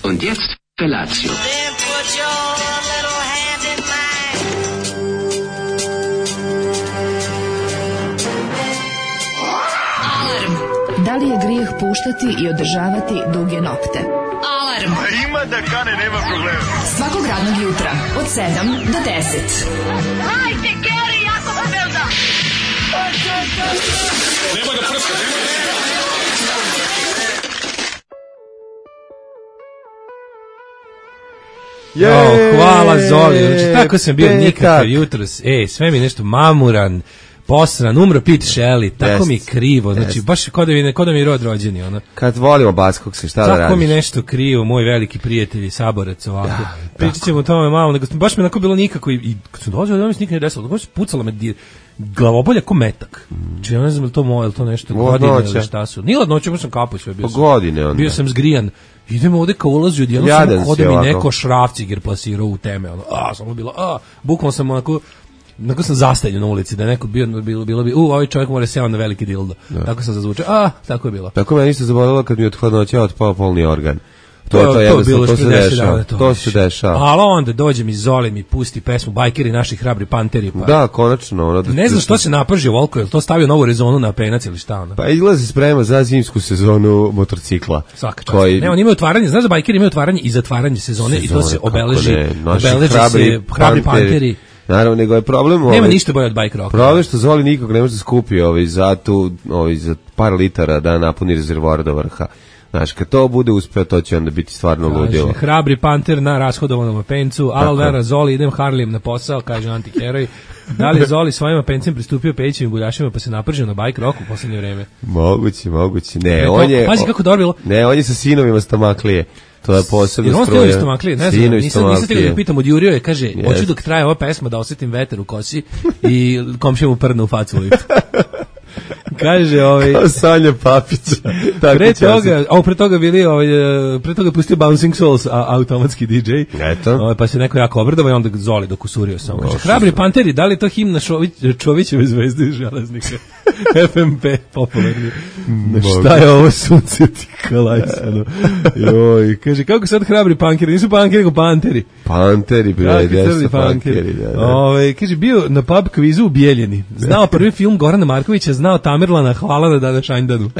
Und jetzt Felatio. Da li je grijeh puštati i održavati duge nokte? Alarm! Ima da kane, nema problema. Svakog radnog jutra, od 7 do 10. Hajde, Geri, jako se velda! Nema da prska, Hvala Zoli, znači tako sam bio nikakav jutros, sve mi nešto mamuran, posran, umro Pete Shelley, tako mi krivo, znači baš kod da mi je rod rođeni, ono. Kad volimo Baskog se, šta da radiš? Tako mi nešto krivo, moj veliki prijatelj i saborac ovako. Pričat ćemo o tome malo, nego baš mi onako bilo nikako i kad sam dolazio da mi se nikad ne desilo, baš pucala me glavobolja ko metak. Či ja ne znam je li to nešto godine ili šta su. Nije ladnoće, baš sam kapao sve bio. Godine onda. Bio sam zgrijan. Idemo ovde kao ulazi odjedno samo kode mi neko šrafciger plasirao u teme. Samo bilo, bukvalno sam onako sam zastavljen na ulici, da je neko bilo bi, ovaj čovjek mora seo na veliki dildo. Tako sam zazvučao, tako je bilo. Tako me ništa zaboravilo kad mi od hladnoća otpao polni organ. To se dešava. Ali onda dođem iz Zoli mi pusti pesmu Bajkeri naši hrabri panteri. Pa. Da, konačno. Ne znam što se napržio Volko, je li to stavio novu rezonu na penac ili šta ono? Pa izlazi sprema za zimsku sezonu motorcikla. Svaka čast. Ne, on ima otvaranje, znaš da Bajkeri imaju otvaranje i zatvaranje sezone i to se obeleži se hrabri panteri. Naravno, nego je problem... Nema ništa bolje od bike rocka. Problem što Zoli nikog ne može da skupi za par litara da napuni rezervoar do vrha. Znaš, kad to bude uspeo, to će onda biti stvarno ludilo. Hrabri panter na rashodovanom pencu, Alvera Zoli, idem Harlijem na posao, kaže antiheroj. Da li je Zoli svojim pencem pristupio pećim buljašima pa se napržio na bike rocku u poslednje vreme? Moguće. Ne, on je... Pazi kako dobro bilo. Ne, on je sa sinovima stomaklije. To je posebno struje. Jer on ste stomaklije, ne znam, nisam tega da pitam, od Jurio je, kaže, hoću dok traje ova pesma da osjetim veter u kosi i komšija mu prdne u facu u liftu. Kaže kao Sanja Papića. Pre toga bili pre toga pustio Bouncing Souls automatski DJ. Eto. Pa se neko jako obradovao i onda Zoli dok usurio samo. Kaže hrabri panteri, da li to himna Čovićeve zvezde železnika? FMP popularni. Šta je ovo sunce ti kalajsano? Joj, kaže kako sad hrabri pankeri, nisu pankeri nego panteri. Panteri bre, desu pankeri. Kaže bio na pub kvizu u Bijeljini. Znao prvi film Gorana Markovića, znao Tamerlana, hvala na Dana Šajndanu.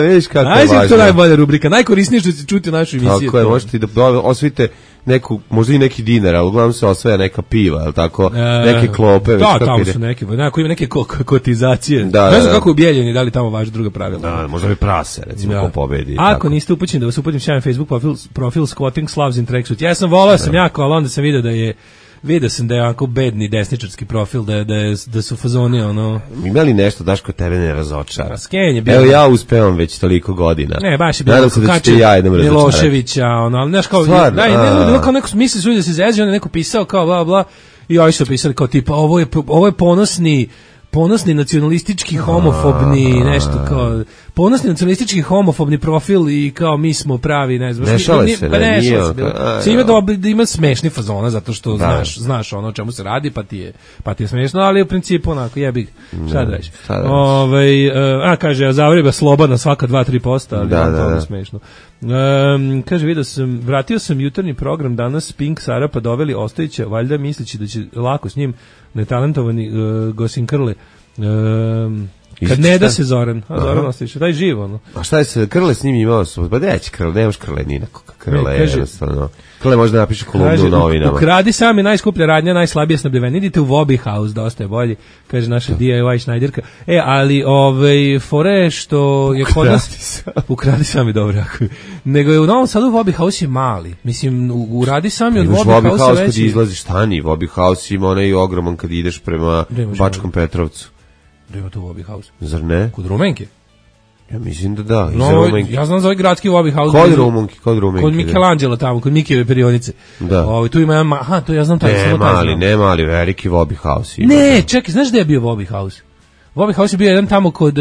Vidiš kako je važno. To je najbolja rubrika, najkorisnije što se čuti u našoj emisiji. Tako je, možete i da osvojite neku, možda i neki dinar, ali uglavnom se osvaja neka piva, ali tako, neke klope. Da, tamo su neke, ima neke kotizacije. Ne znam kako u Bijeljini, da li tamo važi druga pravila. Da, možda bi prase, recimo, ko pobedi. Ako niste upućeni, da vas uputim sjajan Facebook profil Squatting Slavs in Tracksuit. Ja sam volao sam jako, ali onda sam vidio sam da je onako bedni desničarski profil, da su fazoni ono... Ima li nešto, Daško, tebe ne razočara? Skenje bilo... Evo ja uspevam već toliko godina. Ne, baš je bilo... Nadam se da ćete ja jednom razočarati. Miloševića, ali znaš kao... Bilo kao neko misli su da se zezio, onda neko pisao kao bla bla i ovi su pisali kao tipa ovo je ponosni nacionalistički homofobni nešto kao ponosni nacionalistički homofobni profil i kao mi smo pravi, ne znam. Ne šale se, da ima smešni fazona zato što znaš ono o čemu se radi pa ti je smešno, ali u principu onako jebi šta da radiš. Kaže Zavreba slobodna svaka 2-3%, ali to je smešno. Kaže, vratio sam jutarnji program danas, Pink Sarapa doveli Ostojića, valjda misleći da će lako s njim netalentovani Gosin Krle. Kad ne da se Zoran Ostojić, daj živo, ono. A šta je se, Krle s njim imao su, pa neće Krle, nemaš Krle ni nekoga, Krle je jednostavno. Krle možda napiše kolumnu u novinama. Ukradi sami najskuplja radnja, najslabije snabdeveni. Idite u Wobby House, dosta je bolji, kaže naša DIY Šnajderka. Ali fore što je kod nas... Ukradi sami dobro, nego je u Novom Sadu Wobby House je mali. Mislim, uradi sami od Wobby House veći. Kad izlaziš tani, Wobby House ima onaj ogroman kad ideš prema Bačkom Petrovcu. Da ima tu Wobby House. Zar ne? Kod Rumenke? Ja mislim da da. Ja znam za ovaj gradski Wobby House. Kod Rumenke. Kod Michelangelo tamo, kod Mikijeve perionice. Da. Tu ima, to ja znam taj. Ne mali, veliki Wobby House. Ne, čekaj, znaš gde je bio Wobby House? Wobby House je bio jedan tamo kod,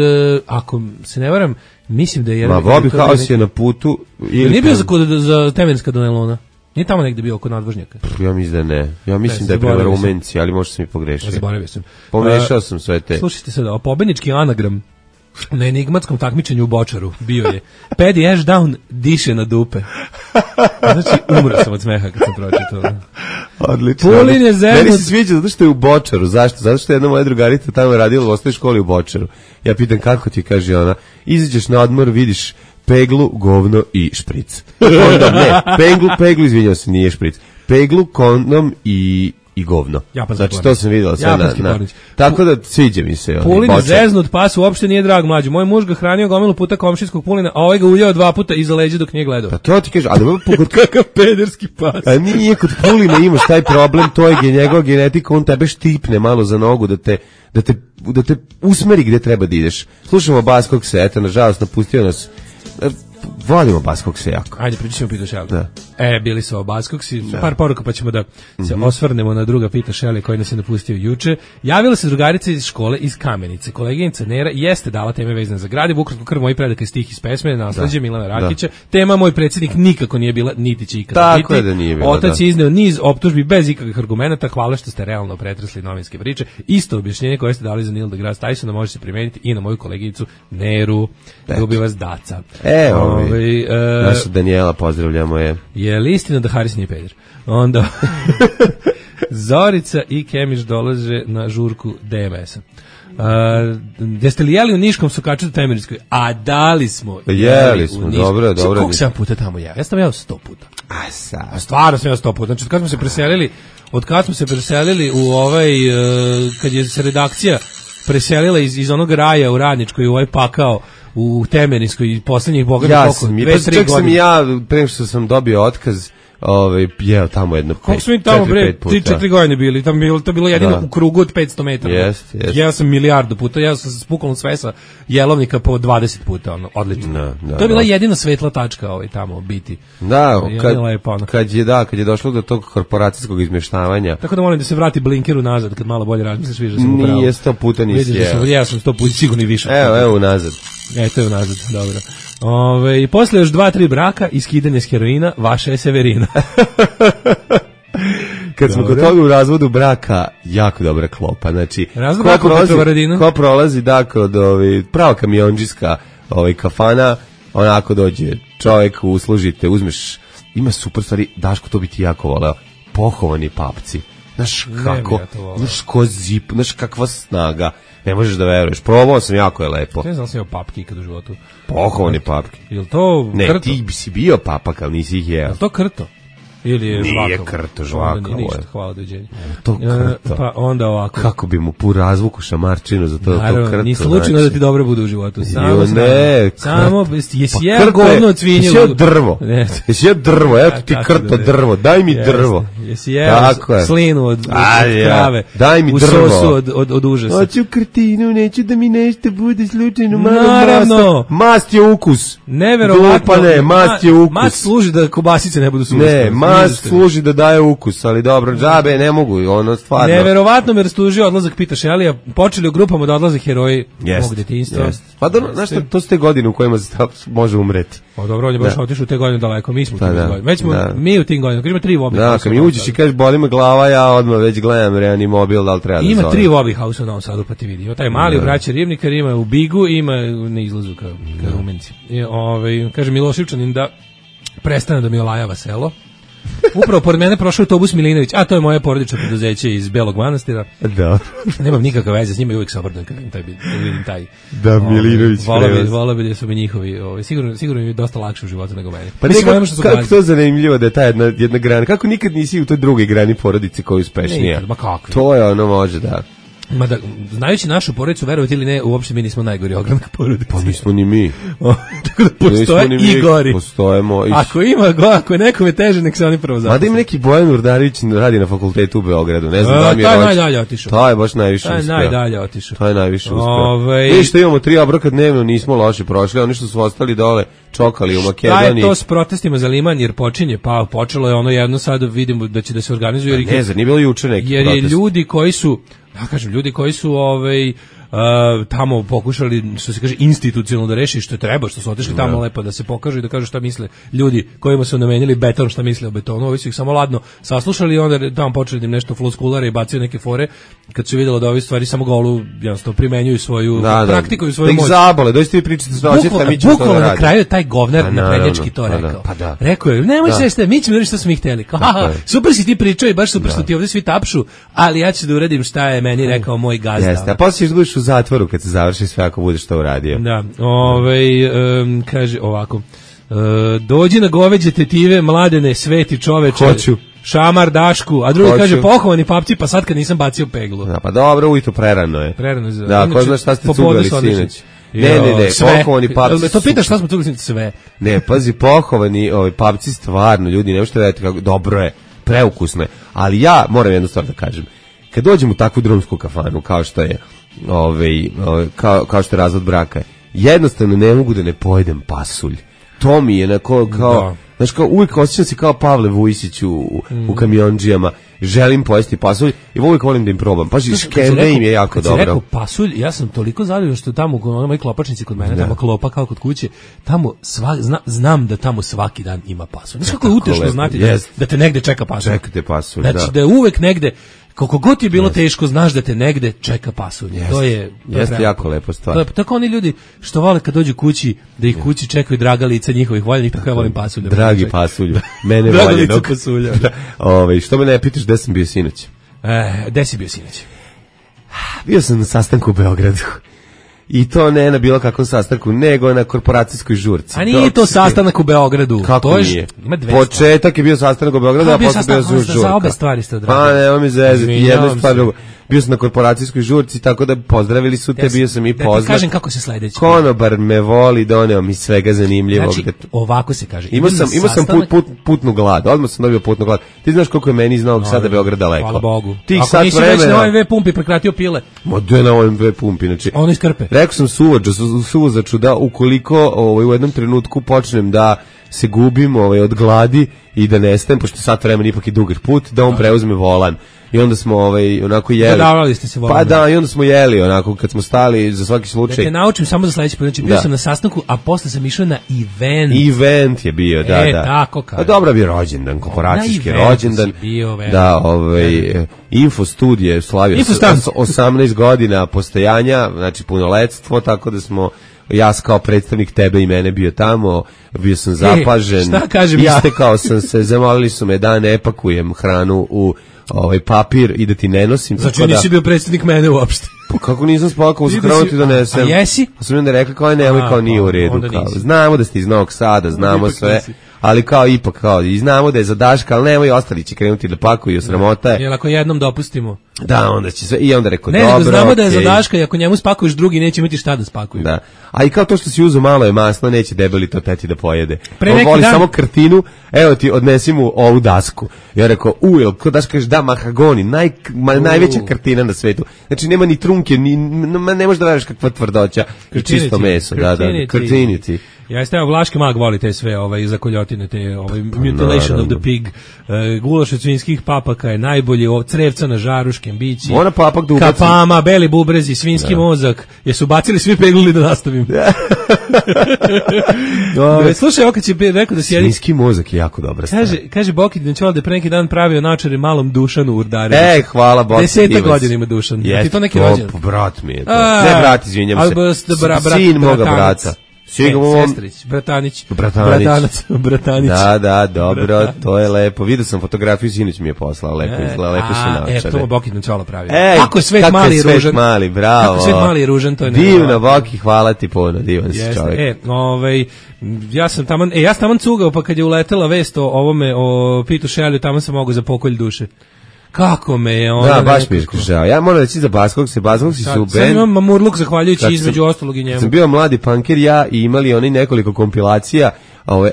ako se ne varam, mislim da je jedan... Wobby House je na putu... Nije bio za Temenska do Nelona? Nije tamo negde bio oko nadvožnjaka? Ja mislim da ne. Ja mislim da je prema Rumenci, ali možda sam i pogrešio. Zaboravio sam. Pomešao sam sve te. Slušajte sad, pobednički anagram Na enigmatskom takmičenju u Bočaru bio je Paddy Ashdown diše na dupe. Znači, umro sam od smeha kad sam pročitao. Odlično. Pulin je zeznut. Meni se sviđa zato što je u Bočaru. Zašto? Zato što je jedna moja drugarica tamo radila u osnovnoj školi u Bočaru. Ja pitam kako ti, kaže ona, izađeš na odmor, vidiš peglu, govno i špric. Kondom, ne, peglu, izvinjao se, nije špric. Peglu, kondom i govno. Znači to sam videla sve na. Tako da sviđa mi se. Pulin je zeznut, pas uopšte nije drag mlađu. Moj muž ga hranio gomilu puta komšijskog pulina, a ovaj ga uljao 2 puta iza leđa dok nije gledao. Pa to ti kaže, a kakav pederski pas. A nije kod Pulina imaš taj problem, to je njegova genetika, on tebe štipne malo za nogu da te usmeri gde treba da ideš. Slušamo Baskog Seta, nažalost napustio nas. Volimo Baskokse jako. Ajde, pričamo Pita Šeli. Bili su o Baskoksi, par poruka pa ćemo da se osvrnemo na druga Pita Šeli koji nas je napustio juče. Javila se drugarica iz škole iz Kamenice. Koleginica Nera jeste dala teme vezane za Gradivo, ukratko krv moji predaka stih iz pesme, nasleđe Milana Rakića. Tema moj predsjednik nikako nije bila, niti će ikada biti. Tako je da nije bila. Otac je izneo niz optužbi bez ikakvih argumenata, hvala što ste realno pretresli novinske priče. Isto objašnjenje koje ste dali za Neil deGrasse Tysona može se primeniti i na moju koleginicu Neru. Ljubi vas Daca. Naša Danijela, pozdravljamo je. Je li istina da Haris nije peder? Onda Zorica i Kemiš dolaze na žurku DMS-a. Jeste li jeli u Niškom sokaču do Temerijskoj? A dali smo. Jeli smo, dobro. Koliko sam puta tamo jeo? Ja sam jeo 100 puta. A stvarno sam jeo 100 puta. Znači, od kad smo se preselili u kad je se redakcija preselila iz onog raja u Radničkoj u ovaj pakao u Temerijskoj i poslednjih boga koliko 2-3 godine. Čak sam i ja, pre što sam dobio otkaz, jeo tamo jedno 4-5 puta. Koliko smo mi tamo, 3-4 godine bili, to je bilo jedino u krugu od 500 metara. Jeo sam milijardu puta, jeo sam s pukolom svesa jelovnika po 20 puta, odlično. To je bila jedina svetla tačka tamo biti. Da, kad je došlo do tog korporacijskog izmeštavanja. Tako da molim da se vrati blinkeru nazad, kad malo bolje razmisliš, vidiš da sam upravo. Nije 100 puta nisi jeo. Ja sam 100 puta, sigurno i više. Evo nazad. Eto je nazad, dobro. I posle još 2-3 braka i skidanje s heroina, vaša je Severina. Kad smo kod toga u razvodu braka, jako dobra klopa. Znači, ko prolazi kod prava kamionđiska kafana, onako dođe čovjek, uslužite, uzmeš, ima super stvari, Daško, to bi ti jako voleo, pohovani papci. Znaš kako, znaš ko zip, znaš kakva snaga. Ne možeš da veruješ. Probao sam, jako je lepo. Ne znam sam jeo papke ikad u životu. Pohovani papke. Je li to krto? Ne, ti bi si bio papak, ali nisi ih jeo. Je li to krto? Ili je nije krto, žvakavo. Ništa, hvala, dođenje. To krto. Pa onda ovako. Kako bi mu pu razvuku šamarčinu za to, naravno, to krto. Nije slučajno da ti dobro bude u životu. Samo, jesi jeo govno od svinju. Jesi jeo drvo. Jesi jeo drvo, evo ti krto drvo, daj mi drvo. Jesi jeo slinu od krave. Daj mi drvo. U sosu od užasa. Hoću krtinu, neću da mi nešto bude slučajno. Naravno. Mast je ukus. Neverovatno. Mast je ukus. Mast služi da kobasice ne budu sušne. Mast služi da daje ukus, ali dobro, džabe ne mogu, stvarno. Neverovatno me rastužio odlazak Pita Šelija, počeli u grupama da odlaze heroji mog detinjstva. Pa znaš što, to su te godine u kojima se može umreti. Pa dobro, on je baš otišao u te godine daleko, mi smo u tim godinama. Već smo mi u tim godinama, kad ima 3 Wobbly House. Kad mi uđeš i kažeš boli me glava, ja odmah već gledam Reanimobil, da li treba da zove. Ima 3 Wobbly House u Novom Sadu, pa ti vidi. Ima taj mali u Braći Ribnikar, ima u Bigu, ima na izlazu ka Rumenci. Kaže Milošivčanin da prestane da mi olajava selo. Upravo pored mene prošao autobus Milinović, a to je moje porodično preduzeće iz Belog Manastira. Da. Nemam nikakve veze s njima i uvijek se obradujem kad vidim taj. Da, Milinović prevoz. Volao bi da su mi njihovi, sigurno mi je dosta lakše u životu nego meni. Pa kako to zanimljivo da je ta jedna grana, kako nikad nisi u toj drugoj grani porodice koja je uspešnija. Nikad, ma kako. To je može da. Mada, znajući našu porodicu, verovati ili ne, uopšte mi nismo najgori ogranak porodice. Pa nismo ni mi. Tako da postoje i gori. Postojemo. Ako je nekome teže, nek se oni prvo zaposle. Mada ima neki Bojan Urdarić radi na fakultetu u Beogradu. Ne znam da mi je rođen. Taj najdalje otišao. Taj je baš najviše uspeo. Najdalje otišao. Taj je najviše uspeo. Mi što imamo 3 obroka dnevno, nismo loše prošli. Oni što su ostali dole, čokali u Makedoniji. Šta je to s protestima za Liman, jer počelo je ono jedno, sad vidimo da će da se organizuje. Ne znam, nije bilo juče neki protest. Jer je ljudi koji su tamo pokušali, što se kaže, institucionalno da reši što treba, što su otišli tamo lepo da se pokažu i da kažu šta misle ljudi kojima su namenili beton, šta misle o betonu. Ovi su ih samo ladno saslušali i onda tamo počeli da im nešto floskulare i bacaju neke fore kad su vidjeli da ove stvari samo golu jednostavno primenjuju svoju praktikuju svoju moć. Da ih zabole, dođite vi pričate s dođete, mi ćemo to da radimo. Na kraju je taj govnar naprednjački to rekao. Rekao je, nemoj se mi ćemo da što smo ih hteli. Super si ti pričao i baš super što ti ovdje svi tapšu, ali ja ću da uradim šta je meni rekao moj gazda. Jeste, a posle ćeš budeš u zatvoru kad se završi sve ako budeš to uradio. Da, kaže ovako, dođi na goveđe tetive, mladene, sveti čoveče. Hoću. Šamar Dašku, a drugi kaže pohovani papci, pa sad kad nisam bacio peglu. Da, pa dobro, ujutro prerano je. Prerano je. Da, ko zna šta ste cugali sinoć. Ne, pohovani papci. To pitaš šta smo cugali sinoć, sve. Ne, pazi, pohovani papci stvarno, ljudi, ne možete raditi kako, dobro je, preukusno je. Ali ja moram jednu stvar da kažem. Kad dođem u takvu drumsku kafanu, kao što je kao što je razvod braka, jednostavno ne mogu da ne pojedem pasulj. To mi je kao znaš, kao uvijek osjećam se kao Pavle Vujsić u kamionđijama. Želim pojesti pasulj i uvijek volim da im probam. Pa škembe im je jako dobro. Kad si rekao pasulj, ja sam toliko zadovoljan što tamo u mojoj klopačnici kod mene, tamo klopa kao kod kuće, tamo znam da tamo svaki dan ima pasulj. Znaš kako je utešno znati da te negde čeka pasulj. Čekate pasulj, znači da je uvek negde, koliko god je bilo teško, znaš da te negde čeka pasulj. To je jako lepo stvar. Tako oni ljudi što vole kad dođu kući, da ih kući čekaju draga lica njihovih voljenih, tako ja volim pasulj. Dragi pasulj, mene voljenog. Što me ne pitaš gde sam bio sinoć? Gde si bio sinoć? Bio sam na sastanku u Beogradu. I to ne na bilo kakvom sastanku, nego na korporacijskoj žurci. A nije to sastanak u Beogradu. Kako nije? Početak je bio sastanak u Beogradu, a posle bio žurka. Za obe stvari ste odradili. Pa ne, ovo mi zezati, jedna stvar drugo. Bio sam na korporacijskoj žurci, tako da pozdravili su te, bio sam i poznat. Da ti kažem kako se sledeći. Konobar me voli, doneo mi svega zanimljivog. Znači, ovako se kaže. Imao sam putnu glad, odmah sam dobio putnu glad. Ti znaš koliko je meni iz Novog Sada Beograd daleko. Hvala Bogu. Ako nisi već na OMV pumpi prekratio pile. Ma gde na OMV pumpi, znači. Ono iz Krpe. Rekao sam suvozaču da ukoliko u jednom trenutku počnem da se gubim od gladi i da nestajem, pošto sat vremena ipak je dugar put, da on preuzme volan. I onda smo onako jeli. Dodavali ste se volan. Pa da, i onda smo jeli onako kad smo stali za svaki slučaj. Da te naučim samo za sledeći put. Znači bio sam na sastanku, a posle sam išao na event. Event je bio, da. Tako kaže. Pa dobro bio rođendan, korporacijski rođendan. Da, Info studije slavio 18 godina postojanja, znači punoletstvo, tako da smo ja kao predstavnik tebe i mene bio tamo, bio sam zapažen. Šta kažem ja? Istekao sam se, zamolili su me da ne pakujem hranu u papir i da ti ne nosim. Znači nisi bio predstavnik mene uopšte. Pa kako nisam spakovao za hranu ti donesem. A jesi? Pa sam onda rekli kao nemoj, kao nije u redu. Znamo da ste iz Novog Sada, znamo sve. Ali kao ipak i znamo da je za Daška, ali nemoj, ostali će krenuti da pakuju, sramota je. Jel ako jednom dopustimo? Da, onda će sve, i onda rekao, dobro, nego znamo da je za Daška i ako njemu spakuješ drugi, neće imati šta da spakuju. Da, a i kao to što si uzeo malo je masno, neće debeli to teti da pojede. On voli samo krtinu, evo ti odnesi mu ovu dasku. Ja rekao, ko Daška kaže, da, mahagoni, najveća krtina na svetu. Znači nema ni trunke, ne možeš da veriš kakva tvrdoća, čisto meso, krtiniti. Ja ste Vlaški mag voli te sve zakoljotine, te mutilation of the pig, gulaš od svinjskih papaka je najbolji, crevca na žaru, škembići, kapama, beli bubrezi, svinjski mozak. Jesu bacili svi pegluli da nastavim? Slušaj, ovo kad si rekao da sjedi... Svinjski mozak je jako dobra stvar. Kaže Boki Dinčoval da je pre neki dan pravio načare malom Dušanu Urdareviću. Hvala Boki. 10 godina ima Dušan. Ti to neki rođen? Brat mi je to. Ne brat, izvinjam se. Sin moga brata. Sestrić, Bratanić. Da, dobro, to je lepo. Vidio sam fotografiju, sinoć mi je poslao, lepo izgleda, lepo se naočare. To Boki Dinčovala pravio. Kako je svet mali i ružan. Bravo. Kako svet mali i ružan, to je divno, Boki, hvala ti puno, divan si čovjek. Ja sam taman cugao, pa kad je uletela vest o ovome, o Pitu Šelju, tamo sam mogao za pokolj duše. Kako me je on... Da, baš mi je žao. Ja moram reći za Baskogsi su band... Sad imam Mamurluk, zahvaljujući između ostalog i njemu. Sam bio mladi punker, ja i imali oni nekoliko kompilacija.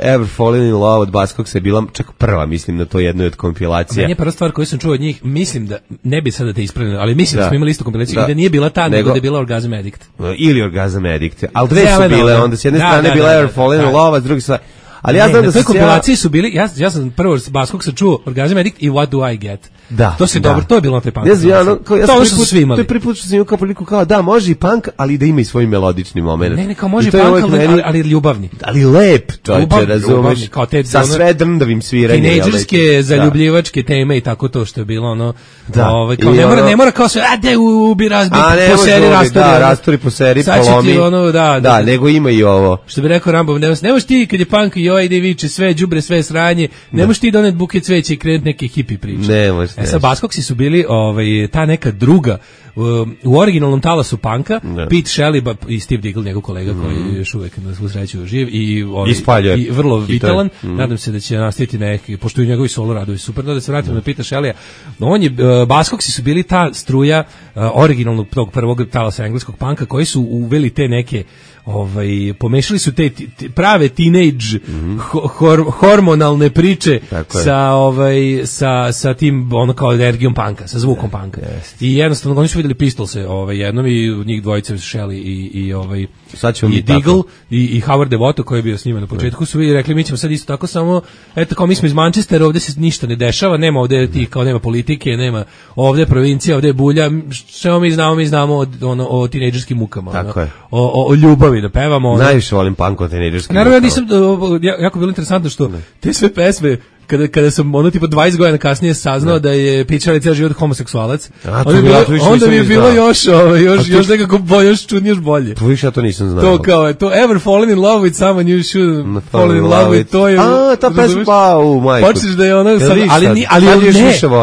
Ever Fallen in Love od Baskogsa je bila čak prva, mislim, na to jednoj od kompilacija. Meni je prva stvar koju sam čuo od njih, mislim da, ne bi sada te ispravljeno, ali mislim da smo imali istu kompilaciju i da nije bila ta, nego da je bila Orgasm Addict. Ili Orgasm Addict. Ali dve su bile, onda s jedne strane bila Ever Fallen in Love, a s druge strane... Ali ja znam da na toj kompilaciji su bili, ja sam prvo s Baskogsa čuo Orgasm Addict i What Do I Get. To se dobro, to je bilo na taj punk. Ne znam, ja to što su svi imali. To je prvi put što sam imao kao priliku kao da, može i punk, ali da ima i svoj melodični moment. Ne, kao može punk, ali ljubavni. Ali lep, čovječe, razumeš, sa sve drndavim sviranjem. Tinejdžerske, zaljubljivačke teme i tako to što je bilo, ono, kao ne mora kao sve, de ubi, razbi, poseri, rastori, poseri, polomi. Da, nego ima i ovo. Što bi rekao Rambo, ne možeš ti kad je punk i joj ide viče, sve đubre, sve sranje, ne možeš ti donet buket cveća i krenuti neke hipi priče. Ne možeš. Sa Buzzcocksi su bili ta neka druga u originalnom talasu punka, Pete Shelley i Steve Diggle, njegov kolega koji je još uvek na svu sreću živ i vrlo vitalan. Nadam se da će nastaviti neki, pošto i njegovi solo radovi super. Da se vratimo na Pete Shelley. Buzzcocksi su bili ta struja originalnog tog prvog talasa engleskog punka koji su uveli te neke pomešali su te prave teenage hormonalne priče sa tim ono kao energijom punka, sa zvukom punka. I jednostavno oni su vidjeli Pistolse jednom i njih dvojice Shelley i Diggle i Howard Devoto koji je bio s njima na početku su rekli mi ćemo sad isto tako samo eto kao mi smo iz Manchestera, ovdje se ništa ne dešava, nema ovdje tih kao nema politike, nema ovdje provincija, ovdje bulja, što mi znamo o tinejdžerskim mukama, o ljubavi da pevamo. Najviše volim punk o tinejdžerskim mukama. Naravno, nisam, jako bilo interesantno što te sve pesme kada sam tipa 20 godina kasnije saznao da je Pete Shelley cijeli život homoseksualac, onda mi je bilo još nekako još čudnije, još bolje. To više ja to nisam znao. To kao je, to ever fallen in love with someone you should fall in love with, to je... ta pesma, majko. Počneš da je ono, ali ne,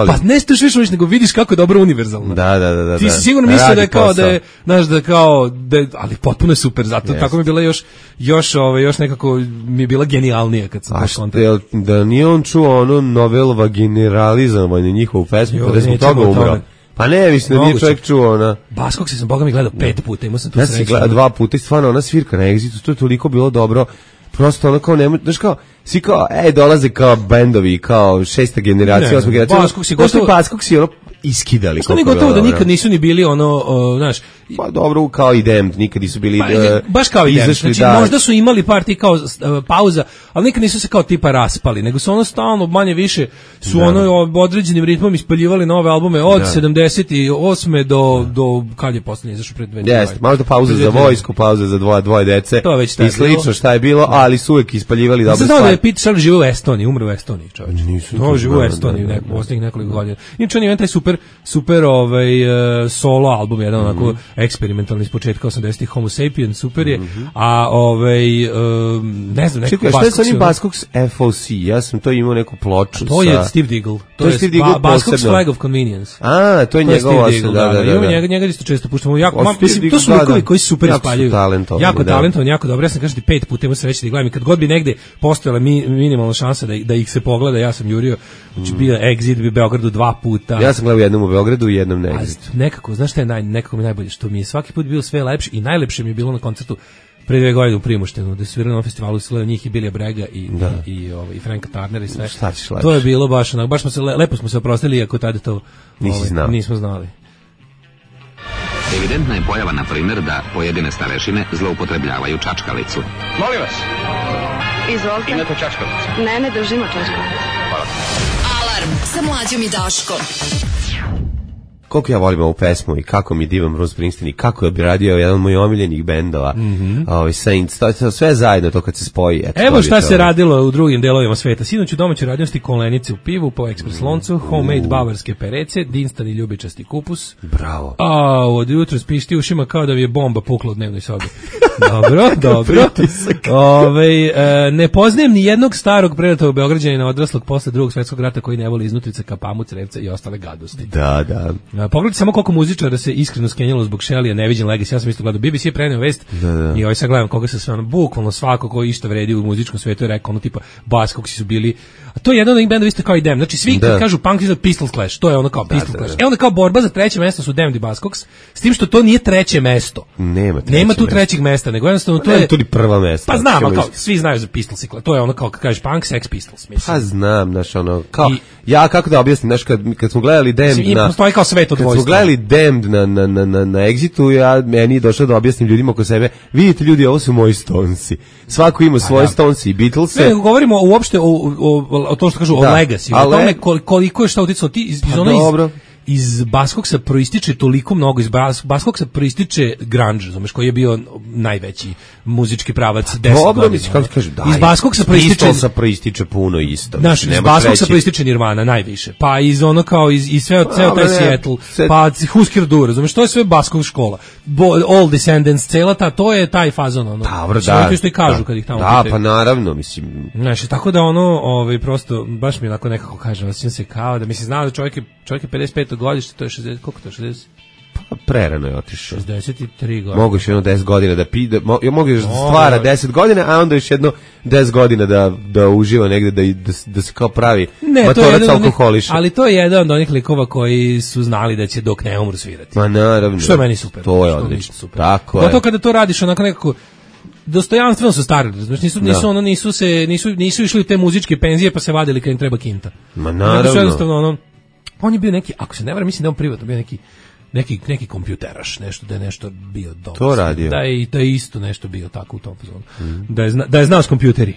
pa ne što više voliš, nego vidiš kako je dobro univerzalno. Da. Ti si sigurno mislio da je kao da je, znaš, da je kao, ali potpuno je super, zato tako mi je bila još nekako mi je bila genijalnija kad sam baš kontakt. Da nije on čuo ono novel generalizovanje njihovu pesmu, pa da smo toga umrao. Pa ne, mislim da nije čovjek čuo ona. Buzzcocksi sam boga mi gledao 5 puta, imao sam tu sreću. Ja sam gledao 2 puta i stvarno ona svirka na Exitu, to je toliko bilo dobro. Prosto ono kao nema, znaš kao, svi kao, dolaze kao bendovi, kao 6. generacija, 8. generacija. Buzzcocksi ono iskidali. Što ni gotovo da nikad nisu ni bili ono, znaš... Pa dobro, kao i Damned, nikad nisu bili... baš kao i Damned, znači možda su imali par ti kao pauza, ali nikad nisu se kao tipa raspali, nego su ono stalno, manje više, su određenim ritmom ispaljivali nove albume od 78. do kad je posljednje izašao pred 2 godine. Jeste, možda pauza za vojsku, pauza za dvoje dece i slično šta je bilo, ali su uvek ispaljivali dobre stvari. Znao da je Pete Shelley živio u Estoniji, umro u Estoniji, čovječ. Živio u Estoniji u posljednjih nekoliko godina. Inače on je taj super solo album, jedan onako eksperimentalni iz početka 80-ih, Homo Sapien, super je, a ne znam, neko Buzzcocks... Šta je sa onim Buzzcocks FOC? Ja sam to imao neku ploču. To je Steve Diggle. To je Buzzcocks Flag of Convenience. To je njegov osam, da. Njega isto često puštamo. Mislim, to su likovi koji se super ispaljuju. Jako talentovan, jako dobro. Ja sam kažem ti 5 puta imao sreće da ih gledam i kad god bi negde postojala minimalna šansa da ih se pogleda, ja sam jurio. Znači bio Exit u Beogradu 2 puta. Ja sam gledao jednom u Beogradu i jednom na Exit. Nekako, znaš šta je nekako mi najbolje, što mi je svaki put bilo sve lepše i najlepše mi je bilo na koncertu pre 2 godine u Primoštenu, da su svirali na festivalu, svirali njih i Billy Bragga i Franka Turnera i sve. To je bilo baš smo se lepo smo se oprostili, iako tada to nismo znali. Evidentna je pojava, na primjer, da pojedine starešine zloupotrebljavaju čačkalicu. Molim vas. Izvolite. Imate čačkalicu? Ne držimo čačkalicu. Hvala. Alarm sa Mlađom i Daškom. Koliko ja volim ovu pesmu i kako mi divan Bruce Springsteen i kako je obradio jedan od mojih omiljenih bendova, Saints, to sve zajedno to kad se spoji. Evo šta se radilo u drugim delovima sveta. Sinoć u domaćoj radiosti kolenice u pivu, po ekspres loncu, homemade bavarske perece, dinstani ljubičasti kupus. Bravo. Od jutra spišti ušima kao da bi je bomba pukla u dnevnoj sobi. Dobro. Ne poznajem ni jednog starog predatog Beograđanina odraslog posle Drugog svjetskog rata koji ne voli iznutrice ka pamu, crevca i ostale gadosti. Da. Pogledajte samo koliko muzičara se iskreno skenjalo zbog Shelley, neviđen legacy. Ja sam isto gledao, BBC je preneo vest i sad gledam koga se sve bukvalno svako ko išta vredi u muzičkom svetu je rekao tipa Buzzcocksi su bili, a to je jedan od njih bendova isto kao i Damned. Znači svi kad kažu punk iza Pistol Clash, to je ono kao Pistol Clash. Onda kao borba za treće mesto su Damned i Buzzcocks, s tim što to nije treće mesto. Nema tu trećeg mesta, nego jednostavno to je tudi prva mesta. Pa znam, kao svi znaju za Pistol Clash. To je ono kao kad kažeš punk, Sex Pistols, mislim. Pa znam, znaš ono, kao ja kako da objasnim, znaš kad smo gledali Damned postoji kao svet to dvojstvo. Kad smo gledali Damned na Exitu, meni je došlo da objasnim ljudima oko sebe, vidite ljudi, ovo su moji Stonesi. Svako ima svoje Stonesi i Beatlese. Ne, govorimo uopšte o to što kažu, o legacy, o tome koliko je šta uticalo ti iz Baskoksa proističe toliko mnogo, iz Baskoksa proističe grunge, znaš, koji je bio najveći muzički pravac 10 godina. Kako kažu, da. Iz Baskoksa proističe puno isto. Znaš, iz Baskoksa proističe Nirvana najviše. Pa iz ono kao iz ceo taj Seattle, pa Husker Du, razumeš, to je sve Baskok škola. All Descendants, cela to je taj fazon, ono. Da, što i kažu kad ih tamo pitaju. Pa naravno, mislim. Znaš, tako da ono, prosto baš mi onako nekako kažem, osjećam se kao da mislim, znao da čovjek je 55. godište, to je 60, koliko to je, 60? Pa prerano je otišao. 63 godine. Mogu još jedno 10 godina da pide, mogu još stvara 10 godina, a onda još jedno 10 godina da uživa negde, da se kao pravi matorac alkoholiša. Ali to je jedan od onih likova koji su znali da će dok ne umru svirati. Ma naravno. Što je meni super. To je odlično. Super. Tako je. To kada to radiš onako nekako dostojanstveno su starili, znači nisu išli u te muzičke penzije pa se vadili kad im treba kinta. Ma naravno. On je bio neki, ako se ne varam, mislim da on privatno bio neki kompjuteraš, da je nešto bio dobro. To radio. Da je isto nešto bio tako u tom fazonu. Da je znao s kompjuteri.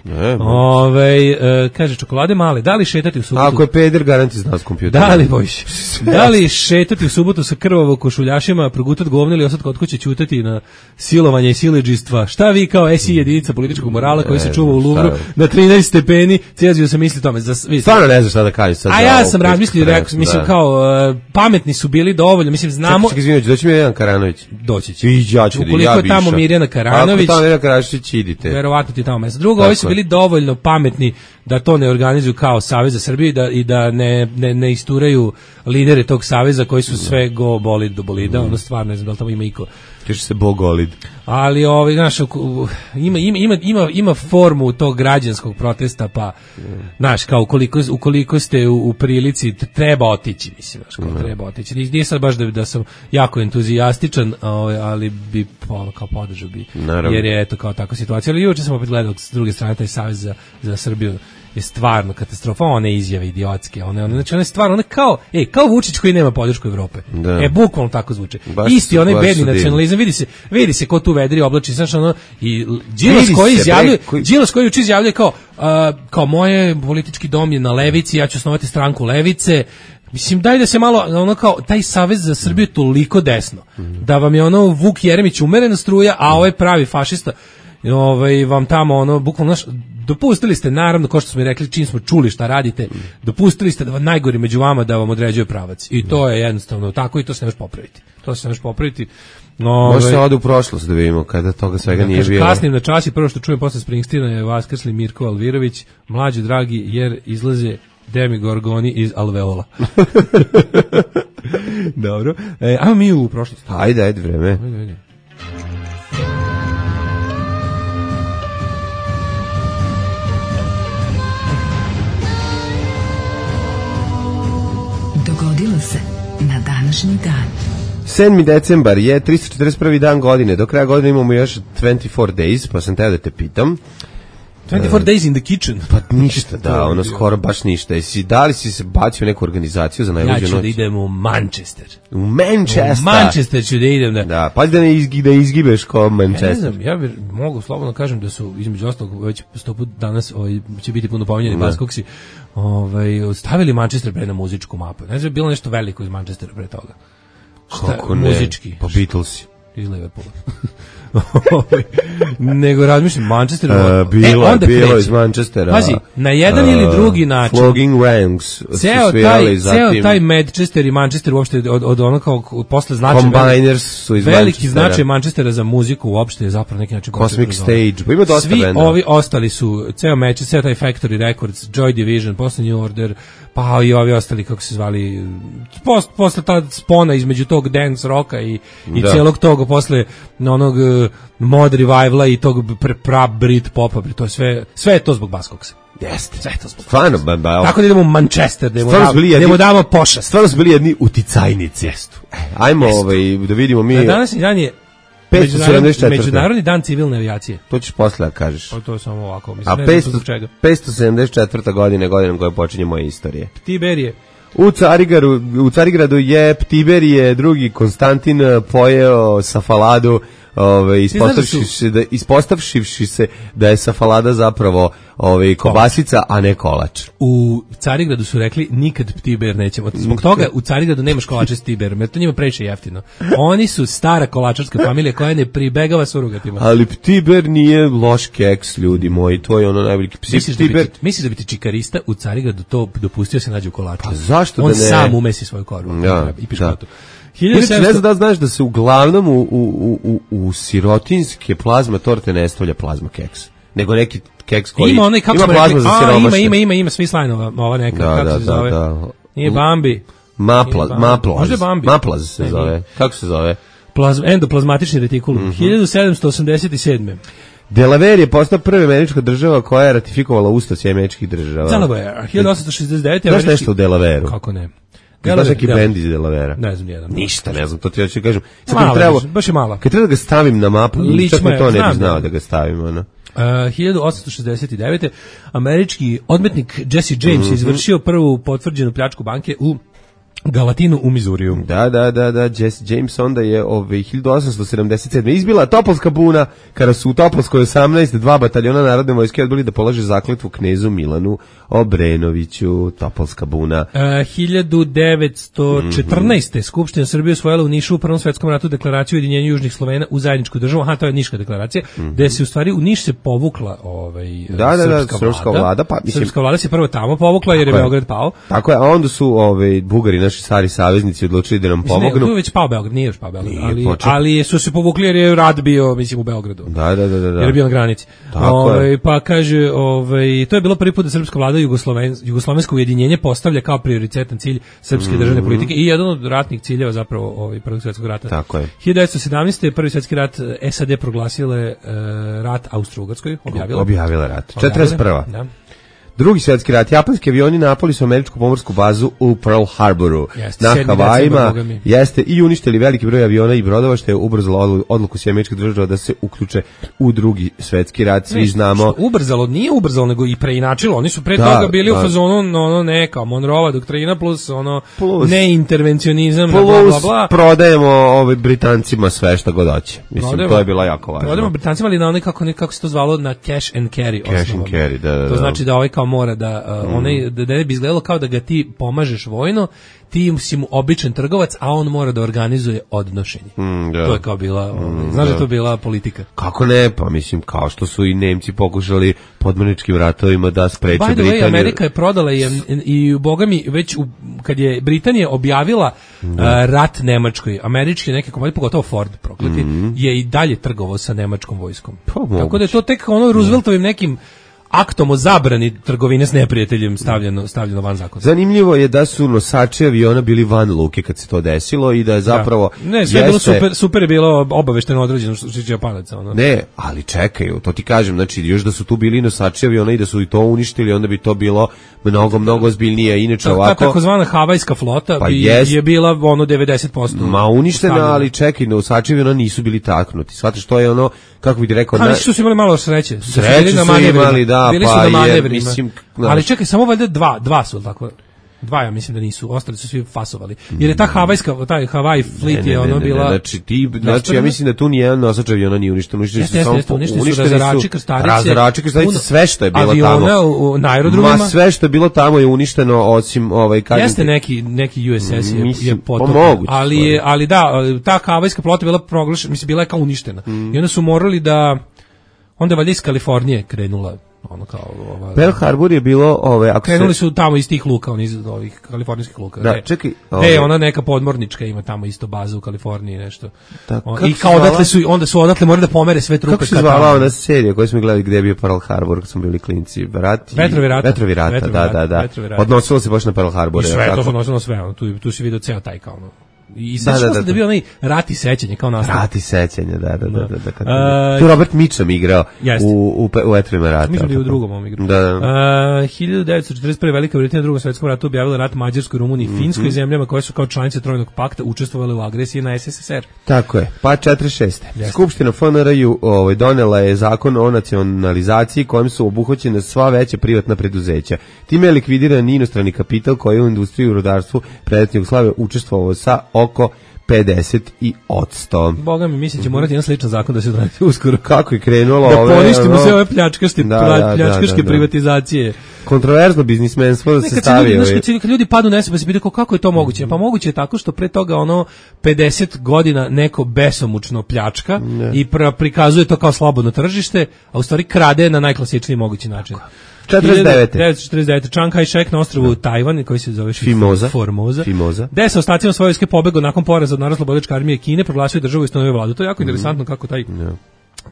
Kaže, čokolade male, da li šetati u subotu? Ako je peder, garanti znao s kompjuteri. Da li šetati u subotu sa krvavo košuljašima, progutat govno ili osad kod kuće ćutati na silovanje i siledžijstva? Šta vi kao SI jedinica političkog morala koji se čuva u Luvru na 13 stepeni, cijezio sam misli tome. Stvarno ne znaš šta da kažeš sad. A ja sam razmislio, rekao, mislim kao pametni su bili dovoljno, mislim znamo. Čekaj, izvinite, doći mi Mirjana Karanović. Doći će. Ukoliko je tamo Mirjana Karanović. Ako tamo Mirjana Karanović, idite. Verovatno ti tamo mjesto. Drugo, ovi su bili dovoljno pametni da to ne organizuju kao Savez za Srbiju i da ne isturaju lidere tog saveza koji su sve go bolid do bolida. Ono stvarno ne znam da li tamo ima iko. Kaže se Bogolid. Ali znaš, ima formu tog građanskog protesta, pa znaš, kao ukoliko ste u prilici, treba otići, mislim, znaš, kao treba otići. Nije sad baš da sam jako entuzijastičan, ali bi kao podržao bi, jer je eto kao takva situacija. Ali juče sam opet gledao s druge strane taj Savez za Srbiju je stvarno katastrofa, one izjave idiotske, znači one stvarno, one kao Vučić koji nema podršku Evrope. Bukvalno tako zvuče. Isti onaj bedni nacionalizam, vidi se ko tu vedri oblači, znači i Đilas koji juče izjavljuje kao moje politički dom je na levici, ja ću osnovati stranku levice. Mislim, daj da se malo, kao, taj Savez za Srbiju je toliko desno, da vam je Vuk Jeremić umerena struja, a ovaj pravi fašista, vam tamo, bukvalno, dopustili ste, naravno, kao što smo i rekli, čim smo čuli šta radite, dopustili ste da najgori među vama da vam određuje pravac. I to je jednostavno tako i to se ne može popraviti. Može se ode u prošlost da vidimo kada toga svega nije bilo. Kasnim na čas i prvo što čujem posle Springsteena je vaskrsli Mirko Alvirović, mlađi dragi, jer izlaze Demigorgoni iz alveola. Dobro. Ajmo mi u prošlost. Ajde, vreme. Ajde. Dogodilo se na današnji dan. 7. decembar je 341. dan godine. Do kraja godine imamo još 24 days, pa sam teo da te pitam. 24 days in the kitchen. Pa ništa, da, skoro baš ništa. Da li si se bacio u neku organizaciju za najluđu noć? Ja ću da idem u Manchester. U Manchester? U Manchester ću da idem. Da, pa da ne izgibeš kao Manchester. Ja ne znam, ja mogu slobodno kažem da su, između ostalog, već 100 put danas će biti puno pominjeni Baskoksi, stavili Manchester pre na muzičku mapu. Ne znam, bilo nešto veliko iz Manchestera pre toga. Kako ne? Muzički. Pa Beatlesi. Iz Liverpoola. Nego razmišljam, Manchester... bilo iz Manchestera. Pazi, na jedan ili drugi način... Flogging Ranks. Ceo taj Manchester i Manchester uopšte od ono kao posle značaja... Combiners su iz veliki značaj Manchestera za muziku uopšte je zapravo neki način... Cosmic Stage. Pa ima dosta svi benda. Ovi ostali su, ceo Manchester, ceo taj Factory Records, Joy Division, posle New Order, pa i ovi ostali, kako se zvali, posle ta spona između tog dance rocka i celog toga, posle onog mod revivala i tog Brit popa, to je sve je to zbog Baskoksa. Jeste. Sve je to zbog stvarno, tako da idemo u Manchester, da mu damo pošast. Stvarno su bili jedni uticajnici. Ajmo da vidimo mi... Na današnji dan je 574. Međunarodni dan civilne avijacije. To ćeš posle da kažeš. Pa to je samo ovako. Mislim, a 574. godine koja počinje moja istorija. Tiberije. U Carigradu je Tiberije drugi Konstantin pojeo safaladu, ispostavšivši se da je safalada zapravo kobasica, a ne kolač. U Carigradu su rekli nikad Ptiber nećemo. Zbog toga u Carigradu nemaš kolače s Tiberom, jer to njima previše jeftino. Oni su stara kolačarska familija koja ne pribegava surogatima. Ali Ptiber nije loš keks, ljudi moji, to je ono najbolji. Misliš da bi ti čikarista u Carigradu to dopustio se nađe u kolaču? Pa zašto on da ne? On sam umesi svoju korvu i piškotu. Ne znam da znaš da se uglavnom u sirotinske plazma torte ne stavlja plazma keks, nego neki keks koji ima plazma za siromašne. Ima Svislajnova, ova neka, kako se zove? Nije Bambi. Maplaz se zove. Kako se zove? Endoplazmatični retikulum. 1787. Delaware je postao prva američka država koja je ratifikovala Ustav američkih država. Delaware, 1869. Znaš nešto o Delavere-u? Kako ne? Znaš neki bend iz Delavera? Ne znam jedan. Ništa, ne znam, to ti hoću kažem. Baš je malo. Kad treba da ga stavim na mapu, čak me to ne bi znao da ga stavim, ono. 1869. američki odmetnik Jesse James je izvršio prvu potvrđenu pljačku banke u Galatinu u Mizuriju. Da, Jesse James onda je 1877. izbila Topolska buna, kada su u Topolskoj 18. 2 bataljona narodne vojske odbili da polaže zakletvu knezu Milanu Obrenoviću. Topolska buna. 1914. Skupština Srbije usvojila u Nišu u Prvom svetskom ratu deklaraciju o ujedinjenju južnih Slovena u zajedničku državu. To je Niška deklaracija, gde se u stvari u Niš se povukla srpska vlada. Srpska vlada se prvo tamo povukla jer je Beograd pao. Tako je, a onda su Bugari, naši stari saveznici, odlučili da nam pomognu. Tu je već pao Beograd, nije još pao Beograd, ali su se povukli jer je rat bio, mislim, u Beogradu. Da. Jer je bio na granici. Pa kaže, to je bilo prvi put da srpska vlada jugoslovensko ujedinjenje postavlja kao prioritetan cilj srpske državne politike i jedan od ratnih ciljeva zapravo Prvog svjetskog rata. Tako je. 1917. Prvi svjetski rat SAD proglasile rat Austro-Ugarskoj, objavila rat. 41. Da. Drugi svjetski rat, japanski avioni napali su američku pomorsku bazu u Pearl Harboru na Havajima, jeste i uništili veliki broj aviona i brodova, što je ubrzalo odluku američkih država da se uključe u drugi svjetski rat. Svi znamo. Nije ubrzalo, nego i preinačilo. Oni su pre toga bili u fazonu neka Monroeva doktrina plus neintervencionizam, plus prodajemo Britancima sve što god hoće. Mislim, to je bilo jako važno. Prodajemo Britancima, ali na onaj kako se to zvalo, na cash and carry. Cash and carry, da. To znači da kao mora da da ne bi izgledalo kao da ga ti pomažeš vojno, ti si mu običan trgovac, a on mora da organizuje odnošenje. To je kao bila, znaš da to bila politika. Kako ne, pa mislim kao što su i Nemci pokušali podmorničkim ratovima da spreče Britaniju. By the way, Amerika je prodala i bogami već kad je Britanija objavila rat Nemačkoj, američki neke kompanije, pogotovo Ford prokleti, je i dalje trgovao sa nemačkom vojskom. Tako da je to tek Rooseveltovim nekim aktom o zabrani trgovine s neprijateljem stavljeno van zakona. Zanimljivo je da su nosači aviona bili van luke kad se to desilo i da je zapravo... Ne, sve je bilo super je bilo obavešteno određeno što će Japanaca. Ne, ali čekaju, to ti kažem, znači još da su tu bili nosači aviona i da su i to uništili, onda bi to bilo mnogo ozbiljnije. Inače ovako... Ta takozvana havajska flota je bila 90%. Ma uništena, ali čekaj, nosači aviona nisu bili taknuti. Shvataš, to je kako bih ti rekao... Ali što su imali malo sreće. Sreće su imali, da, bili su na manevrima. Ali čekaj, samo valjda dva su tako. Dva, ja mislim da nisu, ostali su svi fasovali. Jer je ta havajska, taj Hawaii fleet je bila... Znači, ja mislim da tu nijedan nosač aviona nije uništen. Uništeni su razarači, krstarice, sve što je bilo tamo. Aviona na aerodromima. Sve što je bilo tamo je uništeno, osim... Jeste neki USS je potopljen. Ali da, ta havajska flota bila proglašena, mislim, bila je kao uništena. I onda su morali da... Onda je valjda iz Kalifornije krenula Pearl Harbor je bilo krenuli su tamo iz tih luka, iz ovih kalifornijskih luka. Da, čekaj. Ona neka podmornička ima tamo isto bazu u Kaliforniji nešto. I kao onda su odatle morali da pomere sve trupe. Kako se zvala ona serija koju smo gledali gdje je bio Pearl Harbor kad smo bili klinci? Vetrovi rata. Da. Odnosilo se baš na Pearl Harbor. I sve, to se odnosilo na sve. Tu si vidio ceo taj kao I sećaš da bio onaj Rat i sećanje kao nastavak. Rat i sećanje, da. Tu Robert Mitchum igrao u Vetrovima rata. Mislim da je u drugom ovom igru. 1941. Velika Britanija u drugom svjetskom ratu objavila rat Mađarskoj, Rumuniji i Finskoj, zemljama koje su kao članice Trojnog pakta učestvovale u agresiji na SSSR. Tako je. Pa 46. Skupština FNR-u donela je zakon o nacionalizaciji kojim su obuhvaćene sva veća privatna preduzeća. Time je likvidiran inostrani kapital koji je u industriji i rudarstvu predetne Jugoslavije učestvovao sa oko 50%. Boga mi, mislim će morati jedan sličan zakon da se donese uskoro. Kako je krenulo da poništimo sve ove pljačkaške privatizacije. Kontroverzno biznismenstvo da se stavi. Kad ljudi padnu na pa se pitaju kako je to moguće? Pa moguće je tako što pre toga 50 godina neko besomučno pljačka i prikazuje to kao slobodno tržište, a u stvari krade na najklasičniji mogući način. 1949. Chiang Kai-shek na ostrvu Tajvan, koji se zove Formosa. Gde se ostacima svoje vojske pobegao nakon poraza od Narodnooslobodilačke armije Kine, proglasio državu i ustanovio vladu. To je jako interesantno kako taj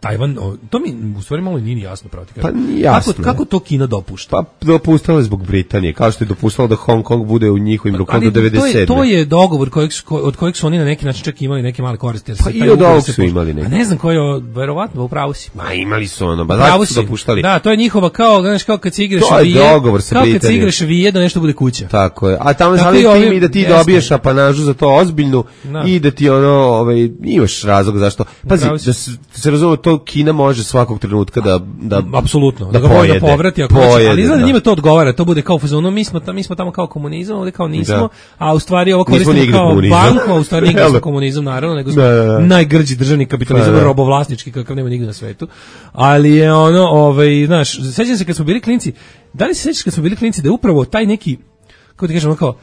Tajvan, to mi u stvari malo nije jasno pravo ti kažem. Pa nije jasno. Kako to Kina dopušta? Pa dopustalo je zbog Britanije, kao što je dopustalo da Hong Kong bude u njihovim rukama do 97. To je dogovor od kojeg su oni na neki način čak imali neke male koristi. Pa i od ovog su imali neki. A ne znam koji je, verovatno, upravo si. Ma imali su zašto su dopuštali. Da, to je njihova kao kad se igraš vije, kao kad se igraš vije da nešto bude kuća. Tako je. A tamo znali tim i da ti dobiješ apanažu za to ozbiljnu i da ti imaš razlog zašto. Pazi, da se razume, to Kina može svakog trenutka da apsolutno da ga može povrati ako hoće, ali izgleda njima to odgovara, to bude kao fazonu mi smo tamo kao komunizam, ovdje kao nismo, a u stvari ovo koristimo kao banku, a u stvari nikad komunizam naravno, nego smo najgrđi državni kapitalizam, robovlasnički kakav nema nigde na svetu, ali je znaš, sećam se kad smo bili klinci, da li se sećaš kad smo bili klinci da je upravo taj neki, kako ti kažem, kao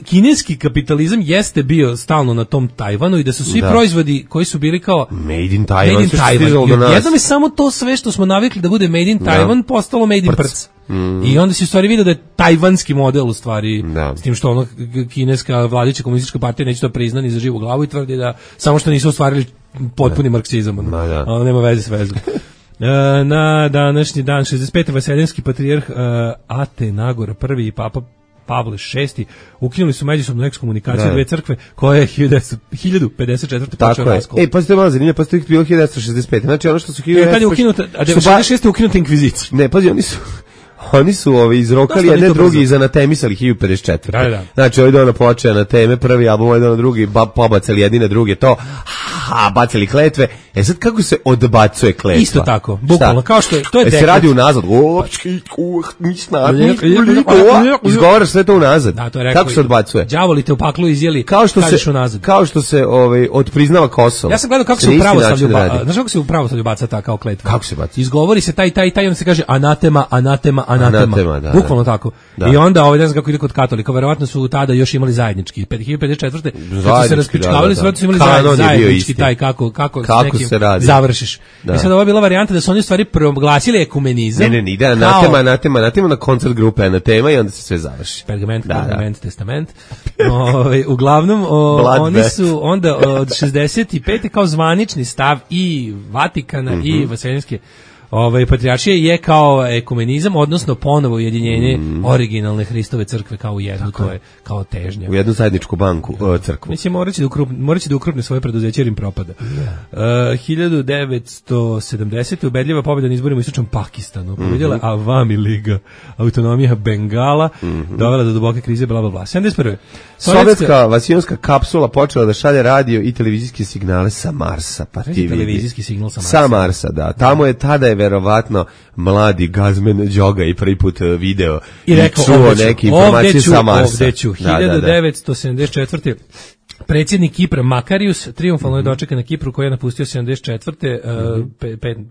kineski kapitalizam jeste bio stalno na tom Tajvanu i da su svi proizvodi koji su bili kao made in Taiwan. Jednom je samo to sve što smo navikli da bude made in Taiwan postalo made in Prc. I onda se u stvari vidio da je tajvanski model u stvari, s tim što kineska vladajuća komunistička partija neće to priznati ni za živu glavu i tvrdi da samo što nisu ostvarili potpuni marksizam. Nema veze s vezom. Na današnji dan 65. Vaseljenski patrijarh Atenagor I i Papa Pavle VI ukinuli su međusobnu ekskomunikaciju dve crkve koje je 1054. počeo raskol. Pazite malo zanimljivo, pa to je bilo 1965. Znači ono što su 1965. Kad je ukinuta, a 96. je ukinuta inkvizicija. Ne, pazi, oni su izrokali jedne drugi i zanatemisali 1054. Da. Znači ovdje ona počeo na teme, prvi album, ovdje na drugi, pobacali jedine druge to, bacali kletve. Sad kako se odbacuje kletva? Isto tako, bukvalno, kao što je, to je dekret. Se radi unazad, izgovaraš sve to unazad. Da, to je rekao. Kako se odbacuje? Đavoli te u paklu izjeli, kažeš unazad. Kao što se odpriznava Kosovo. Ja sam gledao kako se u pravoslavlju baca, znaš kako se u pravoslavlju baca ta kao kletva? Kako se baca? Izgovori se taj, onda se kaže anatema. Bukvalno tako. I onda ne znam kako ide kod katolika, verovatno su tada još imali zajednički. 2054. Kad su se raspičkavali, su imali zajednički taj kako se radi. Završiš. I sad ovo je bila varijanta da su oni u stvari proglasili ekumenizam. Ne, ide anatema na koncert grupe anatema i onda se sve završi. Pergament, testament. Uglavnom, oni su onda od 65. kao zvanični stav i Vatikana i Vaseljenske patrijaršije je kao ekumenizam, odnosno ponovo ujedinjenje originalne Hristove crkve kao u jednu, to je kao težnja. U jednu zajedničku banku, crkvu. Mislim, moraće da ukrupne svoje preduzeće jer im propada. 1970. ubedljiva pobjeda na izborima u istočnom Pakistanu. Pobjedila Avami Liga, autonomija Bengala, dovela do duboke krize, bla, bla, bla. 71. Sovjetska vasijonska kapsula počela da šalje radio i televizijske signale sa Marsa. Pa ti televizijski signal sa Marsa. Sa Marsa, da. Tada je verovatno mladi Gazmen Đoga i prvi put video i čuo neke informacije sa Marsa. 1974. Predsjednik Kipra Makarius triumfalno je dočekan na Kipru koji je napustio 74.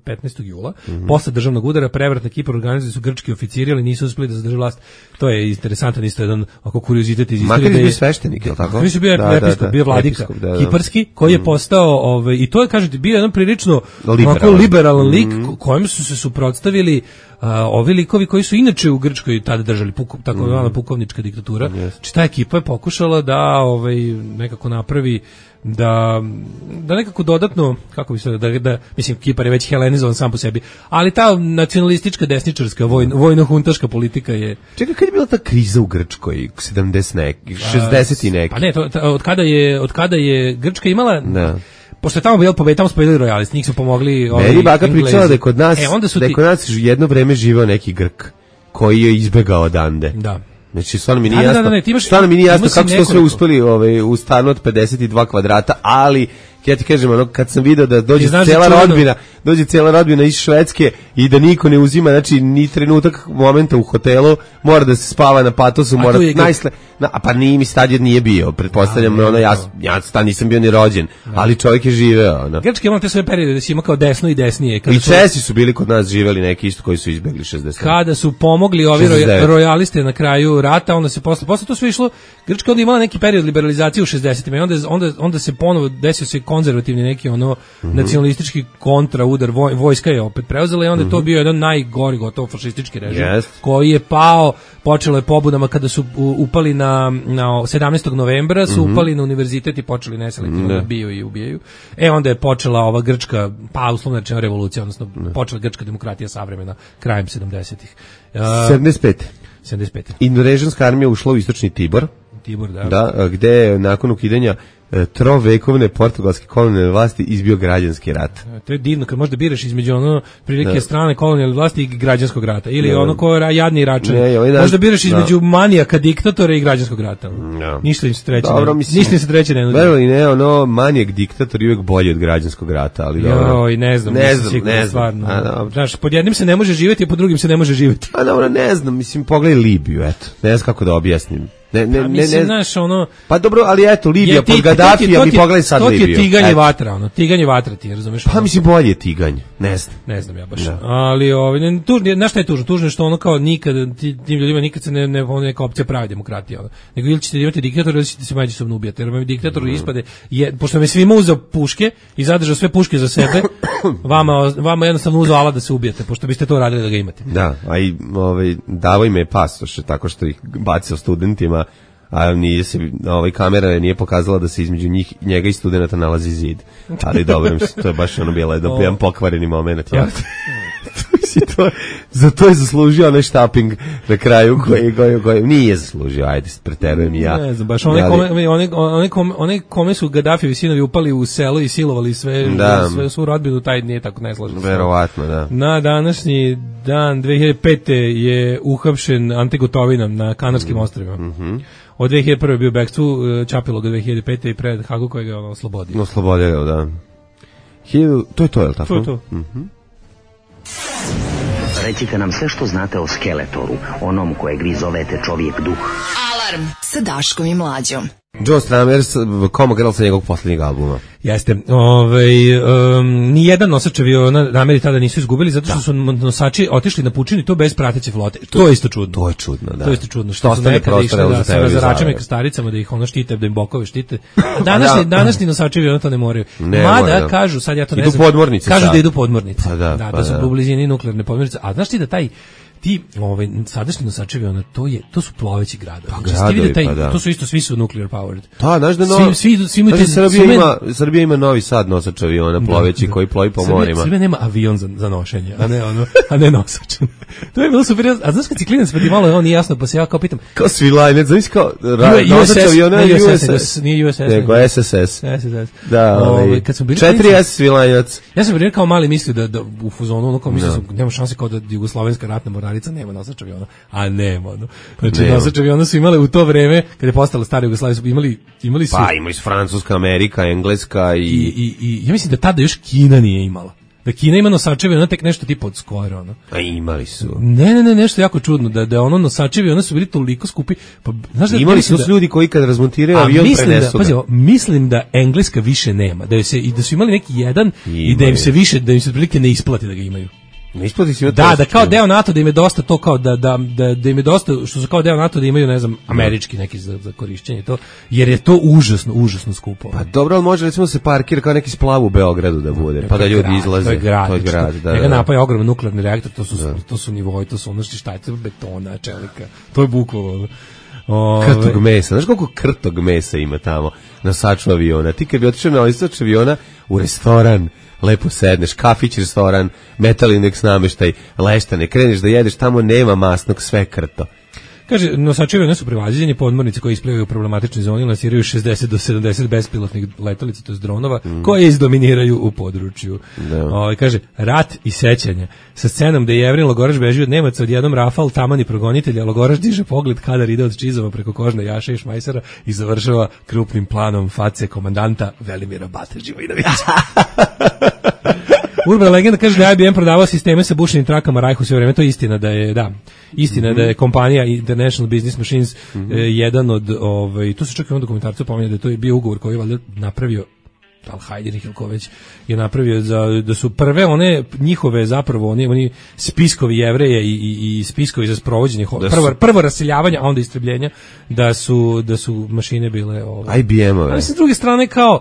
15. jula. Posle državnog udara prevrat na Kipru organizovali su grčki oficiri, ali nisu uspeli da zadrže vlast. To je interesantan isto jedan kuriozitet iz istorije. Makarius bio sveštenik, je li tako? Makarius bio episkop, bio vladika kiparski, koji je postao, i to je, kažete, bio jedan prilično liberalan lik kojem su se suprotstavili ovi likovi koji su inače u Grčkoj tada držali tako pukovnička diktatura, znači ta ekipa je pokušala da nekako napravi da nekako dodatno, kako bi se da mislim Kipar je već helenizovan sam po sebi, ali ta nacionalistička desničarska vojno-huntaška politika je. Čekaj, kad je bila ta kriza u Grčkoj 60 i neki? Pa ne, od kada je Grčka imala pošto je tamo bilo pobeda, tamo su pobedili rojalisti, njih su pomogli Meni baka pričala da je kod nas, jedno vreme živeo neki Grk koji je izbegao odande. Da. Znači, stvarno mi nije jasno kako su to sve uspeli u stanu od 52 kvadrata, ali ja ti kažem, kad sam video da dođe cijela rodbina iz Švedske i da niko ne uzima, znači ni trenutak momenta u hotelu, mora da se spava na patosu, pa nije mi stadion nije bio, pretpostavljam, ja tad nisam bio ni rođen, ali čovjek je živeo. Grčki imao te svoje periode da si ima kao desno i desnije. I Česi su bili kod nas živeli neki isto koji su izbegli 60. Kada su pomogli ovi rojaliste na kraju rata, onda se posle to sve išlo, Grčka onda imala neki period liberalizacije u 60-ima i onda se ponovo desio se konzervativni neki nacionalistički kontraudar, vojska je opet preuzela i onda je to bio jedan najgori gotovo fašistički režim koji je pao, počelo je pobudama kada su upali na 17. novembra su upali na univerzitet i počeli neselektivno da biju i ubijaju. Onda je počela ova grčka, uslovna rečeno revolucija, odnosno počela grčka demokratija savremena krajem 70-ih. 75. Indonežanska armija ušla u istočni Tibor, da, gde je nakon ukidanja trovekovne portugalske kolonijalne vlasti izbio građanski rat. To je divno, kad možda biraš između prilike strane kolonijalne vlasti i građanskog rata. Ili ko je jadni račun. Možda biraš između manijaka diktatora i građanskog rata. Ništa im se treće ne nudi. Verovali manijak diktator je uvijek bolji od građanskog rata, ali dobro. Ne znam. Znaš, pod jednim se ne može živjeti, a pod drugim se ne može živjeti. A dobro, ne znam, mislim, pogledaj Libiju, eto. Ne znam kako da objasnim. Pa dobro, ali eto, Libija pod Gadafija, mi pogledaj sad Libiju. To ti je tiganje vatra, ti razumeš? Pa mislim, bolje je tiganje, ne znam ja baš. Ali, znaš šta je tužno? Tužno je što kao nikad, tim ljudima nikad se neka opcija pravi demokratija. Nego ili ćete imati diktator, ili ćete se međusobno ubijati. Jer vam diktator ispade, pošto me svima uzeo puške i zadržao sve puške za sebe, vama jednostavno uzeo alat da se ubijete, pošto biste to radili da ga imate. Da, a i davo im je pasoš, tako što ih bacio studentima, a kamera nije pokazala da se između njega i studenata nalazi zid. Ali dobro, to je baš bilo jedan pokvareni moment. Za to je zaslužio onaj štaping na kraju koji nije zaslužio, ajde, preterujem i ja. Ne znam, baš one kome su Gaddafijevi sinovi upali u selo i silovali sve svu rodbinu, taj nije tako nesložen. Verovatno, da. Na današnji dan 2005. je uhapšen Ante Gotovina na Kanarskim ostrvima. Od 2001. je bio bekstvu, čapilo ga 2005. i pred Hagu koji ga oslobodio. Oslobodio ga, da. To je to, je li tako? To je to. Recite nam sve što znate o Skeletoru, onom kojeg vi zovete čovjek duh. Alarm sa Daškom i Mlađom. Joe Strummer, Coma Girl sa njegovog posljednjeg albuma. Jeste. Nijedan nosač aviona nameri tada nisu izgubili zato što su nosači otišli na pučinu i to bez prateće flote. To je isto čudno. To je čudno, da. To je isto čudno. Što su nekada išli sa razaračama i kastaricama da ih štite, da im bokove štite. Današnji nosači aviona to ne moraju. Mada kažu, sad ja to ne znam. Kažu da idu podmornice. Da su u blizini nuklearne podmornice. A znaš ti da ti sadašnji nosačevi to su ploveći gradovi. To su isto, svi su nuclear powered. Da, znaš da Srbija ima Novi Sad nosač aviona ploveći koji plovi po morima. Srbija nema avion za nošenje, a ne nosač. To je bilo super. A znaš kad si klinac pa ti malo nije jasno, pa se ja kao pitam. Kao svilajnec, znaš kao nosač aviona nije USS, nego SSS. Da, 4S svilajnac. Ja sam bio kao mali mislio da u fuzonu kao mislio nema šanse kao da jugoslovenska ratna mornarica nema nosač aviona, a nema. Znači nosač aviona su imale u to vreme kad je postala stara Jugoslavija, su imali su. Pa imali su Francuska, Amerika, Engleska i ja mislim da tada još Kina nije imala. Da Kina ima nosačevi, tek nešto tipa od skora, A imali su. Ne, nešto jako čudno, da nosačevi, ona su bili toliko skupi. Pa, znaš imali su ljudi koji kad razmontiraju avion prenesu ga. Mislim da Engleska više nema, da su imali neki jedan i da im se više, da im se otprilike ne isplati da ga imaju. Da kao deo NATO da im je dosta to kao da im je dosta što su kao deo NATO da imaju ne znam američki neki za korišćenje to jer je to užasno skupo. Pa dobro, al može recimo se parkira kao neki splav u Beogradu da bude, pa da ljudi izlaze. To je grad, da. Njega napaja ogroman nuklearni reaktor, to su nivoi, to su ono šta je to betona, čelika. To je bukvalno krtog mesa. Znaš koliko krtog mesa ima tamo na saču aviona? Ti kad bi otišao na saču aviona u restoran, lepo sedneš, kafić, restoran, metal indeks nameštaj, leštane, kreneš da jedeš, tamo nema masnog, sve krto. Kaže, nosači aviona su prevaziđeni, podmornice koji isplivaju u problematičnoj zoni lansiraju 60 do 70 bespilotnih letelica, to je dronova, koje izdominiraju u području. Kaže, rat i sećanje. Sa scenom da je Jevrin Logoraš beži od Nemaca, odjednom Rafal, taman i progonitelja, Logoraš diže pogled kadar ide od čizova preko kožne jaše i šmajsera i završava krupnim planom face komandanta Velimira Bate-Živojinovića. Urbana legenda kaže da je IBM prodavao sisteme sa bušenim trakama Rajhu sve vreme, to je istina da je, da je kompanija International Business Machines jedan od, tu se čak i on dokumentarcu pominje da je to bio ugovor koji je valjda napravio Al-Hajder Hilkoveć je napravio da su prve one njihove zapravo oni spiskovi Jevreje i spiskovi za sprovođenje prvo raseljavanja, a onda istrebljenja da su mašine bile IBM-ove. Ali sa druge strane kao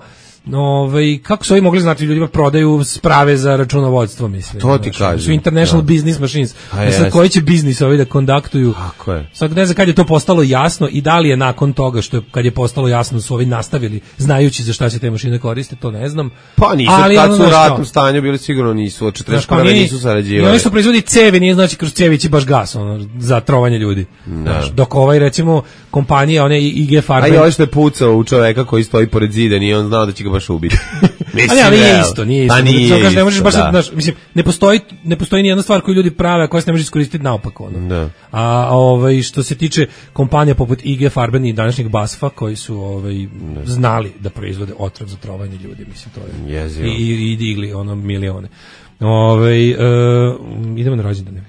kako su ovi mogli znati ljudima prodaju sprave za računovodstvo, mislim. To ti kažem. Su International Business Machines. Sad koji će biznis ovi da kontaktuju? Tako je. Sad ne znam kad je to postalo jasno i da li je nakon toga kad je postalo jasno su ovi nastavili znajući za šta se te mašine koriste, to ne znam. Pa nisu, kad su u ratnom stanju bili sigurno nisu, od 41. nisu sarađivali. I oni što proizvodi cevi, nije znači kroz cevi će baš gas za trovanje ljudi. Dok recimo kompanija, one IG Farben. A i ovo što je pucao u čoveka koji stoji pored zida, nije on znao da će ga baš ubiti. Ali nije isto. Ne možeš baš mislim, ne postoji ni jedna stvar koju ljudi prave, a koja se ne može iskoristiti naopako. A što se tiče kompanija poput IG Farben i današnjeg BASF-a koji su znali da proizvode otrov za trovanje ljudi, mislim to je. I digli milione. Idemo na rođendane.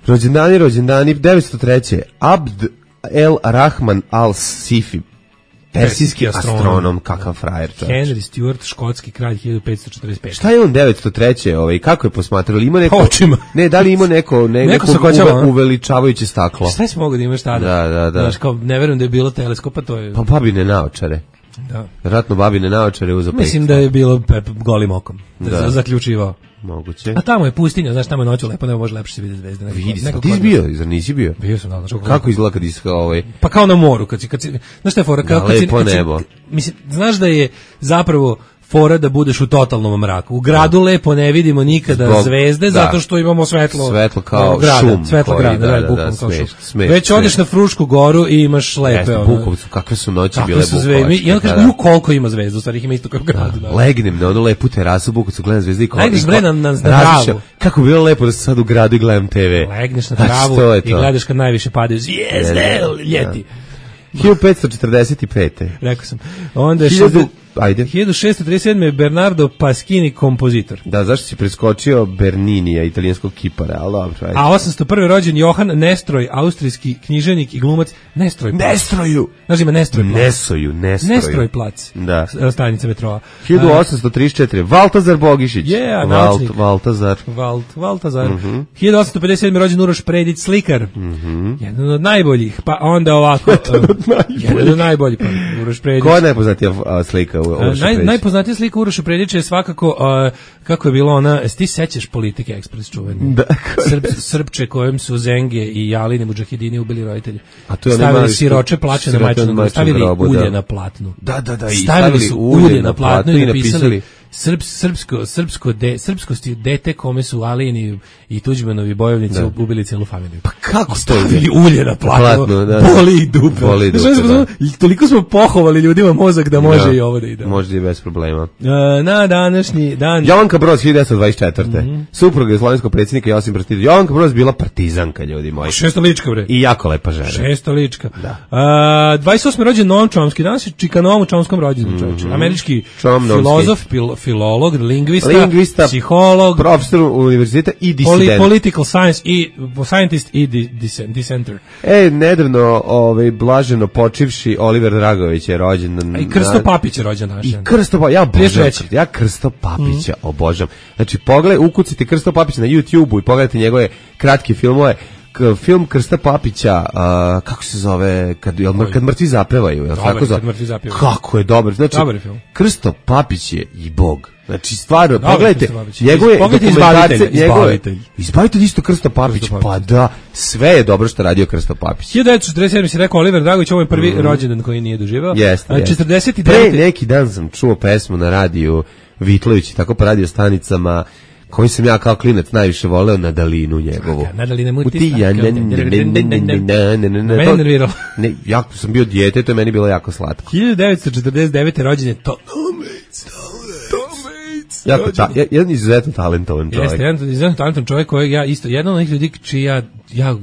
Rođendani 903. Abd el Rahman al-Sifi, persijski astronom, kakav frajer čovječ. Henry Stuart, škotski kralj 1545. Šta je on 903. Kako je posmatrao? Ima neko očima. Ne, da li ima neko uveličavajuće staklo? Šta si mogao da imaš tada? Da. Znaš, kao, ne verujem da je bilo teleskopa, to je... Pa babine naočare. Da. Vjerojatno babine naočare uzeo. Mislim da je bilo golim okom. Da. Zaključivao. Moguće. A tamo je pustinja, znaš, tamo je noću lepo, ne može lepše se vidjeti zvezde. Vidi se, ti si bio, zar nisi bio? Bio sam, da. Kako izgleda kad si Pa kao na moru, kad si znaš šta je fora? Lepo nebo. Mislim, znaš da je zapravo fora da budeš u totalnom mraku. U gradu lepo ne vidimo nikada zvezde, zato što imamo svetlo kao grada, šum. Svetlo grada, bukvalno kao šum. Već odeš na Frušku goru i imaš lepe. Bukovcu, kakve su noći bile Bukovačke. I onda kažeš, koliko ima zvezda, u stvari ih ima isto kao gradu. Legnem na onu lepu terasu, Bukovcu, gledam zvezde i legneš bre na travu. Kako bi bilo lepo da se sad u gradu i gledam TV. Legneš na travu i gledaš kad najviše padaju zvijezde, ljeti. 1545. Rekao sam. Onda je 1637. Bernardo Pasquini, kompozitor. Da, zašto si preskočio Berninija, italijanskog kipara, ali dobro. A 801. rođen Johan Nestroj, austrijski književnik i glumac. Nestroju! Znaš ima Nestroj plac. Nestroj plac. Da. Stanica metroa. 1834. Valtazar Bogišić. Naučnik. Valtazar. 1857. rođen Uroš Predić, slikar. Jedan od najboljih. Pa onda ovako. Jedan od najboljih. Uroš Predić. Ko je najpoznatija slika? Najpoznatija slika Uroša Predića je svakako kako je bilo ona, ti sećaš Politike Ekspres čuveni? Srpče kojem su Zenge i Jalini Mudžahidini ubili roditelji. Stavili siroče plače na majčinu, stavili ulje na platnu. Da. Stavili su ulje na platnu i napisali srpsko dete kome su Alijini i Tuđmanovi bojovnici ubili celu familiju. Pa kako stavili ulje na platnu? Boli ih dupe. Toliko smo pohovali ljudima mozak da može i ovo da ide. Može i bez problema. Na današnji dan... Jovanka Broz, 1924. Supruga slovenskog predsjednika Josip Broz Tito. Jovanka Broz bila partizanka, ljudi moji. Šestolička, bre. I jako lepa žena. Šestolička. 28. rođen Noam Chomsky. Danas je čika Noamu Chomskom rođendan, čovječe. Američki filozof, filolog, lingvista, psiholog, profesor univerziteta i disident. Political science i scientist i dissenter. Nedavno blaženo počivši Oliver Dragović je rođen. I Krsto Papić je rođen danas. I Krsto Papić, ja Krsto Papića obožavam. Znači, ukucite Krsto Papića na YouTube-u i pogledajte njegove kratke filmove. Film Krsta Papića, kako se zove, kad mrtvi zapevaju, kako je dobar. Znači, Krsto Papić je i Bog. Znači, stvarno, pogledajte njegove dokumentarce, Izbavitelj isto Krsto Papić, pa da, sve je dobro što radio Krsto Papić. 1947 si rekao Oliver Dragović, ovo je prvi rođendan koji nije doživao. Jeste. 49. Pre neki dan sam čuo pesmu na radiju Vitlović, tako po radio stanicama, koji sam ja kao klinac najviše voleo, Nadalinu njegovu. Nadalina Mutista. Mene nerviralo. Jako sam bio dijete, to je meni bilo jako slatko. 1949. rođen je jedan izuzetno talentovan čovjek. Jeste, jedan izuzetno talentovan čovjek kojeg ja isto, jedan od onih ljudi čiji ja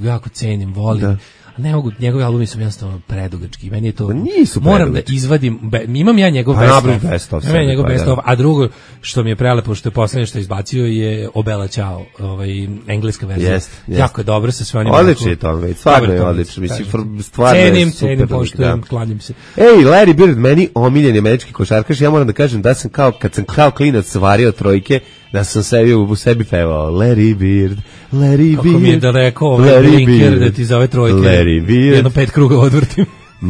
jako cenim, volim. Ne mogu, njegovi albumi su jednostavno predugački. Meni je to, moram da izvadim, imam ja njegov best of, a drugo što mi je prelepo, što je poslednje što je izbacio je Obela Ćao, engleska verzija. Jako je dobro sa sve onim. Odlično je to, stvarno je odlično. Mislim, stvarno je super. Cenim, poštujem, klanjam se. Larry Bird, meni omiljeni američki košarkaš, ja moram da kažem da sam kad sam kao klinac vario trojke, da sam u sebi pevao Larry Bird. Kako mi je da rekao Blinker da ti zove trojke. Larry Bird. Jedno 5 kruga odvrtim.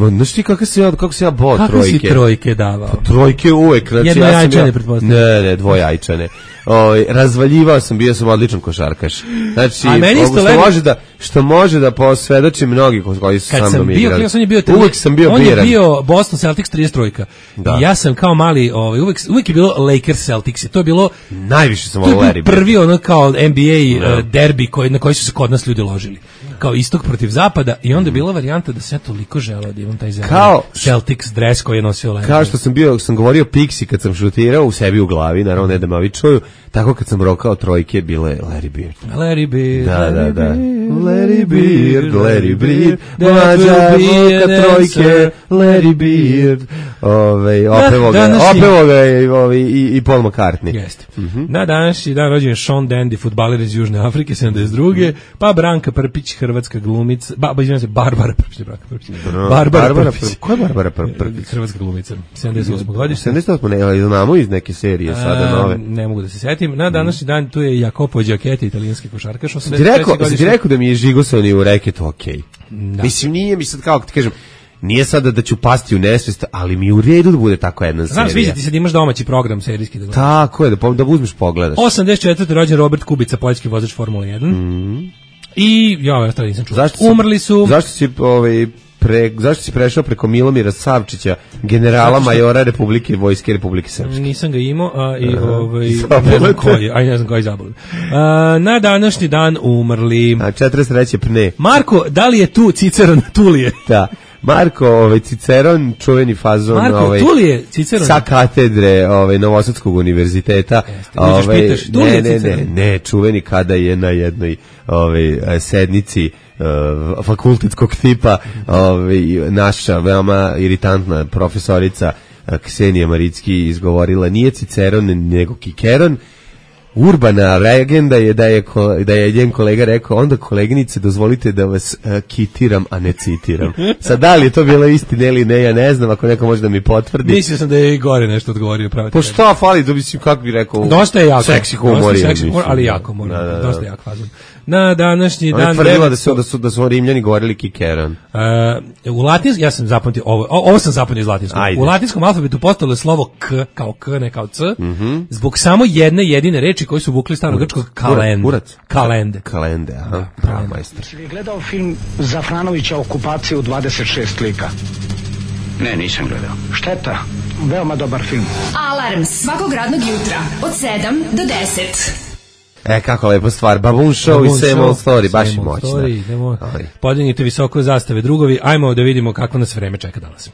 Znaš ti kako se ja bao trojke? Kako si trojke davao? Trojke uvek. Znači, jednojajčane, pretpostavljam. Ne, dvojajčane. Razvaljivao sam, bio sam odličan košarkaš. Znači, što može da posvedoči mnogi koji su sa mnom igrali. Uvek sam bio biran. On je bio Boston Celtics 33. Ja sam kao mali, uvek je bilo Lakers Celtics. To je bilo najviše sam volao Larry Bird. Prvi kao NBA derbi na koji su se kod nas ljudi ložili. Kao istok protiv zapada i onda je bila varijanta da se ja toliko želeo da imam taj Celtics dres koji je nosio Larry. Kao što sam govorio Pixi kad sam šutirao u sebi u glavi, naravno ne da me ovi čuju, tako kad sam rokao trojke bilo je Larry Bird. Larry Bird. Da. Larry Bird, mlađa roka trojke, Larry Bird. Opevo ga i Paul McCartney. Jeste. Na današnji dan rođen je Sean Dandy, fudbaler iz Južne Afrike, 72. Pa Branka Prpić, hrvatska glumica, Barbara Prpić. Barbara Prpić. Ko je Barbara Prpić? Hrvatska glumica, 78. godište. 78. ne, znamo iz neke serije sada nove. Ne mogu da se setim. Na današnji dan tu je Jacopo Giacchetti, italijanski košarkaš. Si rekao da mi je žigosani u reketu, okej. Mislim, nije mi sad, kao ti kažem, nije sada da ću pasti u nesvest, ali mi u redu da bude tako jedna serija. Znam, sviđa ti se da imaš domaći program serijski. Tako je, da uzmeš pogledaš. 84. rođen Robert Kubica, poljski vozač Formule 1. I ja tada nisam čuo. Umrli su. Zašto si prešao preko Milomira Savčića, generala majora Vojske Republike Srpske? Nisam ga imao, ne znam koji je zabavljen. Na današnji dan umrli. 43. pne. Marko, da li je tu Ciceron Tulije? Da. Marko Ciceron, čuveni fazon Tulije, Ciceron sa katedre Novosadskog univerziteta. Ne, čuveni kada je na jednoj sednici fakultetskog tipa naša veoma iritantna profesorica Ksenija Maricki izgovorila nije Ciceron nego Kikeron. Urbana legenda je da je njen kolega rekao, onda koleginice dozvolite da vas kitiram, a ne citiram. Sad da li je to bilo istina ili ne, ja ne znam, ako neko može da mi potvrdi. Mislio sam da je i gore nešto odgovorio. Po šta fali, da mislim, kako bi rekao, dosta je jako, seksi humor, ali jako, dosta jak fazon. Na današnji dan... On je tvrdila da su Rimljani govorili Kikeron. U latinskom, ja sam zapamtio, ovo sam zapamtio iz latinskog. U latinskom alfabetu postalo je slovo K, kao K, ne kao C, zbog samo jedne jedine reči koji su vukli starogrčkog kalende. Kalende, aha, bravo majstor. Si li gledao film Zafranovića Okupacija u 26 lika? Ne, nisam gledao. Šteta, veoma dobar film. Alarm svakog radnog jutra od 7 do 10. Kako lepa stvar, Baboon Show i Same Old Story, baš i moćna. Podignite visoko zastave, drugovi, ajmo da vidimo kako nas vreme čeka danas.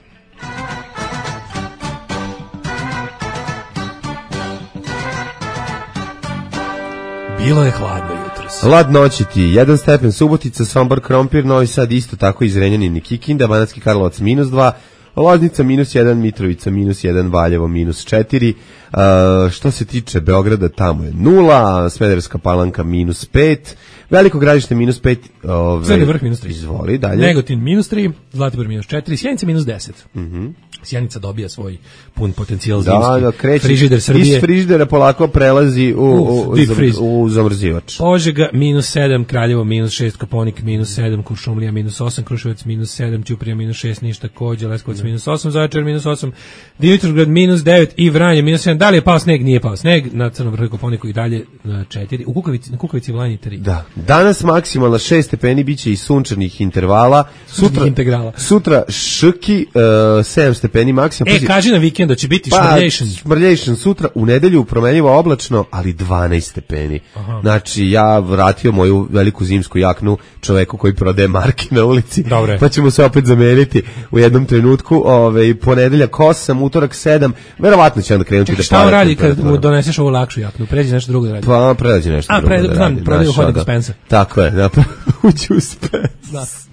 Bilo je hladno jutros. Lad noći ti, 1 stepen Subotica, Sombor, Krompir, Novi Sad isto tako iz Renjanina i Kikinda, Banatski Karlovac -2, Loznica -1, Mitrovica -1, Valjevo -4. Što se tiče Beograda, tamo je 0, Smederevska Palanka -5, Veliko Gradište -5, Crni Vrh -3. Izvoli dalje. Negotin -3, Zlatibor -4, Sjenica -10. Sjenica dobija svoj pun potencijal zimski. Kreće frižider Srbije. Iz frižidera polako prelazi u zamrzivač. Požega -7, Kraljevo -6, Koponik -7, Kuršumlija -8, Kruševac -7, Ćuprija -6, Niš takođe, Leskovac -8, Zaječar -8, Dimitrovgrad -9 i Vranje -7. Da li je pao sneg? Nije pao sneg. Na Crnom Vrhu i Koponiku i dalje 4. U Kukavici Vlani 3. Da. Danas maksimalno 6 stepeni, biće i sunčanih intervala. Sutra šrki 7 stepeni maksimalno. Kaži na vikend da će biti šmrljation sutra, u nedelju promenljivo oblačno, ali 12 stepeni. Aha. Znači, ja vratio moju veliku zimsku jaknu čoveku koji prodaje marke na ulici. Dobre. Pa ćemo se opet zameniti u jednom trenutku. Ponedeljak 8, utorak 7. Verovatno će onda krenuti da pada. Šta on radi kad mu doneseš ovu lakšu jaknu? Pređi nešto drugo da radi. Pa pređi nešto drugo da radi. Znam, prodaju hodnik dispensa. Tako je, uđi u spens.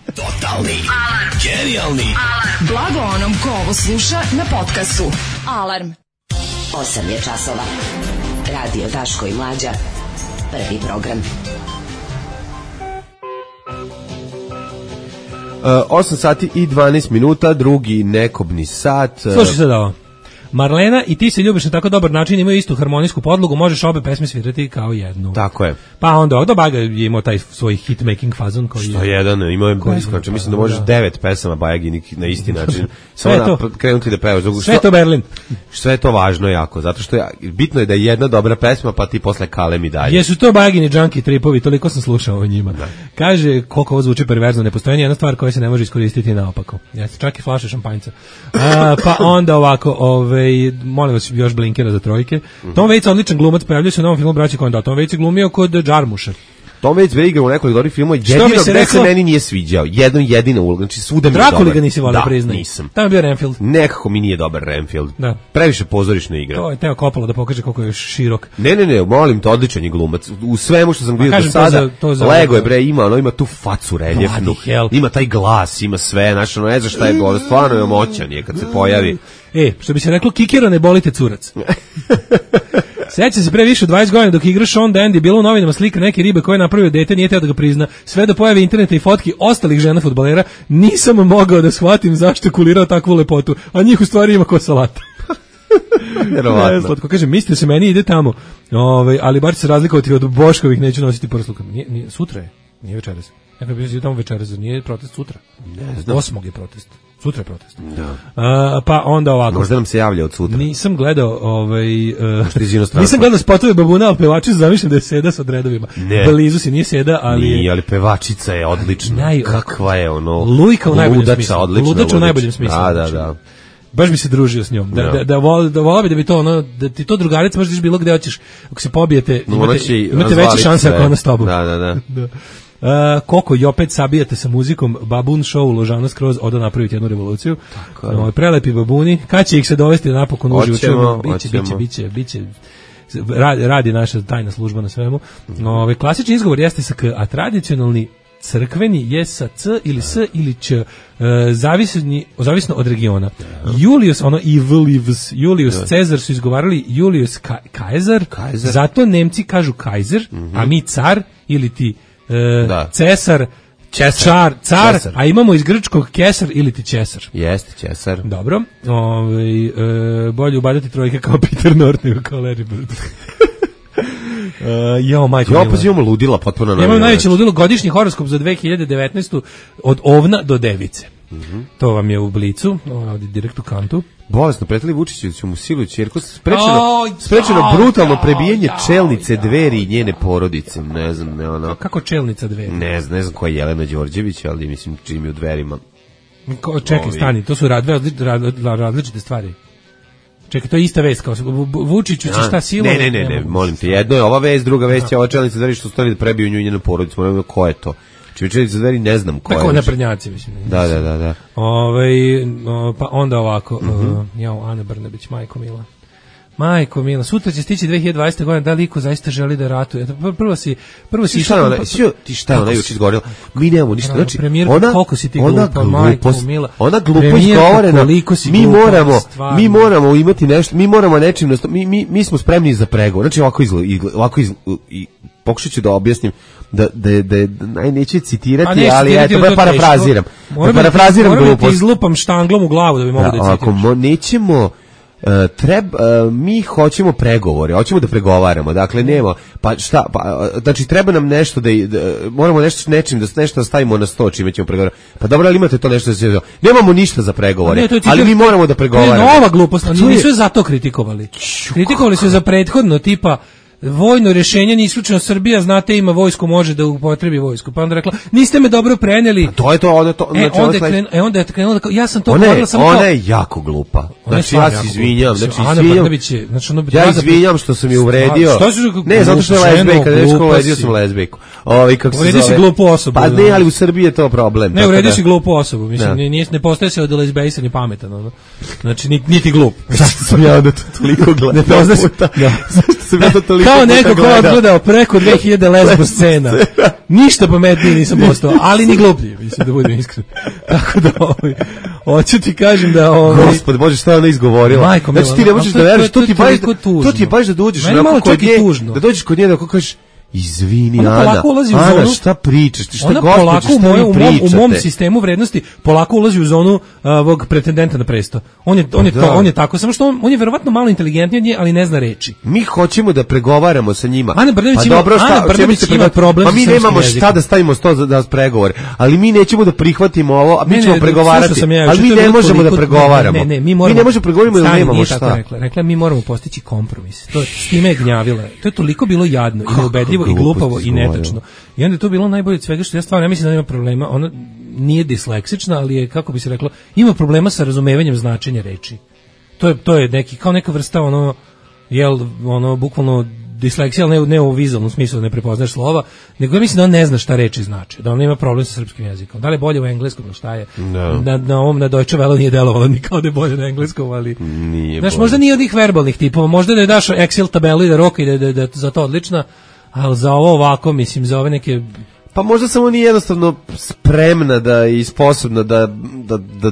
Totalni alarm. Genijalni alarm. Blago onom ko ovo sluša na podcastu. Alarm. 8 je časova. Radio Daško i Mlađa. Prvi program. 8 sati i 12 minuta, drugi nekobni sat. Slušaj sad ovo. Marlena i ti se ljubiš na tako dobar način, imaju istu harmonijsku podlogu, možeš obe pesme svirati kao jednu. Tako je. Pa onda ovdje Baga je imao taj svoj hit-making fazon koji što je jedan, imao je blisko, mislim da možeš 9 pesama Bajaginih na isti način. Samo krenuti da pevaš. Sve to Berlin. Sve je to važno jako, zato što bitno je da je jedna dobra pesma, pa ti posle kalem i dalje. Jesu to Bajagini junkie tripovi, toliko sam slušao o njima. Da. Kaže, koliko ovo zvuči perverzno, ne postoji jedna stvar koja se ne može iskoristiti naopako. Jeste, čak i flaše šampanjca. Pa onda ovako, molim vas još blinkera za trojke. Tom Waits odličan glumac, pojavljuje se u novom filmu Braći Coen. Tom Waits je glumio kod Džarmuša. Tom Waits je igrao u nekoliko dobrih filmova, jedino gde se meni nije sviđao. Jedina uloga, znači svuda mi je dobar. Drakuli ga nisi volio, priznaj. Da, nisam. Tamo je bio Renfield. Nekako mi nije dobar Renfield. Da. Previše pozorišna igra. To je teo Coppola da pokaže koliko je širok. Ne, molim te, odličan je glumac. U svemu što sam vidio do sada, Lego je ima tu facu reljefnu, ima taj glas, ima sve, znači ne znaš šta je gore, stvarno je moćan je kad se pojavi. Što bi se reklo, kikero ne bolite curac. Sjeća se pre više od 20 godina dok igra Sean Dandy, bilo u novinama slika neke ribe koje je napravio dete, nije teo da ga prizna. Sve do pojave interneta i fotki ostalih žena fudbalera, nisam mogao da shvatim zašto je kulirao takvu lepotu, a njih u stvari ima ko salata. Vjerovatno. Slatko, kažem, mislio se meni ide tamo, ali bar će se razlikovati od Boškovih, neću nositi prsluka. Sutra je, nije večeras. Ja bih bio tamo večeras, nije protest sutra. Ne znam. 8. je protest. Sutra je protest. Da. Pa onda ovako. Možda nam se javlja od sutra. Nisam gledao nisam gledao spotove Babuna, ali pevačica zamišljam da je Seda sa dredovima. Blizu si nije Seda, ali nije, ali pevačica je odlična. Kakva je ono? Lujka u najboljem smislu. Ludača u najboljem smislu. Da. Baš bi se družio s njom. Da volao bi da bi to ono, da ti to drugarica možeš bilo gde hoćeš. Ako se pobijete, imate veće šanse ako ona s tobom. Da. Koko i opet sabijate sa muzikom, Babun show Ložana skroz oda napraviti jednu revoluciju. Prelepi babuni, kad će ih se dovesti napokon uživo? Biće. Radi naša tajna služba na svemu. Klasični izgovor jeste sa K, a tradicionalni crkveni je sa C ili S ili Č, zavisno od regiona. Julius, Julius Cezar su izgovarali Julius Kaiser, zato Nemci kažu Kaiser, a mi car ili ti Cesar, car, a imamo iz grčkog kesar ili ti česar. Jeste, česar. Dobro, bolje ubadati trojke kao Peter North nego kao Larry Bird. Pa imamo ludila potpuno na. Imamo najveće ludilo, godišnji horoskop za 2019. od ovna do device. To vam je u Blicu, ovdje direkt u kantu. Bolesno, pretili Vučićeviću mu siluju ćerku, sprečeno brutalno prebijanje čelnice Dveri i njene porodice. Ne znam, ne ono. Kako čelnica Dveri? Ne znam koja je Jelena Đorđević, ali mislim čim je u Dverima. Čekaj, stani, to su različite stvari. Čekaj, to je ista vest, kao Vučiću će šta silo? Ne, molim te, jedno je ova vest, druga vest je ova čelnica Dveri što stvari da prebiju nju i njenu porodicu, moram da ko je to. Čelnica Dveri ne znam ko je. Tako naprednjaci, mislim. Da. Pa onda ovako, Ana Brnabić, majko mila. Majko mila, sutra će stići 2020. godina, da li iko zaista želi da ratuje? Prvo si ti šta ona juče izgovorila? Mi nemamo ništa. Znači, koliko si ti glupa, majko mila. Ona glupo izgovorena. Mi moramo imati nešto, mi moramo nečim, mi smo spremni za pregovor. Znači, ovako pokušat ću da objasnim da neću citirati, ali eto, parafraziram. Parafraziram glupost. Moram da ti izlupam štanglom u glavu da bi mogu da citiraš. Ako nećemo, mi hoćemo pregovore, hoćemo da pregovaramo, dakle nema, znači treba nam nešto moramo nečim da stavimo na sto čime ćemo pregovarati. Pa dobro, ali imate to nešto da se nemamo ništa za pregovore, ali mi moramo da pregovaramo. To je nova glupost, nisu je zato kritikovali. Kritikovali su za prethodno, tipa vojno rješenje, ni isključeno Srbija, znate, ima vojsku, može da upotrebi vojsku. Pa onda rekla, niste me dobro preneli. To je to, onda je krenula, ja sam to govorila samo ona je jako glupa. Znači, ja se izvinjam. Ja izvinjam što sam je uvredio. Ne, zato što je lezbejka, uvredio sam lezbejku. Uvredio si glupu osobu. Pa ne, ali u Srbiji je to problem. Ne, uvredio si glupu osobu. Mislim, ne postaje se od lezbejsa ni pametan. Znači, niti glup. Zašto sam ja onda to toliko gledao? Zašto sam ja to toliko kao neko ko je odgledao preko 2000 lezbo scena. Ništa pametniji nisam postao, ali ni gluplji, mislim, da budem iskren. Tako da, hoću ti kažem da... Gospod Bože, šta je ona izgovorila? Majko, znači ti ne možeš da veriš, to ti je baš da dođeš da dođeš kod nje, da kažeš, izvini, Ana, šta pričaš, ti šta gospođe, šta vi pričate? U mom sistemu vrednosti polako ulazi u zonu ovog pretendenta na presto. On je tako, samo što on je verovatno malo inteligentniji od nje, ali ne zna reči. Mi hoćemo da pregovaramo sa njima. Ana Brnabić ima problem. Pa mi nemamo šta da stavimo sto da pregovore, ali mi nećemo da prihvatimo ovo, a mi ćemo pregovarati, ali mi ne možemo da pregovaramo. Mi ne možemo pregovarati, jer nemamo šta. Rekla, mi moramo postići kompromis. To s time je gnjavila. To je toliko bilo jadno i neubedljivo i glupavo i netačno. I onda je to bilo najbolje od svega, što ja stvarno ne mislim da ima problema. Ona nije disleksična, ali je, kako bi se reklo, ima problema sa razumevanjem značenja reči. To je neki, kao neka vrsta bukvalno disleksija, ali ne u vizualnom smislu, ne prepoznaš slova, nego ja mislim da on ne zna šta reči znači, da on ima problem sa srpskim jezikom. Da li je bolje u engleskom, ili šta je? Na ovom, na Deutsche Welle nije delovalo ni kao da je bolje na engleskom, ali... Znaš, možda nije od njih verbalnih tipova, možda da je daš Excel tabelu i da roka i da je za to odlična, ali za ovo ovako, mislim, za ove neke... Pa možda samo nije jednostavno spremna da i sposobna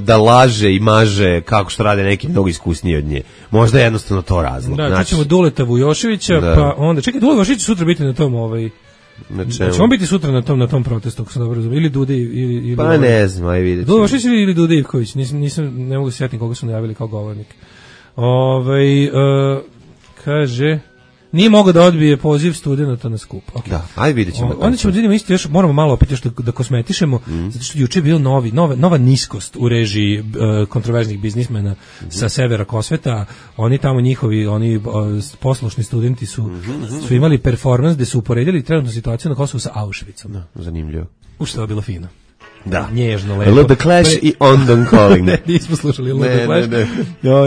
da laže i maže kako što rade neki mnogo iskusniji od nje. Možda je jednostavno to razlog. Da, znači, ćemo Duleta Vujoševića, pa onda... Čekaj, Dule Vujošević sutra biti na tom... Će on biti sutra na tom protestu, ako sam dobro razumio, ili Dude ili... Pa ne znam, aj vidjet ćemo. Dule Vujošević ili Dude Ivković, ne mogu se sjetiti koga su najavili kao govornik. Kaže... Nije mogao da odbije poziv studenta na skup. Okay. Da, ajde vidjet ćemo. Onda ćemo da vidimo isto, još moramo malo opet još da kosmetišemo, zato što juče je bio nova niskost u režiji kontroverznih biznismena sa severa Kosveta. Oni tamo oni poslušni studenti su imali performans gde su uporedili trenutnu situaciju na Kosovu sa Auschwitzom. Da, zanimljivo. Što je bilo fino. Da. Nježno, lepo. Love the Clash i On Don't Calling. Ne, nismo slušali Love the Clash.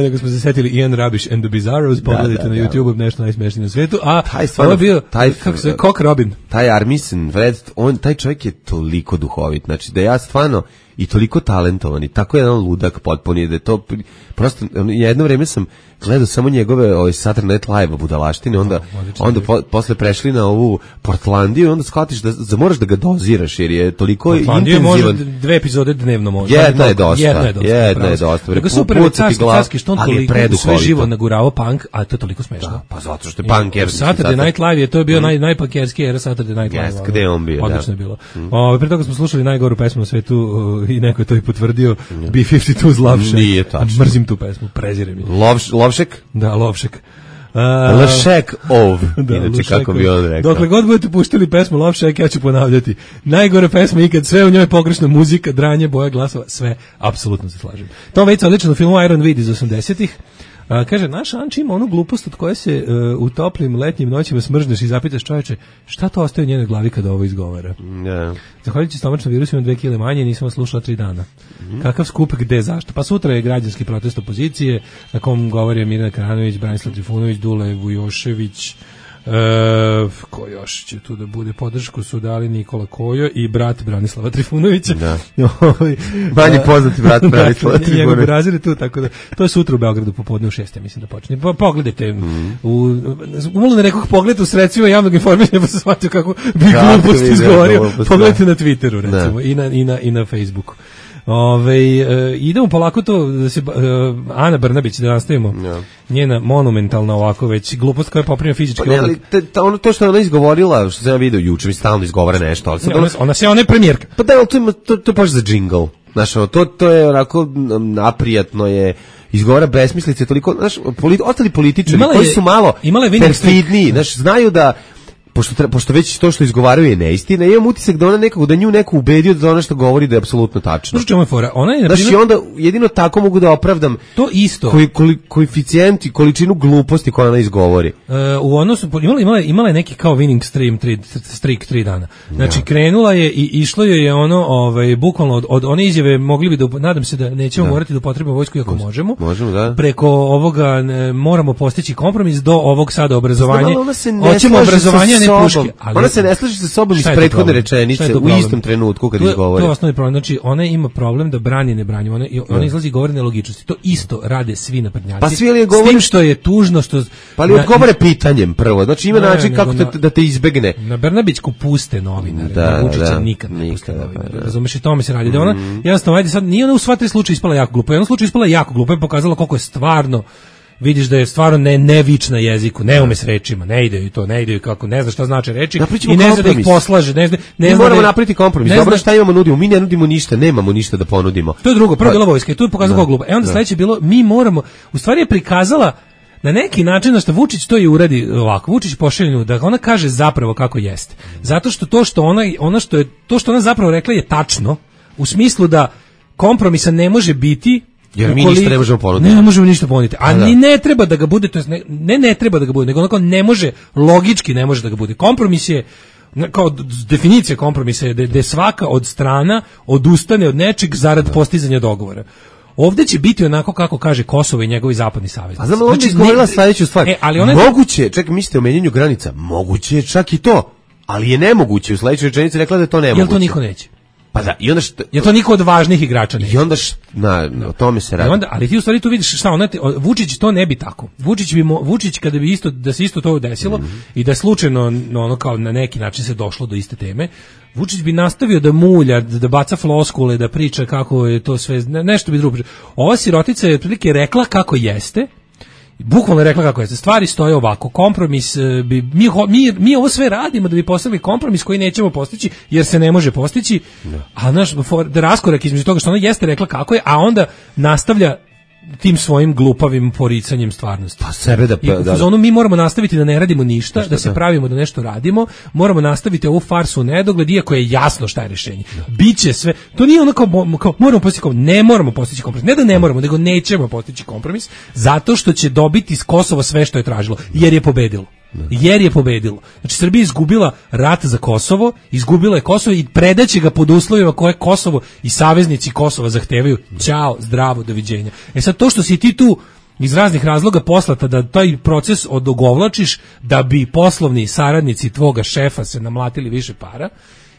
Nego smo se setili Ian Rubbish and the Bizarros, pogledajte na YouTube, nešto najsmešnije na svijetu. A ovo je bio, kako se, Cock Robin. Taj Armisen, taj čovjek je toliko duhovit, znači da ja stvarno i toliko talentovan i tako jedan ludak potpuni, da je to prosto, jedno vrijeme sam gledao samo njegove Saturday Night Live budalaštine, onda posle prešli na ovu Portlandiju i onda shvatiš da moraš da ga doziraš jer je toliko intenzivan. Može 2 epizode dnevno može. Jedna je dosta. Nego super carski što on toliko sve živo nagurao punk, a to je toliko smešno. Pa zato što je punker. Saturday Night Live to je bio najpunkerski era Saturday Night Live. Gde je on bio? Odlično je bilo. Pre toga smo slušali najgoru pesmu na svetu i neko je to i potvrdio, B-52's Love Shack. Nije tačno. Mrzim tu pesmu, prezirem je. Lovšek? Da, Lovšek. Lešek ov, inače kako bi on rekao. Dokle god budete puštili pesmu Love Shack, ja ću ponavljati. Najgore pesma ikad, sve u njoj pogrešna muzika, dranje, boja glasova, sve, apsolutno se slažem. Tom Waits odlično u filmu Iron Vid iz 80-ih. Kaže, naš Anči ima onu glupost od koje se u toplim letnjim noćima smržneš i zapitaš čoveče, šta to ostaje u njenoj glavi kada ovo izgovara? Zahvaljujući stomačnom virusu imam 2 kile manje i nisam slušala 3 dana. Kakav skup, gde, zašto? Pa sutra je građanski protest opozicije, na kom govore Mirjana Karanović, Branislav Trifunović, Dule Vujošević, Ko još će tu da bude? Podršku su dali Nikola Kojo i brat Branislava Trifunovića. Da. Manje poznati brat Branislava Trifunovića. Njegov brazir je tu, tako da to je sutra u Beogradu popodne u 6, mislim da počne. Pogledajte, umalo na nekog pogleda u sredstvima javnog informisanja pa se shvatio kako bi glupost izgovorio. Pogledajte na Twitteru, recimo, i na Facebooku. Idemo polako to da se Ana Brnabić, da nastavimo njena monumentalna ovako već glupost koja je poprimio fizički oblik. Ono to što je ona izgovorila, što sam ja vidio juče, mi stalno izgovara nešto, ali ona je premijerka. Pa da, to je baš za džingl. Znaš, to je onako naprijatno je, izgovara besmislice, toliko, znaš, ostali političari koji su malo perfidniji, znaš, znaju da pošto već to što izgovaraju je neistina, imam utisak da ona nekako, da nju neko ubedio da ono što govori da je apsolutno tačno. Znaš čemu je fora? Znaš, i onda jedino tako mogu da opravdam to isto. Koeficijent i količinu gluposti koju ona izgovori. U odnosu, imala je neki kao winning streak 3 dana. Znači, krenula je i išlo je ono, bukvalno od one izjave mogli bi da, nadam se da nećemo morati da upotrebimo vojsku iako možemo. Možemo, da. Preko ovoga moramo postići kompromis do ovog sada obrazovanja. Hoćemo obrazovanje, puške, ona se ne slaže sa sobom iz prethodne rečenice u istom trenutku kad izgovori. To je osnovni problem. Znači, ona ima problem da brani ne brani. Ona izlazi i govori nelogičnosti. To isto rade svi naprednjaci. Pa svi li govore... S tim što je tužno što... Pa li odgovore pitanjem prvo. Znači, ima način kako da te izbegne. Na Brnabićku puste novinare. Na Vučića nikad ne puste novinare. Razumeš, i tome se radi. Da ona, jednostavno, ajde sad, nije ona u sva 3 slučaja ispala jako glupo. U jednom slučaju ispala jako glupo i pokazala koliko je stvarno, vidiš da je stvarno nevič na jeziku, ne ume s rečima, ne ide kako, ne zna šta znači reči i ne zna da ih poslaže, ne moramo napraviti kompromis. Dobro, šta imamo, nudimo, mi ne nudimo ništa, nemamo ništa da ponudimo. To je drugo, prvo bila vojska i tu je pokazala kako glupo. Onda sledeće bilo, mi moramo, u stvari je prikazala na neki način da što Vučić to i uradi ovako. Vučić pošalje da ona kaže zapravo kako jeste. Zato što to što ona zapravo rekla je tačno, u smislu da kompromisa ne može biti. Jer mi ništa ne možemo ponuditi. Ne možemo ništa ponuditi. A ni ne treba da ga bude, to jest ne treba da ga bude, nego onako ne može, logički ne može da ga bude. Kompromis je, kao definicija kompromisa je da svaka od strana odustane od nečeg zarad postizanja dogovora. Ovdje će biti onako kako kaže Kosovo i njegovi zapadni saveznici. A znam, on je izgovorila sledeću stvar. Moguće, čekaj, mislite o menjanju granica, moguće je čak i to, ali je nemoguće. U sledećoj rečenici rekla da je to nemoguće. Jel to niko neće? Pa da, i onda je to niko od važnih igrača neće. I onda o tome se radi. Ali ti u stvari tu vidiš šta Vučić to ne bi tako. Vučić kada bi da se isto to desilo i da slučajno ono kao na neki način se došlo do iste teme, Vučić bi nastavio da mulja, da baca floskule, da priča kako je to sve, nešto bi drugo. Ova sirotica je otprilike rekla kako jeste. Bukvalno rekla kako je. Stvari stoje ovako. Kompromis mi ovo sve radimo da bi postavili kompromis koji nećemo postići jer se ne može postići. A naš raskorak između toga što ona jeste rekla kako je, a onda nastavlja tim svojim glupavim poricanjem stvarnosti. Pa sebe mi moramo nastaviti da ne radimo ništa, da se pravimo da nešto radimo, moramo nastaviti ovu farsu u nedogled, iako je jasno šta je rješenje. Biće sve, to nije ono kao moramo postići kompromis, ne moramo postići kompromis, ne da ne moramo, nego nećemo postići kompromis, zato što će dobiti iz Kosova sve što je tražilo, jer je pobedilo. Znači, Srbija je izgubila rat za Kosovo, izgubila je Kosovo i predaće ga pod uslovima koje Kosovo i saveznici Kosova zahtevaju. Ćao, zdravo, doviđenja. Sad to što si ti tu iz raznih razloga poslata da taj proces odogovlačiš da bi poslovni saradnici tvoga šefa se namlatili više para,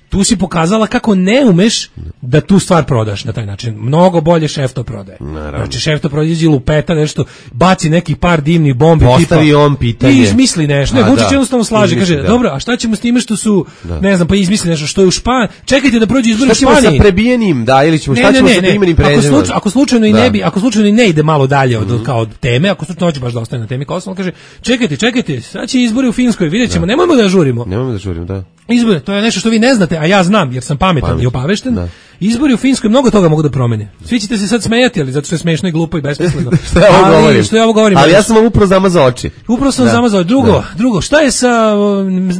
tu si pokazala kako ne umeš da tu stvar prodaš na taj način. Mnogo bolje šef to prodaje. Naravno. Znači šef to prodaje, lupeta nešto, baci neki par dimnih bombi, postavi on pitanje i izmisli nešto. Vučić jednostavno slaže, kaže, dobro, a šta ćemo s time što su, ne znam, pa izmisli nešto što je u Španiji. Čekajte da prođe izbori u Španiji. Šta ćemo sa prebijenim, ili ćemo, šta ćemo sa imenim prezimenom? Ako slučajno i ne ide malo dalje od teme, ako slučajno hoće baš da ostane na temi Kosova, kaže, čekajte, sad će izbori u Finskoj, vidjećemo, nemojmo da žurimo. Da. Izbori, to je nešto što vi ne znate, a ja znam jer sam pametan i opavešten. Da. Izbori u Finskoj mnogo toga mogu da promene. Svi ćete se sad smejati, ali zato što je smešno i glupo i besmisleno. Što ja ovo govorim? Ali ja sam vam upravo zamazao oči. Drugo, šta je sa,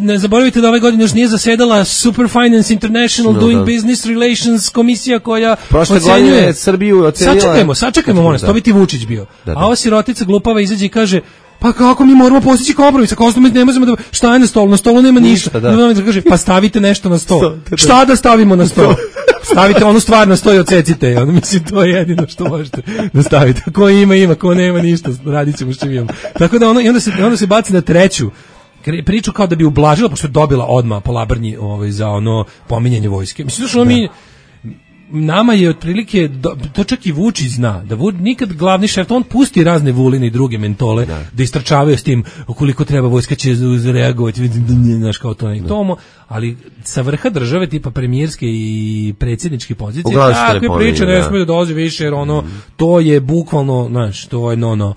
ne zaboravite da ove godine još nije zasedala Superfinance International Doing Business Relations komisija koja prošle godine Srbiju ocenila. Sačekajmo, molim, to bi ti Vučić bio. A ova sirotica glupava izađe i kaže, pa kako mi moramo postići kompromis, ako ostalo ne možemo da, šta je na stolu nema ništa. Kaže, pa stavite nešto na stol. Šta da stavimo na stol? Stavite onu stvar na stol i odsecite. Mislim, to je jedino što možete da stavite. Ko ima, ko nema ništa, radit ćemo što imamo. Tako da onda se baci na treću. priču kao da bi ublažila, pošto je dobila odmah po labrnji za ono pominjanje vojske. Mislim da mi nama je otprilike, to čak i Vučić zna, da nikad glavni šef, on pusti razne Vuline i druge mentole da istračavaju s tim ukoliko treba vojska će reagovati, znaš kao to tomo, ali sa vrha države tipa premijerske i predsjedničke pozicije, takve priče ne smiju da dolaze više, jer to je bukvalno, znaš, to je no.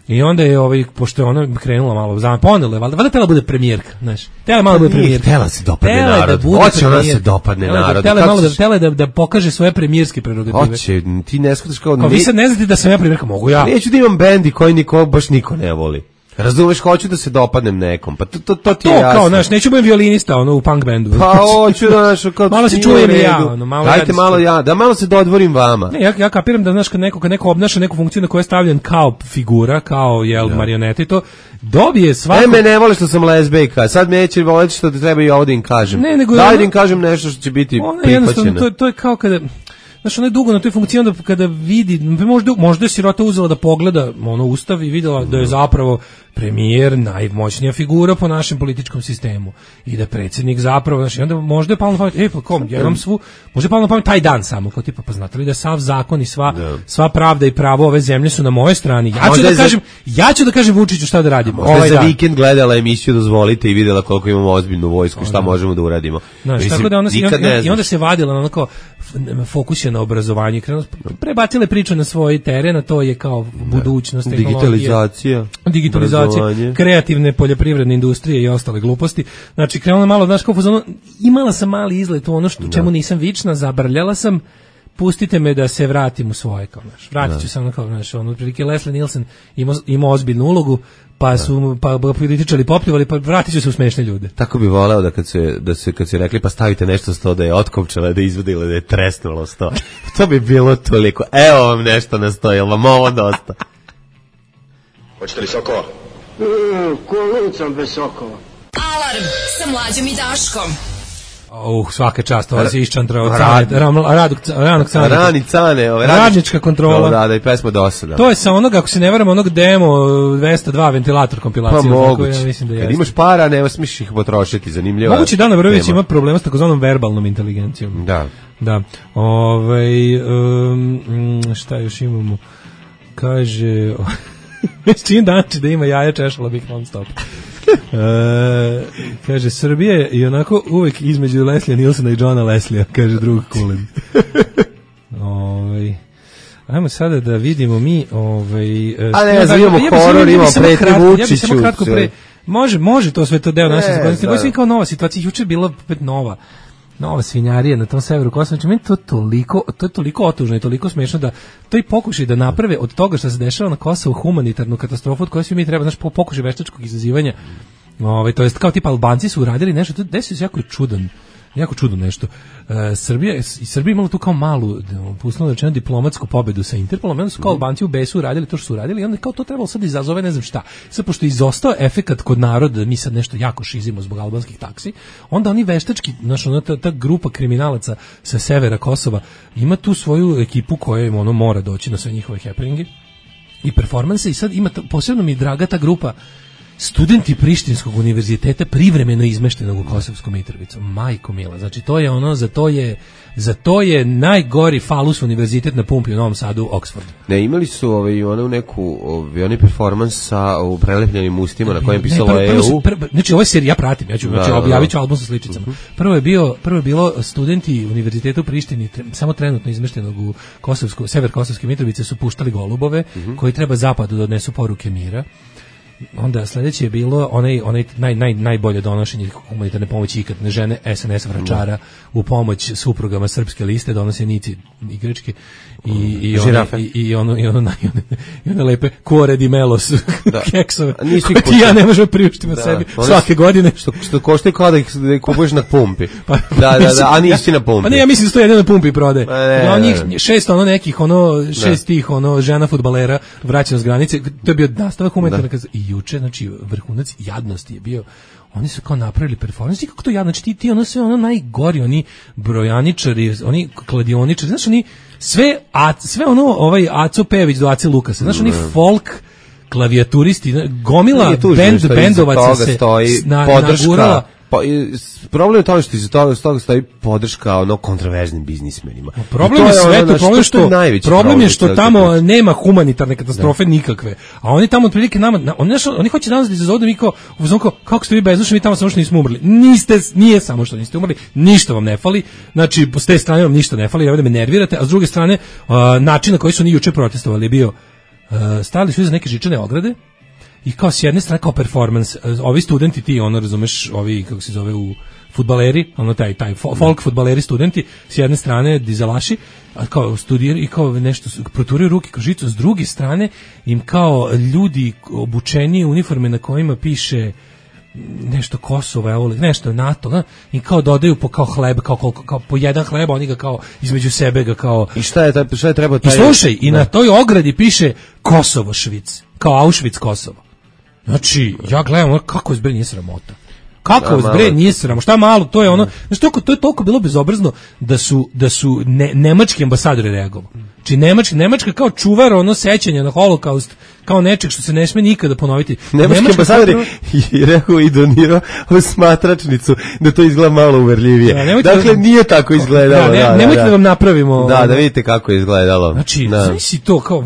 I onda je pošto je ona krenula malo ponela je, valjda tela bude premijerka, znaš. Tela malo bude premijerka. Tela se dopadne narod. Hoće ona se dopadne narod. Tela da pokaže svoje premijerske prerogative. Hoće, ti ne shvataš kao vi sad ne znate da sam ja premijerka, mogu ja. Neću da imam bendi koji baš niko ne voli. Razumeš, hoću da se dopadnem nekom. Pa to ti je jasno. Kao, znaš, neću budem violinista, u punk bendu. Pa hoću da, znaš, kao malo se čujem i ja, dajte malo ja, da malo se dodvorim vama. Ne, ja kapiram da, znaš, kad neko obnaša neku funkciju na koju je stavljen kao figura, kao, marionete i to, dobije svako... Me ne vole što sam lezbejka, sad me neće voleti što da treba i ovdje im kažem. Daj da im kažem nešto što će biti prihvaćeno. To je kao kada... Znaš, ona je dugo na toj funkciji, onda kada vidi, možda je sirota uzela da pogleda ustav i videla da je zapravo premijer najmoćnija figura po našem političkom sistemu i da predsjednik zapravo, znači, onda možda je palo na pamet, ja imam možda je palo na pamet taj dan samo, kao tipa, pa znate li da sav zakon i sva pravda i pravo ove zemlje su na moje strani, ja ću da kažem Vučiću šta da radimo. Možda je za vikend gledala emisiju Dozvolite i videla koliko imamo ozbiljnu vojsku, šta možemo da uradimo. Tako da i onda se vadila na onako fokus je na obrazovanju, prebacile priču na svoj teren, a to je kao budućnost, digitalizacija, kreativne poljoprivredne industrije i ostale gluposti. Znači, krenula malo, znaš, kao imala sam mali izlet u ono čemu nisam vična, zabrljala sam, pustite me da se vratim u svoje, kao, znaš, vratit ću se ono, kao, znaš, otprilike Leslie Nielsen imao ozbiljnu ulogu, pa su političari popljuvali, pa vratit ću se u smešne ljude. Tako bi voleo da kad se rekli pa stavite nešto sto da je otkopčala, da je izvodila, da je tresnulo sto. To bi bilo toliko. Evo vam nešto na sto, jel vam ovo dosta? Hoćete li sokova? Kolicom bez sokova. Alarm sa Mlađom i Daškom. Svaka čast, ovo se iščantrao Rani cane, radnička kontrola. Da, i pesma dosada. To je sa onog, ako se ne varam, onog demo 202 ventilator kompilacija. Pa moguće, kad imaš para, ne smiješ ih potrošiti, zanimljivo. Moguće Dana Vrvić ima problema s takozvanom verbalnom inteligencijom. Da. Šta još imamo? Kaže... Čim danči da ima jaja, češala bih non stop. Kaže, Srbija je i onako uvek između Leslija Nilsona i Johna Leslija, kaže drug Kulin. Ajmo sada da vidimo mi... imamo horor, imamo preti Vučiću. Ja bih samo kratko može to sve to deo naše zakonnosti. Ovo je kao nova situacija, juče je bila opet nova svinjarija na tom severu Kosova. Znači, meni to je toliko otužno i toliko smešno da to i pokušaj da naprave od toga što se dešava na Kosovu humanitarnu katastrofu od koje svi mi treba, znači, pokušaj veštačkog izazivanja. To jest kao tipa Albanci su uradili nešto, to desilo se jako čudno nešto. Srbija imala tu kao malu, uslovno rečeno, diplomatsku pobedu sa Interpolom, onda su kao Albanci u besu uradili to što su uradili i onda kao to trebalo sad izazove ne znam šta. Sad, pošto je izostao efekat kod naroda, mi sad nešto jako šizimo zbog albanskih taksi, onda oni veštački, znaš, ta grupa kriminalaca sa severa Kosova ima tu svoju ekipu koja im mora doći na sve njihove happeninge i performanse i sad ima, posebno mi je draga ta grupa studenti Prištinskog univerziteta privremeno izmeštenog u Kosovskom Mitrovicu. Majko mila, znači to je za to je najgori falus univerzitet na pumpi u Novom Sadu, Oxford. Ne, imali su onaj performans sa prelepljenim ustima na kojem pisalo EU. Znači ovo je serija, ja pratim, objavit ću album sa sličicama. Prvo je bilo studenti univerziteta u Prištini, samo trenutno izmeštenog u sever Kosovske Mitrovice su puštali golubove koji treba zapadu da odnesu poruke mira. Onda sledeće je bilo najbolje donošenje humanitarne pomoći ikad, žene SNS vračara u pomoć suprugama Srpske liste, donose Nici igračke i one lepe Cuore di Melos keksove koje ti ja ne možemo priuštiti sebi svake godine. Što košta kao da ih kupuješ na pumpi. A nisi na pumpi. Pa ne, ja mislim da to jedino na pumpi prodaje. Njih 6 tih žena fudbalera vraćeno s granice, to je bio nastavak humanitarne i juče, znači vrhunac jadnosti je bio. Oni su kao napravili performans, kako to jadno, znači ti sve najgori, oni brojaničari, oni kladioničari, znaš, oni sve Aco Pejević do Ace Lukasa, znaš, oni folk klavijaturisti, gomila bendovaca se nagurala. Problem je to što iz toga stoji podrška kontraverznim biznismenima. Problem je sve to, problem je što tamo nema humanitarne katastrofe nikakve. A oni tamo otprilike nama, oni hoće danas da izazovu da mi kao, kako ste vi bezdušni, mi tamo samo što nismo umrli. Nije samo što niste umrli, ništa vam ne fali. Znači, s te strane vam ništa ne fali, da me nervirate, a s druge strane, način na koji su oni juče protestovali je bio, stali su iza neke žičane ograde, i kao s jedne strane kao performance, ovi studenti ti, razumeš, ovi, kako se zove, u fudbaleri, taj folk fudbaleri studenti, s jedne strane dizelaši, a kao studiraju i kao nešto, proturaju ruke kao žicu, s druge strane im kao ljudi obučeni u uniforme na kojima piše nešto Kosovo, evo, nešto NATO, i kao dodaju po kao hleb, kao po jedan hleb, oni ga kao između sebe ga kao... I šta je treba taj... I slušaj, i na toj ogradi piše Kosovo Švic, kao Auschwitz Kosovo. Znači, ja gledam, kako je zbre nije sramota. Kako je zbre nije sramota. Šta malo, to je ono, znači to je toliko bilo bezobrazno da su nemački ambasadori reagovali. Znači Nemačka kao čuvar sećanja na holokaust, kao nečeg što se ne sme nikada ponoviti. Nemački ambasadori i rekao i donirao smatračnicu da to izgleda malo uverljivije. Dakle, nije tako izgledalo. Nemojte da vam napravimo... Da vidite kako je izgledalo. Znači, znači to, kao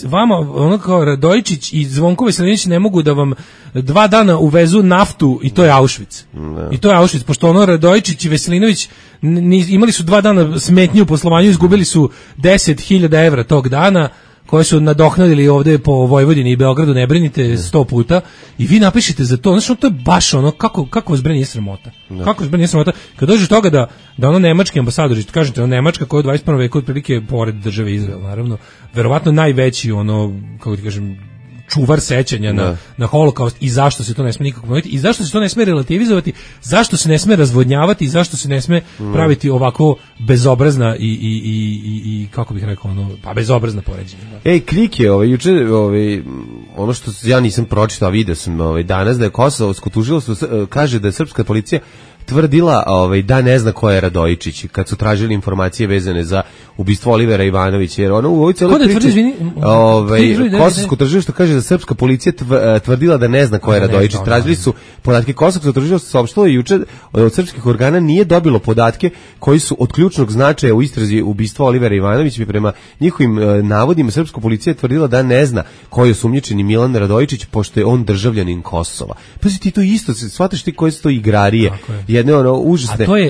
vama kao Radojičić i Zvonko Veselinović ne mogu da vam 2 dana uvezu naftu i to je Auschwitz. I to je Auschwitz, pošto Radojičić i Veselinović imali su 2 dana smetnju u poslovanju, izgubili su 10.000 evra tog dana, koje su nadoknadili ovde po Vojvodini i Beogradu, ne brinite, 100 puta, i vi napišite za to. Znači, to je baš kako vas bre nije sramota. Kako vas bre nije sramota. Kad dođe toga da nemački ambasadori, kažete, Nemačka koja je u 21. veku otprilike pored države Izrael, naravno, verovatno najveći, kako ti kažem, čuvar sećanja na holokaust, i zašto se to ne sme nikako ponoviti, i zašto se to ne sme relativizovati, zašto se ne sme razvodnjavati, i zašto se ne sme praviti ovako bezobrazna i kako bih rekao, bezobrazna poređenja. Krik je juče, ono što ja nisam pročitao, a vidio sam danas, da je Kosovsko tužilaštvo kaže da je srpska policija tvrdila da ne zna ko je Radojičić kad su tražili informacije vezane za ubistvo Olivera Ivanovića, jer ono u ovoj celoj priči Kosovsko tužilaštvo kaže da srpska policija tvrdila da ne zna ko je Radojičić. Tražili su podatke, Kosovsko tužilaštvo saopštilo i juče od srpskih organa nije dobilo podatke koji su od ključnog značaja u istrazi ubistva Olivera Ivanovića, i prema njihovim navodima srpska policija tvrdila da ne zna ko je osumnjičeni Milan Radojičić, pošto je on državljanin Kosova. Pa si ti to isto, shvataš ti koje su to igrarije, jedne užasne. Koja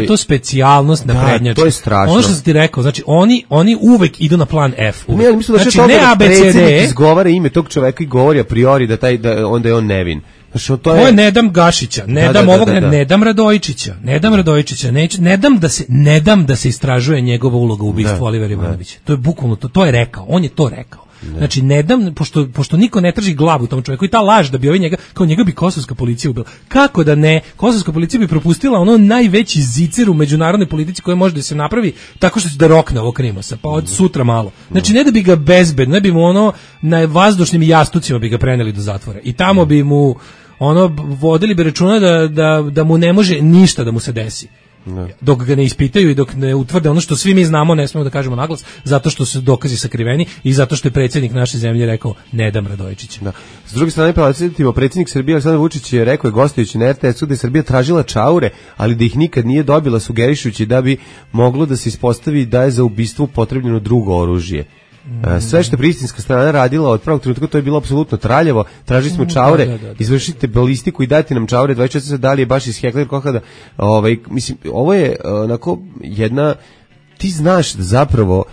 je to specijalnost naprednjačka? To je strašno. Ono što sam ti rekao, znači oni uvek idu na plan F. Ne, mislim da znači, ne ABCD izgovara ime tog čoveka i govori a priori da onda je on nevin. Znači, to je ne dam Gašića, ne dam Radojičića, ne dam da se istražuje njegova uloga u ubistvu Olivera Ivanovića. To je bukvalno to je rekao, on je to rekao. Znači, ne dam, pošto niko ne traži glavu tom čovjeku, i ta laž da bi njega bi kosovska policija ubila. Kako da ne? Kosovska policija bi propustila ono najveći zicer u međunarodnoj politici koji može da se napravi tako što će da rokne ovog Krimosa, pa od sutra malo. Znači, ne da bi ga bezbedno, ne bi mu na vazdušnim jastucima bi ga preneli do zatvora. I tamo bi mu vodili bi računa da mu ne može ništa da mu se desi. Dok ga ne ispitaju i dok ne utvrde ono što svi mi znamo, ne smemo da kažemo naglas, zato što su dokazi sakriveni i zato što je predsjednik naše zemlje rekao ne dam Radojičića. S druge strane, predsjednik Srbije Aleksandar Vučić je rekao, gostujući na RTS-u, da je Srbija tražila čaure, ali da ih nikad nije dobila, sugerišući da bi moglo da se ispostavi da je za ubistvo potrebno drugo oružje. Sve što je prištinska strana radila od prvog trenutka, to je bilo apsolutno traljavo. Tražili smo čaure, izvršite balistiku i dajte nam čaure 24 sata, da li je baš iz Hekler Kohada. Mislim, ovo je onako jedna, ti znaš da zapravo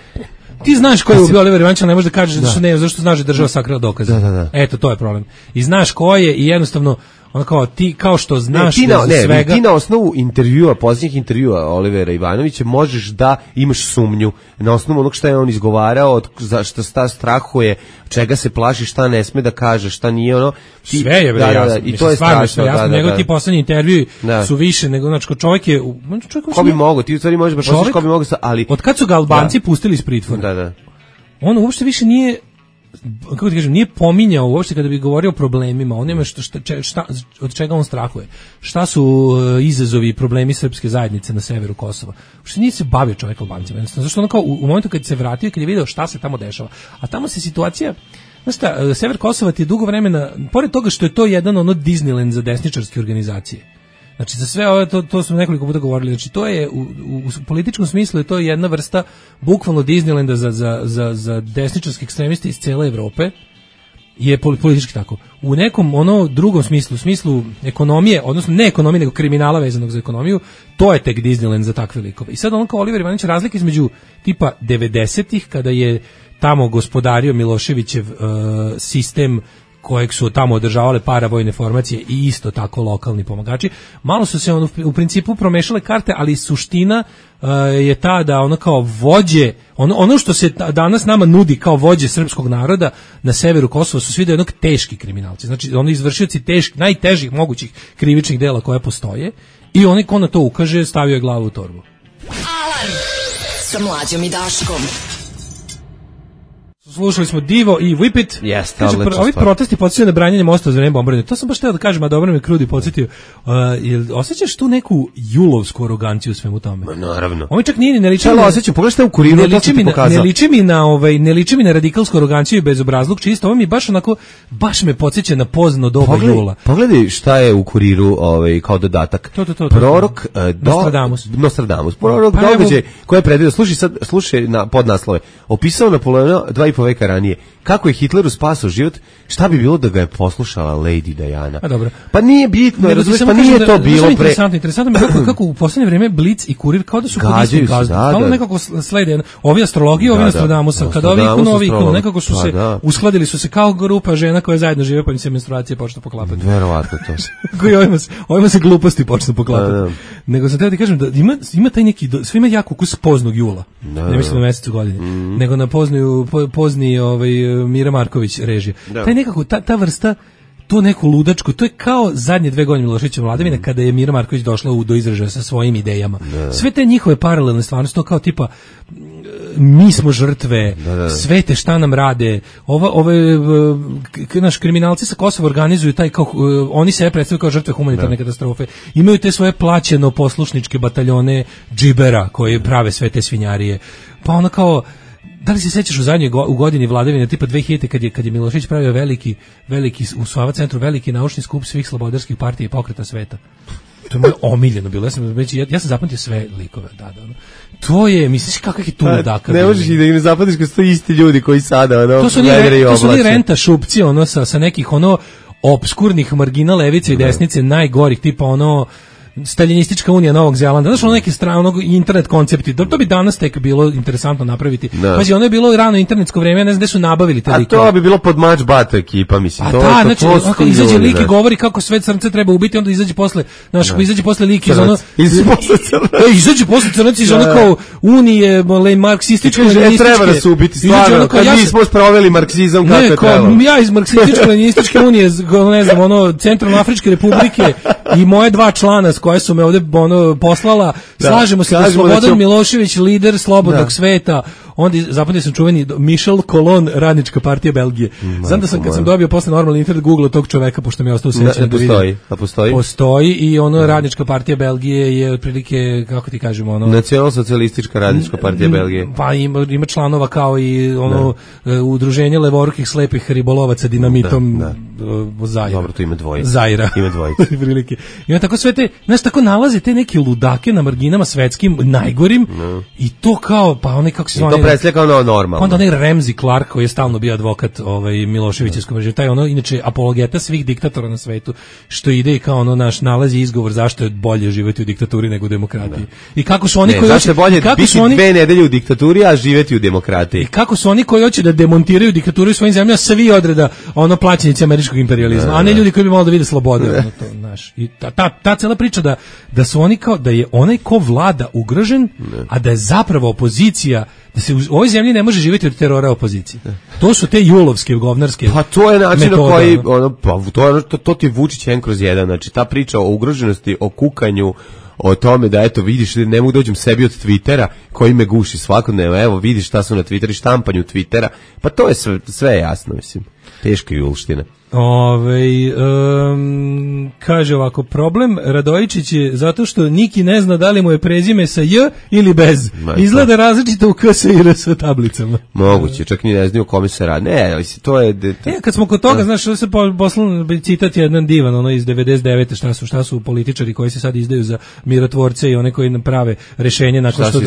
ti znaš ko je ubio Olivera Ivanovića, ne možeš da kažeš zašto znaš da država sakrila dokaze. Eto, to je problem. I znaš ko je i jednostavno ti kao što znaš svega... Ti na osnovu intervjua, posljednjih intervjua Olivera Ivanovića možeš da imaš sumnju na osnovu onog što je on izgovarao, šta strahuje, čega se plaši, šta ne sme da kaže, šta nije sve je jasno. I to je strašno. Nego ti poslednji intervjui su više nego, znači, čovjek je... Ko bi mogao, ti u stvari možeš baš osjećaš ko bi mogao, ali... Od kad su ga Albanci pustili iz pritvora? On uopšte više nije... kako ti kažem, nije pominjao uopšte kada bi govorio o problemima, on nema od čega on strahuje, šta su izazovi i problemi srpske zajednice na severu Kosova. Uopšte nije se bavio čovjek Albancima, zašto kao u momentu kad se vratio, kad je video šta se tamo dešava, a tamo se situacija, sever Kosova ti je dugo vremena, pored toga što je to jedan ono Disneyland za desničarske organizacije. Znači za sve ovo, to smo nekoliko puta govorili, znači to je u političkom smislu je to jedna vrsta bukvalno Disneylanda za desničarske ekstremiste iz cele Evrope, je politički tako. U nekom drugom smislu, u smislu ekonomije, odnosno ne ekonomije, nego kriminala vezanog za ekonomiju, to je tek Disneyland za takve likove. I sad kao Oliver Ivanović razlika između tipa 90-ih, kada je tamo gospodario Miloševićev sistem kojeg su tamo održavale paravojne formacije i isto tako lokalni pomagači. Malo su se u principu promešale karte, ali suština je ta da ono kao vođe, ono što se danas nama nudi kao vođe srpskog naroda na severu Kosova su svi da jednog teški kriminalci. Znači oni izvršioci najtežih mogućih krivičnih dela koje postoje i oni ko na to ukaže stavio je glavu u torbu. Alarm sa Mlađom i Daškom. Slušali smo Divo i Whip It. Jeste, odlično. Ovi protesti podsjećaju na branjenje mosta za vreme bombardovanja. To sam baš teo da kažem, a dobro me Krudi podsjetio. Jel osjećaš tu neku julovsku aroganciju u svemu tome? Naravno. Oni čak nije ne liči. Osjećam, pogledaj šta u Kuriru, to sam ti pokazao. Ne liči mi na radikalsku aroganciju i bezobrazluk, čisto ovo mi baš onako, baš me podsjeća na pozno doba jula. Pogledaj šta je u Kuriru kao dodatak. Prorok Nostradamus. Prorok događaj koji je predvidio. Slušaj na podnaslove. Opisao Napoleona 2,5 veka ranije. Kako je Hitleru spasao život, šta bi bilo da ga je poslušala Lady Diana? Dobro. Pa nije bitno, razumiješ, pa nije to bilo pre... Interesantno mi je kako u poslednje vreme Blic i Kurir kao da su kod istih gazda. Kao nekako slede ovi astrologije, ovi Nostradamusa, kada ovi ikonu, ovi ikonu, nekako su se uskladili su se kao grupa žena koje zajedno žive pa im se menstruacije počnu poklapati. Verovatno to se. Koji ovima se gluposti počnu poklapati. Nego sam teo ti kažem da ima taj neki, sve ima jako ukus poznog jula. Ne mislim na mesecu godine, nego na pozni Mira Marković režija. Taj nekako, ta vrsta, to neko ludačko, to je kao zadnje 2 godine Miloševićeve vladavine kada je Mira Marković došla do izražaja sa svojim idejama. Sve te njihove paralelne stvarnosti, to kao tipa mi smo žrtve, svete šta nam rade, naš kriminalci sa Kosova organizuju taj kao, oni sebe predstavljaju kao žrtve humanitarne katastrofe, imaju te svoje plaćeno poslušničke bataljone džibera koji prave sve te svinjarije, pa ono kao, da li se sećaš u godini vladavine tipa 2000 kad je Milošević pravio veliki u Sava centru veliki naučni skup svih slobodarskih partija i pokreta sveta. To je moje omiljeno bilo. Ja sam zapamtio sve likove. Da. To je, misliš kakav je tu ludaka. Ne možeš i da im zapamtiš kad su to isti ljudi koji sada to su oni renta šupci sa nekih obskurnih margina levice i desnice najgorih tipa Staljinistička unija Novog Zelanda, znaš neki internet koncepti, to bi danas tek bilo interesantno napraviti. Pazi, ono je bilo rano internetsko vreme, ne znam gde su nabavili te likove. A to bi bilo pod Match Bat ekipa, mislim. Ako izađe lik i govori kako sve crnce treba ubiti, onda izađe posle, izađe posle lik iz izađe posle crnac iz kao unije, marksističko-leninističke. Treba da su ubiti, stvarno, kad mi smo sproveli marksizam kako je trebalo. Ja iz marksističko-leninističke unije, ne znam, Centralnoafričke republike i moje 2 člana koje su me ovde poslala, slažemo se da Slobodan Milošević lider slobodnog sveta, onda zapamtio sam čuveni Michel Colon, Radnička partija Belgije. Znam da sam kad sam dobio posle normalni internet Google tog čoveka, pošto mi je ostao sećan da vidim. Postoji i Radnička partija Belgije je otprilike, kako ti kažemo, Nacionalsocijalistička Radnička partija Belgije. Pa ima članova kao i udruženje levorukih slepih ribolovaca dinamitom Zaira. Dobro, to ima dvoje. Zaira. Ima dvoje. Prilike. I onda tako sve te, tako nalaze te neke ludake na marginama svetskim najgorim i to kao, pa onaj kako se zove. I to predstavlja kao normalno. Onda onaj Ramsey Clark koji je stalno bio advokat Miloševićevskog režima, taj inače apologeta svih diktatora na svetu, što ide i kao naš nalazi izgovor zašto je bolje živjeti u diktaturi nego u demokratiji. I kako su oni koji hoće bolje biti 2 nedelje u diktaturi, a živjeti u demokratiji. I kako su oni koji hoće da demontiraju diktaturu u svojim zemljama, svi odreda plaćenici američkog imperijalizma, a ne ljudi koji bi malo da vide slobode. I ta cela priča da su oni kao, da je onaj ko vlada ugrožen, a da je zapravo opozicija, da se u ovoj zemlji ne može živjeti od terora opozicije. To su te julovske, govnarske. Pa to je način na koji, to ti je Vučić 1/1, znači ta priča o ugroženosti, o kukanju, o tome da eto vidiš ne mogu dođem sebi od Twittera koji me guši svakodnevno, evo vidiš šta su na Twitteru, štampanju Twittera, pa to je sve jasno, mislim. Teška julština. Kaže ovako, problem Radojičić je zato što Niki ne zna da li mu je prezime sa J ili bez. Izgleda različito u KS i RS tablicama. Moguće, čak ni ne znaju o kome se radi. Ne, to je... Kad smo kod toga, znaš, se poslao citat jedan divan, ono iz 99. Šta su političari koji se sad izdaju za mirotvorce i one koji nam prave rešenje nakon što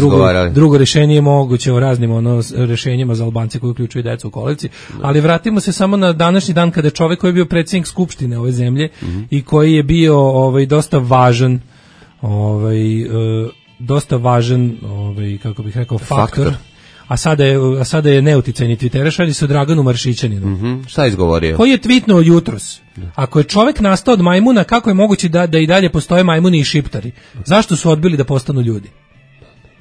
drugo rešenje je moguće o raznim rešenjima za Albance koji uključuju decu u kolevci. Ali vratimo se samo na današnji dan kada čovjek koji je bio predsjednik skupštine ove zemlje i koji je bio dosta važan kako bih rekao faktor. A sada je neuticajni Twitteraš, radi se o Draganu Maršićaninu. Šta je izgovorio? Koji je tweetnuo jutros. Ako je čovjek nastao od majmuna, kako je moguće da i dalje postoje majmuni i šiptari? Zašto su odbili da postanu ljudi?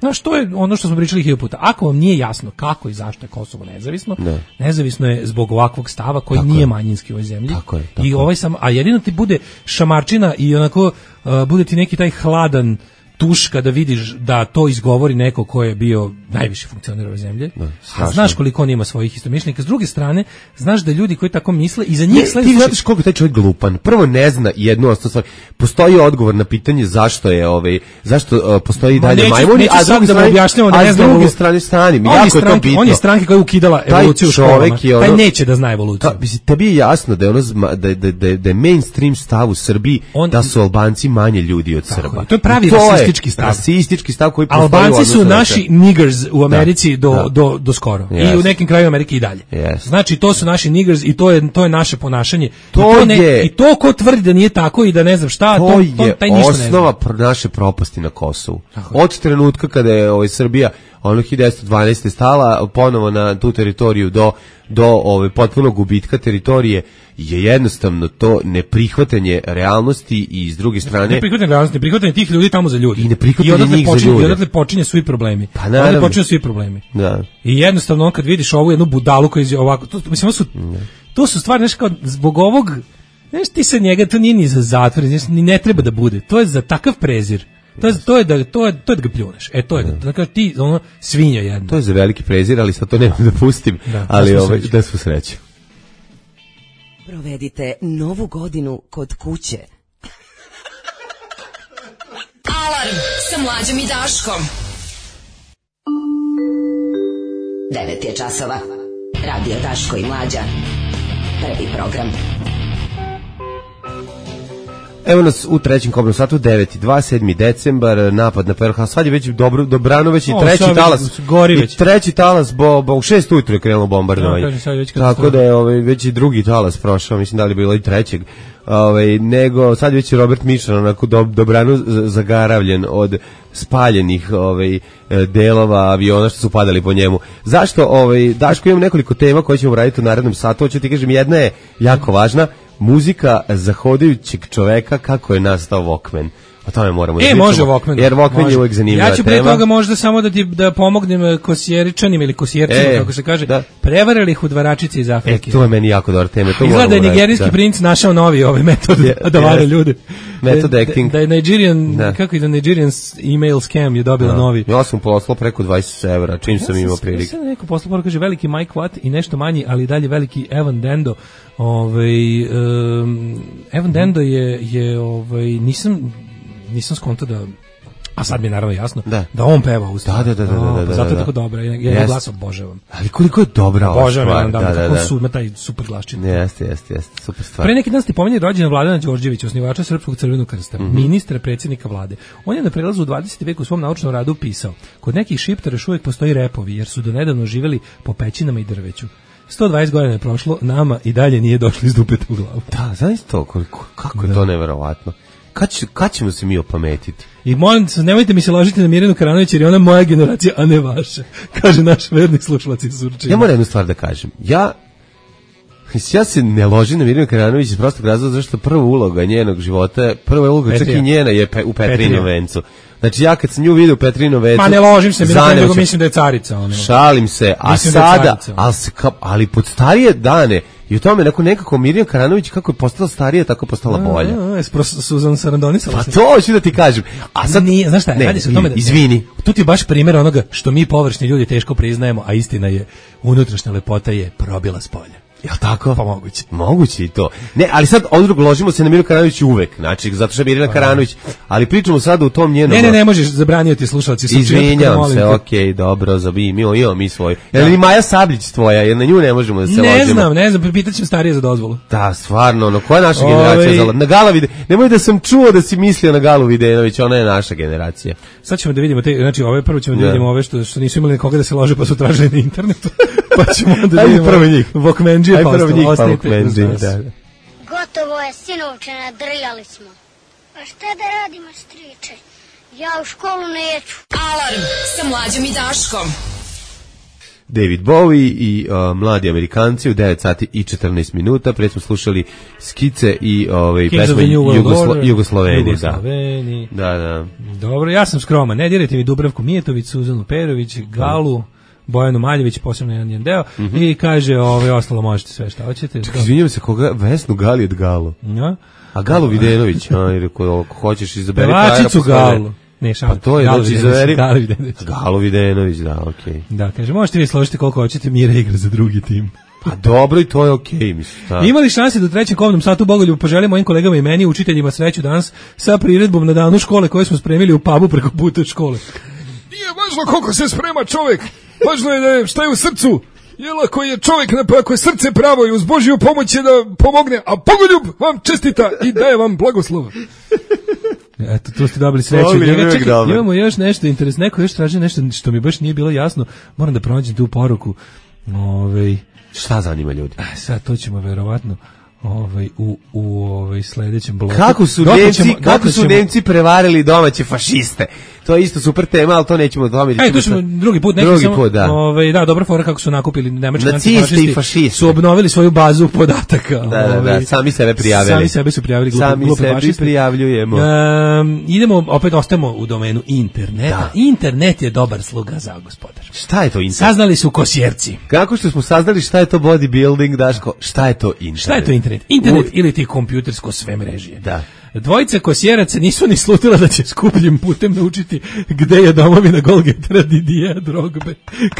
Znaš, to je ono što smo pričali 1000 puta. Ako vam nije jasno kako i zašto je Kosovo nezavisno, nezavisno je zbog ovakvog stava koji nije manjinski u ovoj zemlji. I a jedino ti bude šamarčina i onako bude ti neki taj hladan tuš kada vidiš da to izgovori neko ko je bio najviši funkcioner ove zemlje. A znaš koliko on ima svojih istomišljenika. S druge strane, znaš da ljudi koji tako misle i za njih sledeće... Ti znaš koliko taj čovjek glupan. Prvo ne zna jednu osnovnu stvar. Postoji odgovor na pitanje zašto postoji dalje majmuni, a s druge strane stanim. Jako je to bitno. On je stranka koja je ukidala evoluciju u školama. Taj neće da zna evoluciju. Tebi je jasno da je mainstream stav u Srbiji da su Albanci manje ljudi od Srba. To je pravi rasistički stav koji postoji. Albanci su naši niggers u Americi do skoro. I u nekim krajevima Amerike i dalje. Znači, to su naši niggers i to je naše ponašanje. I to ko tvrdi da nije tako i da ne znam šta, to je osnova naše propasti na Kosovu. Od trenutka kada je Srbija 1912. stala ponovo na tu teritoriju do potpunog gubitka teritorije je jednostavno to neprihvatanje realnosti i s druge strane... Neprihvatanje tih ljudi tamo za ljudi. I neprihvatanje njih za ljudi. I odatle počinje svi problemi. Pa naravno. Da. I jednostavno kad vidiš ovu jednu budalu koja je ovako... To su stvari, nešto kao zbog ovog... Znaš, ti sa njega, to nije ni za zatvor, ni ne treba da bude. To je za takav prezir. To je da ga pljuneš. To je da ti svinja jedna. To je za veliki prezir, ali sad to nemam da pustim. Ali da svu sreću. Provedite novu godinu kod kuće. Alarm sa Mlađom i Daškom. 9 je časova. Radio Daško i Mlađa. Prvi program. Evo nas u trećem kobnom satu, 9:02, 7. decembar, napad na Pearl Harbor. Sad je već Dobrano, već i treći talas. I treći talas, u 6 ujutru je krenulo bombardovanje. Tako da je već i drugi talas prošao, mislim da li je bilo i trećeg. Nego sad već je Robert Mišan onako dobrano zagaravljen od spaljenih delova aviona što su padali po njemu. Zašto? Daško, imam nekoliko tema koje ćemo raditi u narednom satu. Hoću ti kažem, jedna je jako važna. Muzika zahodajućeg čoveka, kako je nastao Walkman. O tome moramo da pričamo. Može Walkman. Jer Walkman je uvijek zanimljiva tema. Ja ću pre toga možda samo da pomognem kosjeričanima ili kosjercima, kako se kaže, prevarili ih udvaračice iz Afrike. To je meni jako dobra tema. Izgleda je nigerijski princ našao novi metod da vare ljude. Method acting. Da je Nigerian email scam je dobila novi. Ja sam poslao preko 20 evra, čim sam imao prilike. Ja sam neko poslao, kaže veliki Mike Watt i nešto manji, ali dalje veliki Evan Dendo. Evan Dendo je nisam skontao da, a sad mi je naravno jasno da on peva ustav. Da. Zato je tako dobra, ja glas obožavam. Ali koliko je dobra ova stvar. Kako su ima taj super glasčin. Jeste, super stvar. Pre neki dan ste pomenuli rođendan Vladana Đorđevića, osnivača Srpskog crvenog krsta, ministra, predsjednika vlade. On je na prelazu u 20. veku u svom naučnom radu pisao: kod nekih šiptara još uvijek postoji repovi, jer su donedavno živjeli po pećinama i drveću. 120 godina je prošlo, nama i dalje nije došlo iz dupeta u glavu. Da, znaš to, kako je to neverovatno. Kad ćemo se mi opametiti? I molim se, nemojte mi se ložiti na Mirjanu Karanović, jer je ona moja generacija, a ne vaša, kaže naš verni slušalac iz Surčina. Ja moram jednu stvar da kažem. Ja se ne ložim na Mirjanu Karanović iz prostog razloga zašto prva uloga njenog života, prva uloga čak i njena je u Petrinom vencu. Znači ja kad sam nju vidio u Petrinom vencu... Ma ne ložim se, nego mislim da je carica. Šalim se, a sada, ali pod starije dane, i u tome nekako Mirjana Karanović kako je postala starija, tako je postala bolja. Suzan Sarandonisala. Pa to hoću da ti kažem. A sad nije, znaš šta, radi se o tome da... Izvini. Tu ti je baš primjer onoga što mi površni ljudi teško priznajemo, a istina je, unutrašnja lepota je probila s polja. Jel tako? Pa moguće. Moguće i to. Ne, ali sad odrug ložimo se na Mirjanu Karanović uvek, znači zato što je Mirjana Karanović, ali pričamo sad u tom njenom. Ne možeš, zabranio ti slušalci. Izvinjam se, okej, dobro, imamo mi svoj. Jel ni Maja Sabljić tvoja, jer na nju ne možemo da se ložimo. Ne znam, pitaćemo starije za dozvolu. Da, stvarno, koja je naša generacija? Na Gala nemoj da sam čuo da si mislio na Galu Videnović, ona je naša generacija. Sad ćemo da vidimo znači prvo ćemo da vidimo ove što nisu imali nikoga da se lože pa su tražili na internetu. Pa ćemo da vidimo prvo njih. Vokmendžije pa Vokmendžije, da. Gotovo je, sinovče, nadrljali smo. A šta da radimo, striče? Ja u školu neću. Alarm sa Mlađom i Daškom. David Bowie i mladi Amerikanci u 9 sati i 14 minuta. Pre smo slušali Skice i pesme Jugosloveni. Da. Dobro, ja sam skroman. Ne dirajte mi Dubravku Mijetović, Suzanu Perović, Galu, Bojanu Maljević, posebno jedan deo, i kaže, ostalo možete sve šta hoćete. Čekaj, izvinjam se, Vesnu Gali od Galu. Ja? A Galu Videnović, ako hoćeš izaberi Pevačicu Galu. Ne, pa to je, znači, izaberi Galu Videnović, da, okej. Da, kaže, možete vi složiti koliko hoćete, Mira igra za drugi tim. Pa dobro, i to je okej, mislim. Imali šanse da u trećem kovnom satu Bogoljubu poželim mojim kolegama i meni, učiteljima, sreću danas sa priredbom na danu škole koje smo spremili u pubu preko puta od škole. Nije važno koliko se sprema čovjek, važno je da šta je u srcu. Jel, ako je čovjek, ako je srce pravo i uz Božju pomoć je da pomogne, a Bogoljub vam čestita i daje vam blagoslova. Eto, tu ste dobili sreću. Čekaj, imamo još nešto interesno, neko još traži nešto što mi baš nije bilo jasno, moram da pronađem tu poruku. Šta zanima ljudi? Sad to ćemo verovatno u sledećem bloku. Kako su Nemci prevarili domaće fašiste? To je isto super tema, ali to nećemo tome. To ćemo drugi put, da. Da, dobra fora kako su nakupili nemački nacisti i fašisti. Su obnovili svoju bazu podataka. Da, sami sebe prijavili. Sami sebe su prijavili sami sebi prijavljujemo. Idemo, opet ostajemo u domenu interneta. Da. Internet je dobar sluga za gospodar. Šta je to internet? Saznali su Kosjerci. Kako što smo saznali šta je to bodybuilding, Daško? Šta je to internet? Šta je to internet? Internet ili ti kompjutersko sve mrežije. Da. Dvojica Kosjeraca nisu ni slutila da će skupljim putem naučiti gde je domovina Golgetera Didija Drogbe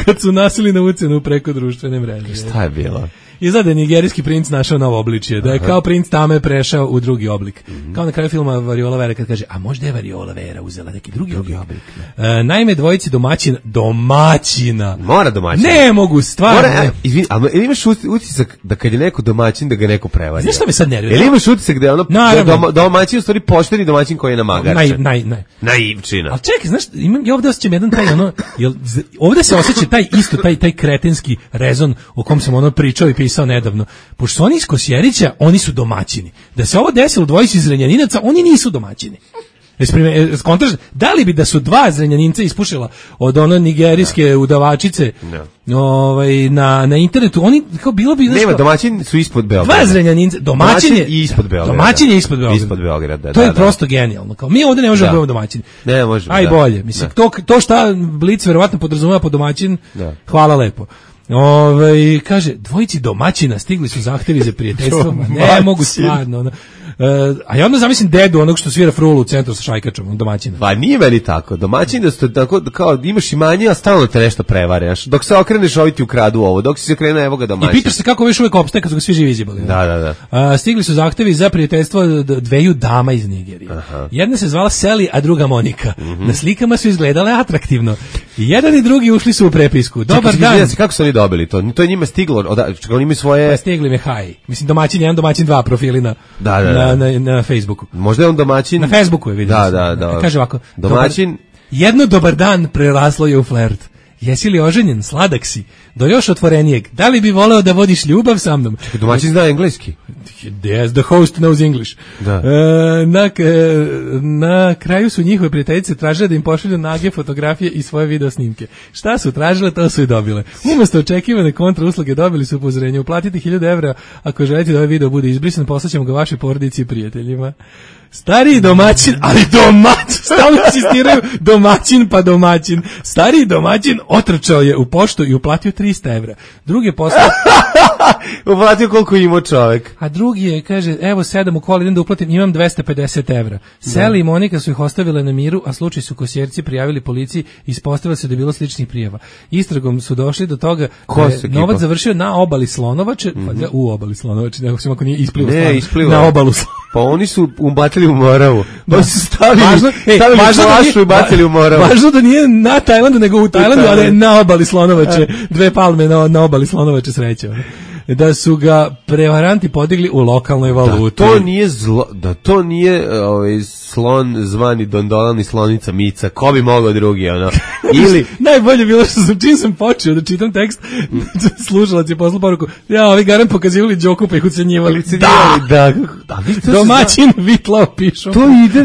kad su nasili na ucenu preko društvene mreže. Šta je bilo? Izgleda je nigerijski princ našao novo obličje, da je kao princ Tame prešao u drugi oblik. Kao na kraju filma Variola Vera kad kaže, a možda je Variola Vera uzela neki drugi oblik. Naime, dvojici domaćina. Mora domaćina. Ne mogu, stvarno. Izvini, ali imaš utisak da kad je neko domaćin da ga neko prevario? Znaš šta me sad nervira? Ili imaš utisak da je ono domaćin u stvari pošteni domaćin koji je namagarčan? Naivčina. Ali čekaj, znaš, ja ovdje osjećam jedan taj ovdje se osjeća taj kretenski rezon o kom sam pričao i pisao nedavno. Pošto su oni iz Kosjerića, oni su domaćini. Da se ovo desilo dvojici iz Zrenjaninaca, oni nisu domaćini. Da li bi da su dva Zrenjaninca ispušila od ono nigerijske udavačice na internetu, oni kao bilo bi... Nema, domaćin su ispod Beograda. Dva Zrenjaninca, domaćin je ispod Beograda. Domaćin je ispod Beograda. Ispod Beograda, to je prosto genijalno. Kao, mi ovdje ne možemo biti domaćini. Ne možemo, aj bolje. Mislim, to šta Blic verovatno podrazumeva pod domaćin, hvala lepo. Kaže, dvojici domaćina stigli su zahtevi za prijateljstvo, ne mogu stvarno. A ja onda zamislim dedu onog što svira frulu u centru sa šajkačom, domaćina. Pa nije meni tako. Domaćin da ste tako, kao imaš imanje, a stalno te nešto prevare. Dok se okreneš, ovi ti ukradu ovo. Dok si se okrenuo, evo ga domaćin. I pitaš se kako već uvek opstaje kad su ga svi živi izjebali. Da. Stigli su zahtevi za prijateljstvo dveju dama iz Nigerije. Jedna se zvala Sally, a druga Monika. Na slikama su izgledale atraktivno. I jedan i drugi ušli su u prepisku. Dobar dan. Kako su oni dobili to? To je njima stiglo. Oni imaju svoje... Pa stigli me haj. Mislim, domaćin 1, domaćin 2 profili na Facebooku. Možda je on domaćin... Na Facebooku je vidio. Da. Kaže ovako. Domaćin... Jedno dobar dan preraslo je u flert. Jesi li oženjen, sladak si, do još otvorenijeg, da li bi voleo da vodiš ljubav sa mnom? Domaćin zna engleski. Yes, the host knows English. Da. Na kraju su njihove prijateljice tražile da im pošalju nage fotografije i svoje video snimke. Šta su tražile, to su i dobile. Umesto očekivane kontra usluge dobili su upozorenje. Uplatiti 1000 evra ako želite da ovaj video bude izbrisan, poslaćemo ga vašoj porodici i prijateljima. Stariji domaćin, ali stalno insistiraju domaćin. Stariji domaćin otrčao je u poštu i uplatio 300 evra. Druge poslao... uplatio koliko imao čovek. A drugi je, kaže, evo 7 u kola, idem da uplatim, imam 250 evra. Seli i Monika su ih ostavile na miru, a slučaj su kosjerci prijavili policiji i ispostavilo se da je bilo sličnih prijava. Istragom su došli do toga da je novac završio na obali Slonovače, u obali Slonovače, nego ako nije isplivao na obalu Slonovače. Pa oni su ubacili u Moravu. Oni su stavili flašu i bacili u Moravu. Važno da nije na Tajlandu, nego u Tajlandu, ali na obali Slonovače. Dve palme na obali Slonovače sreće. Da su ga prevaranti podigli u lokalnoj valuti. Da to nije slon zvani Dondolan i slonica Mica. Ko bi mogao drugi, ono? Ili najbolje bilo što čim sam počeo da čitam tekst, slušalac je poslao poruku, ovi garant pokazivali Đoku pa ih ucenjivali. Da. Domaćin Vitlao pišu. To ide,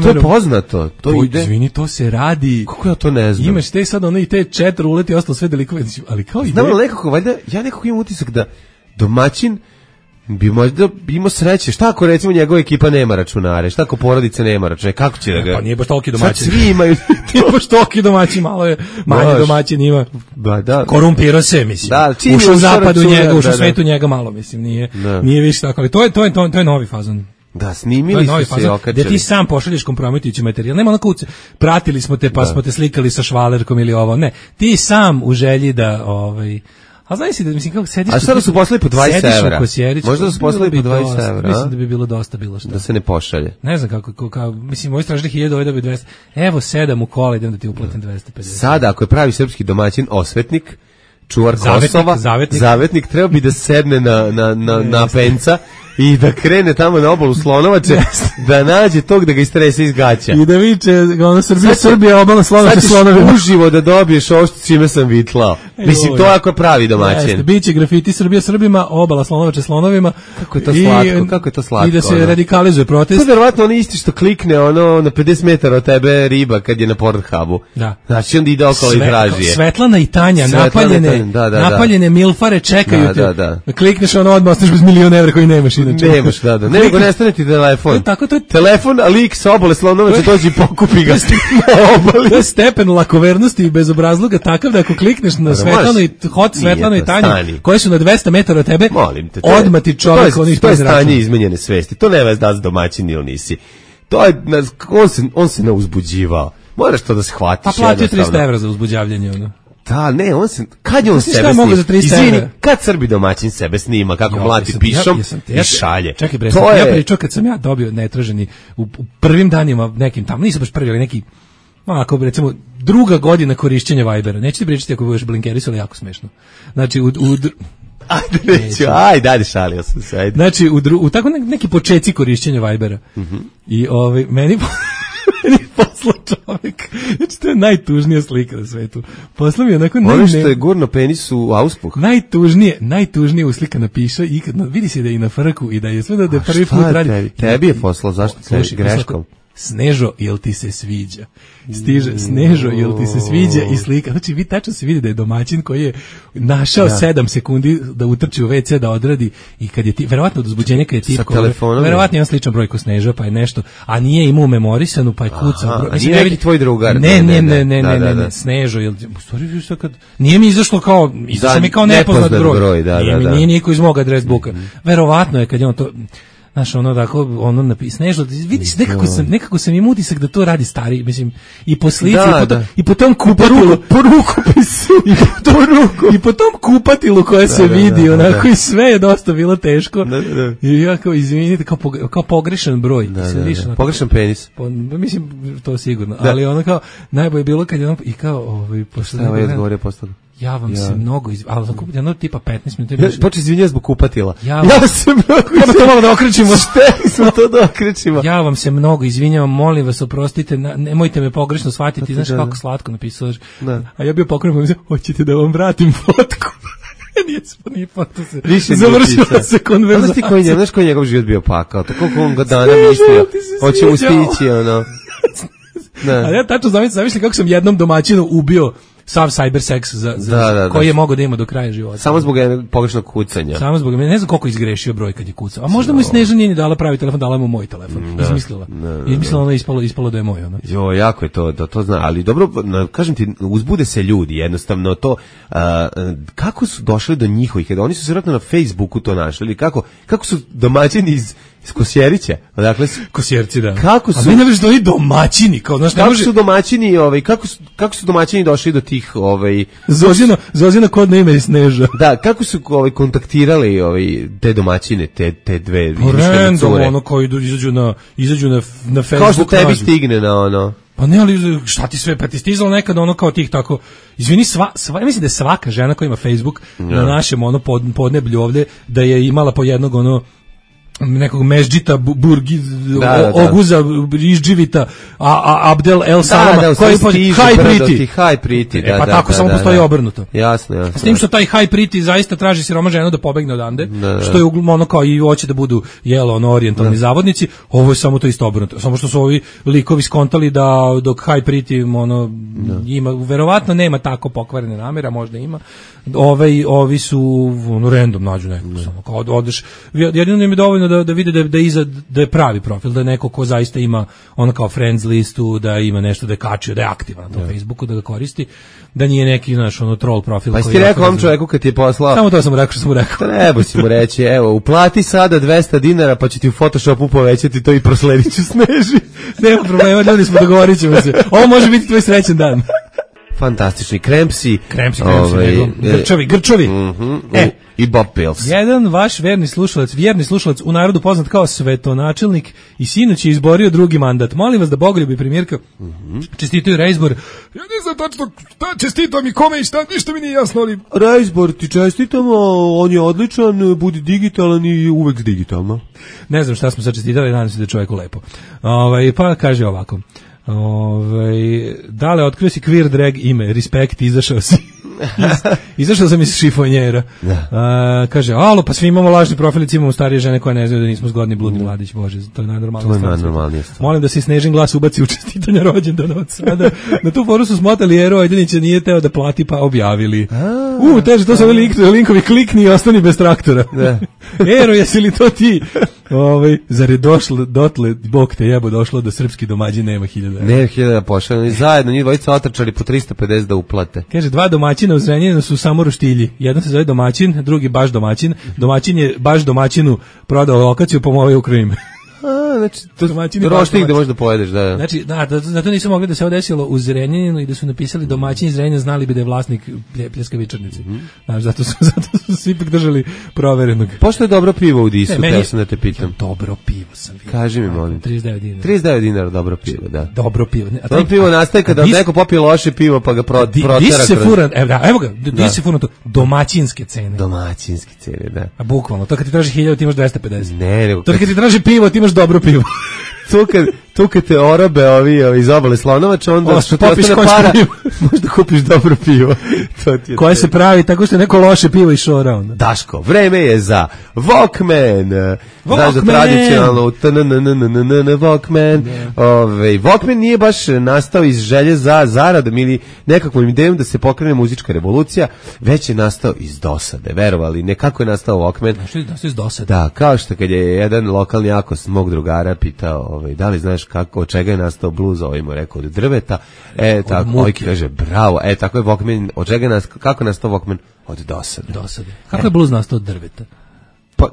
to je poznato. Izvini, to se radi. Kako ja to ne znam? Imaš te sad ono i te čet ruleti i ostalo sve delikove, ali kao ide. Znam, nekako, valjda, ja nekako imam utisak da domaćin bi možda imao sreće. Šta ako recimo njegova ekipa nema računare? Šta ako porodica nema računare? Kako će da ga... Pa nije baš toliki domaćin. Sad svi imaju... Nije baš toliki domaćin, malo je manje domaćin ima. Da. Korumpirao se, mislim. Ušao u zapadu njega, ušao u svetu njega malo, mislim. Nije više tako, ali to je novi fazon. Da, snimili su se okačili. Da ti sam pošalješ kompromitujući materijal. Nema onako, pratili smo te pa smo te slikali sa švalerkom ili ovo. Ne, ti sam u želji da... A znaš si da, mislim, kako sediš... A sada su poslali po 20 evra. Možda su poslali po 20 evra. Mislim da bi bilo dosta bilo šta. Da se ne pošalje. Ne znam kako mislim, moji stražili 1000, ovaj dobi 200. Evo 7 u kola, idem da ti uplatim 250. Sada, ako je pravi srpski domaćin, osvetnik, čuvar Kosova, zavetnik, treba bi da sedne na penca i da krene tamo na obalu Slonovače, da nađe tog da ga istrese iz gaća. I da viče, ono Srbija, obala Slonovače, Slonovima. Sad ćeš uživo da dobiješ ovo što čime sam vitlao. Mislim, to ako je pravi domaćin. Biće grafiti Srbija Srbima, obala Slonovače, Slonovima. Kako je to slatko. I da se radikalizuje protest. To je verovatno ono isti što klikne ono na 50 metara od tebe riba kad je na Pornhubu. Da. Znači onda ide okolo i traži je. Svetlana i Tanja, napaljene milfare čekaju te. Klikneš ono odmah, ostaš bez milion evra koji nemaš. Nemaš, da. Nego nestane ti telefon. Telefon, a lik sa obale Slonovače dođe i pokupi ga. To je stepen lakovernosti i bezobrazluga takav da ako klikneš na Svetlanu i Svetlanu i Tanju, koje su na 200 metara od tebe, odmah ti čovjek onih to je stanje izmenjene svesti. To nema da si domaćin ili nisi. To je, on se ne uzbuđivao. Moraš to da se hvatiš. Pa platio 300 evra za uzbuđavljanje, ono. Da, ne, kad je on sebe snima? Izvini, kad Srbi domaćin sebe snima, kako mlati pišom i šalje. Čekaj bre, ja pričao kad sam ja dobio netraženi u prvim danima nekim tamo, nisam baš prvi, ali neki, ako recimo druga godina korišćenja Vibera, neću ti pričati ako budeš blinkeris, ali jako smešno. Znači, Ajde, šalio sam se, ajde. Znači, u tako neki počeci korišćenja Vibera. I meni poslao čovjek, znači to je najtužnija slika na svetu. Poslao mi onako... Ono što je gurno penis u auspuh. Najtužnije uslika napiše i vidi se da je i na frku i da je sve da je prvi put radi. Tebi je poslao, zašto se greškom? Snežo, jel ti se sviđa? Stiže, Snežo, jel ti se sviđa i slika. Znači, vi tačno se vidi da je domaćin koji je našao 7 sekundi da utrči u WC, da odradi i kad je verovatno od uzbuđenja kad je tipko, verovatno je sličan broj ko Snežo, pa je nešto, a nije imao memorisanu, pa je kucao broj. A nije neki tvoj drugar? Ne, Snežo, jel ti, u stvari, nije mi izašlo kao nepoznat broj. Nije niko iz mog adres buka. Verovatno je kad je on to... Znaš, ono napisano, Snežo, vidiš, nekako sam im utisak da to radi stari, mislim, i po slici, i po tom kupatilu, po rukopisu, i po tom kupatilu koje se vidi, onako, i sve je dosta bilo teško, i ja kao, izvinite, kao pogrešan broj. Pogrešan penis. Mislim, to sigurno, ali ono kao, najbolje je bilo kad je ono, i kao, Evo je odgovorio postalo. Ja vam se mnogo ali jedno tipa 15 minuta. Počeo izvinjavati zbog kupatila. Ja to malo da okrećimo. Smo to da okrećimo. Ja vam se mnogo izvinjavam, molim vas, oprostite, nemojte me pogrešno shvatiti. Znaš kako slatko napisao. A ja bio pokrenut, mislim, hoćete da vam vratim fotku? Nije foto se. Završila se konverzacija. Znaš koji je njegov život bio pakao? Tako on ga dana mislio. Hoće mu stići, ono. Ali ja tačno zamišljam kako sam jednom domaćinu ubio sav cyberseks koji je mogao da ima do kraja života. Samo zbog pogrešnog kucanja. Samo zbog ne znam koliko izgrešio broj kad je kucao. A možda mu Sneža nije ni dala pravi telefon, dala mu moj telefon. Izmislila. Izmislila ona ispalo da je moj ona. Jo, jako je to zna, ali dobro, kažem ti, uzbude se ljudi, jednostavno to kako su došli do njihovih, oni su se vjerojatno na Facebooku to našli, ili kako su domaćini iz Kosjerića, odakle su Kosjerci, da. Kako su? A meni naveš da oni domaćini, kao znaš, kako su domaćini, kako su domaćini došli do tih Zozina kodno ime je Sneža. Da, kako su kontaktirali te domaćine, te dve random, ono kao izađu na Facebook. Kao što tebi stigne na ono. Pa ne, ali šta ti sve, pa ti stizalo nekad ono kao tih tako, izvini, ja mislim da je svaka žena koja ima Facebook na našem ono podneblju ovde, da je imala po jednog ono nekog Mežđita, Oguza, Rižđivita, Abdel El Salama, koji je High Pretty. Pa tako samo postoji obrnuto. Jasno. S tim što taj High Pretty zaista traži siroma ženu da pobegne odande, što je ono kao i hoće da budu orijentalni zavodnici, ovo je samo to isto obrnuto. Samo što su ovi likovi skontali da dok High Pretty ima, verovatno nema tako pokvarene namere, možda ima, ovi su random nađu nekog, samo kao odeš, jedino im je dovoljno da vide da je pravi profil, da je neko ko zaista ima ono kao friends listu, da ima nešto da je kačio, da je aktivan na tom Facebooku, da ga koristi, da nije neki troll profil. Pa si rekao ovom čovjeku kad ti je poslao? Samo to sam rekao što sam mu rekao. Treba si mu reći, evo, uplati sada $200 pa će ti u Photoshopu povećati to i prosledit ću Sneži. Nema problema, ljudi smo, dogovorit ćemo se. Ovo može biti tvoj srećan dan. Fantastični Krempsi, Grčovi. I Bob Pills. Jedan vaš vjerni slušalac u narodu poznat kao svetonačelnik i sinoć je izborio drugi mandat. Molim vas da bogoljubi premijerka čestitaju reizbor. Ja ne znam tačno šta čestitam i kome i šta, ništa mi nije jasno, ali... Reizbor ti čestitamo, on je odličan, budi digitalan i uvek digitalno. Ne znam šta smo sad čestitali, nadam se da je čovjeku lepo. Pa kaže ovako. Dale, otkrio si queer drag ime, respekt, izašao si. Izašao sam iz šifonjera. Kaže, alo, pa svi imamo lažni profilici, imamo starije žene koje ne znaju da nismo zgodni bludni mladić, bože, to je najnormalnija stvar. Molim da se Snežin glas ubaci u čestitanja rođendana od sada. Na tu foru su smotali Ero Ajdenića, nije teo da plati, pa objavili. Teže, to su linkovi, klikni i ostani bez traktora. Ero, jesi li to ti? Zar je došlo dotle, Bog te jebo, došlo da srpski domaćin nema 1000. Ne, 1000 pošao, zajedno njih dvojica otrčali po 350 da uplate. Kaže, 2 domaćina u Zrenjaninu su samo roštilji. Jedan se zove domaćin, drugi baš domaćin. Domaćin je baš domaćinu prodao lokaciju, pomoje u Krim. Znači, roštilj gde možeš da pojedeš, da. Znači, zato nisu mogli da se ovo desilo u Zrenjaninu i da su napisali domaćin iz Zrenjanina, znali bi da je vlasnik pljeskavičarnice. Znači, zato su se ipak držali proverenog. Pošto je dobro pivo u Disu, teo sam da te pitam. Dobro pivo sam vidio. Kaži mi, molim. $39. Dobro pivo, da. Dobro pivo. To pivo nastaje kada neko popije loše pivo pa ga protera. Evo ga, di se furan to? Domaćinske cene. Domaćinske cene, da. A bukvalno, to kad ti traži 1000, ti imaš 250. Ne, nego... To kad ti traži pivo, ti imaš dobro pivo. Tu kad te orabe ovi iz obale Slonovača, onda što ti ostane para, možda kupiš dobro pivo. Koje se pravi tako što je neko loše pivo i šora onda. Daško, vreme je za Walkman. Znaš da tradicionalno Walkman. Walkman nije baš nastao iz želje za zaradom ili nekakvom idejom da se pokrene muzička revolucija, već je nastao iz dosade, verovali. Nekako je nastao Walkman. Što je nastao iz dosade? Da, kao što kad je jedan lokalni akos mog drugara pitao, da li znaš od čega je nastao bluz, mu je rekao od drveta, tako, ovaj kaže bravo, tako je Walkman, od čega kako je nastao Walkman? Od dosade. Kako je bluz nastao od drveta? Pa,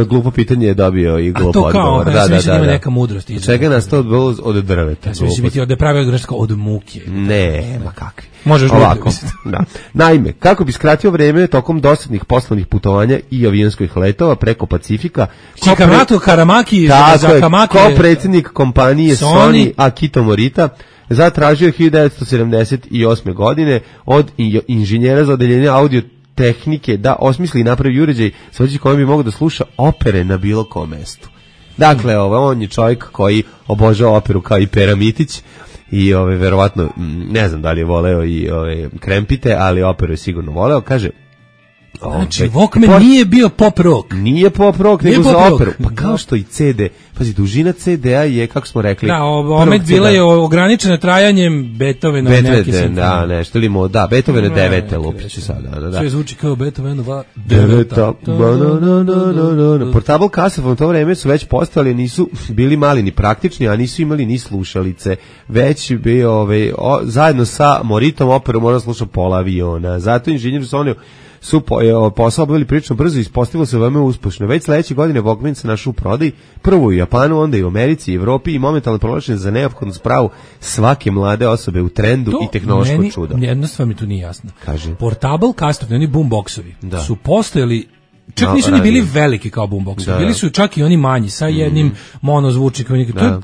glupo pitanje je dobio i glupo odgovor. A to kao, ja mislim da ima neka mudrost. Od čega je nastao bluz? Od drveta. Ja mislim biti od pravi od muke. Ne, ma kakvi. Možeš ovako. Da. Naime, kako bi skratio vreme tokom dosadnih poslovnih putovanja i avionskih letova preko Pacifika, Karamaki, kao predsjednik kompanije Sony Akito Morita zatražio 1978. godine od inženjera za odeljenje audio tehnike da osmisli i napravi uređaj sa kojim bi mogao da sluša opere na bilo kom mestu. Dakle, on je čovjek koji obožava operu kao i Pera Mitić i verovatno, ne znam da li je voleo i Krempite, ali operu je sigurno voleo. Kaže, Znači, Walkman nije bio pop rock. Nije pop rock, nego za operu. Pa kao što i CD. Pazi, dužina CD-a je, kako smo rekli... Da, omet bila je ograničena trajanjem Beethovena neke simfonije. Da, nešto ili da, Beethovena 9. lupiću sada. Da. Sve zvuči kao Beethovenova 9. Portable kasete u to vreme su već postojali, nisu bili mali ni praktični, a nisu imali ni slušalice. Već bio zajedno sa Moritom operu mora sluša pola aviona. Zato inženjer Sony su posao obavili prilično brzo i ispostavilo se veoma uspešno. Već sledeće godine Walkman se našao u prodaji, prvo u Japanu, onda i u Americi i Evropi i momentalno proglašen za neophodnu spravu svake mlade osobe u trendu i tehnološko čudo. Jedna stvar mi tu nije jasna. Kaže. Portable kasete, oni boomboxovi, su postojali, čak nisu ni bili veliki kao boomboxovi, bili su čak i oni manji, sa jednim monozvučnikom.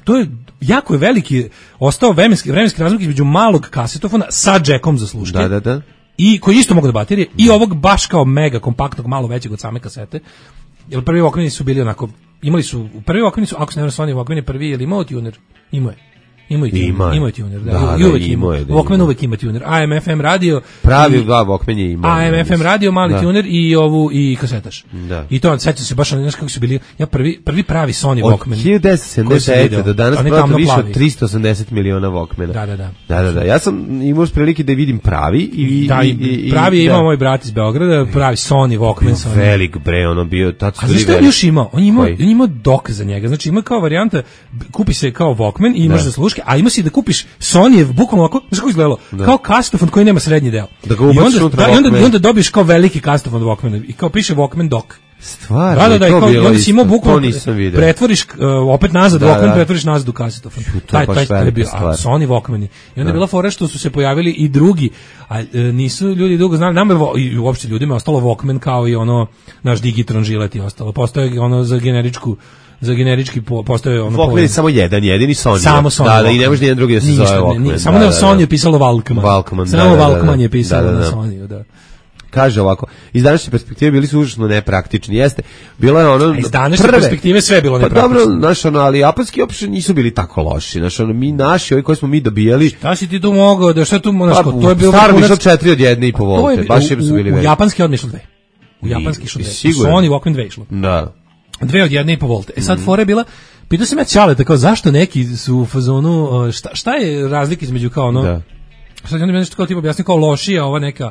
To je jako je veliki, ostao vremenski razmak između malog kasetofona sa džekom za sluške. Da. I koji isto mogu da baterije i ovog baš kao mega kompaktnog, malo većeg od same kasete. Jer prvi Walkmani su bili onako, prvi Walkmani su, ako se ne Sony Walkman je prvi, je li imao tuner? Imao je. Imao je tuner, da. Walkman uvek ima tuner. AM, FM radio. Pravi Walkman je imao. AM, FM radio, mali tuner i kasetaš. Da. I to, sećam se baš, znaš kako su bili, ja prvi pravi Sony Walkman. Od 1979 do danas prodato više od 380 miliona Walkmana. Da. Ja sam imao prilike da vidim pravi. Pravi je imao moj brat iz Beograda, pravi Sony Walkman. Velik bre, ono bio. A znaš što je još imao? On imao dok za njega. Znači ima kao varijanta, kupi se kao Walkman i imaš da slušaš, a ima si da kupiš Sonyjev, bukvalno ovako, znaš kako izgledalo, kao kasetofon koji nema srednji deo. I onda dobiješ kao veliki kasetofon Walkmana i kao piše Walkman dock. Stvarno, da, i onda si imao bukvalno, pretvoriš opet nazad Walkman, pretvoriš nazad u kasetofon. Taj je bio Sony Walkmani. I onda je bila fora što su se pojavili i drugi, a nisu ljudi dugo znali, nama i uopšte ljudima je ostalo Walkman kao i ono, naš Digitron žilet i ostalo. Postoje ono za generički postoje ono Walkman je samo jedini Sony. Samo Sony. Da, i ne može nijedan drugi da se zove Walkman. Samo na Sony je pisalo Walkman. Samo Walkman je pisalo na Sony, da. Kaže ovako, iz današnje perspektive bili su užasno nepraktični, jeste. Bilo je ono iz današnje perspektive sve je bilo nepraktično. Pa dobro, znaš, ali japanski uopšte nisu bili tako loši. Znaš, mi naši, ovi koji smo mi dobijali. Šta si ti tu mogao, da šta tu, znaš, to je bilo staro išlo 4 od 1,5 volte. Baš je su bili veliki. U japanski odmah išlo 2. U japanski išlo 2. Sony Walkman 2 išlo. Da. 2 od 1,5 volte. Sad fora je bila, pitao sam ja Ćaleta, kao zašto neki su u fazonu, šta je razlika između kao ono, sad onda mi nešto kao tipa objasni kao lošija, ova neka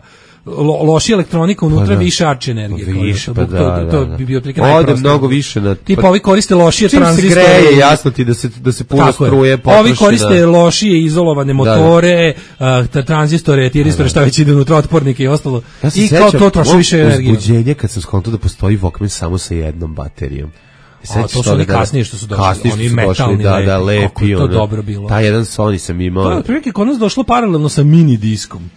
lošija elektronika unutra, više arče energije. Više, to bi bio otprilike najprostije. Ode mnogo više na... Tipa ovi koriste lošije tranzistore. Čim se greje, jasno ti da se puno struje potroši. Ovi koriste lošije izolovane motore, tranzistore, tiristore, šta već ide unutra, otpornike i ostalo. I kao to troši više energije. Uzbuđenje kad sam skontao da postoji Walkman samo sa jednom baterijom. To su oni kasnije što su došli, oni metalni, lepi, to dobro bilo. Taj jedan Sony sam imao. To je otprilike kod nas došlo paralelno sa mini diskom,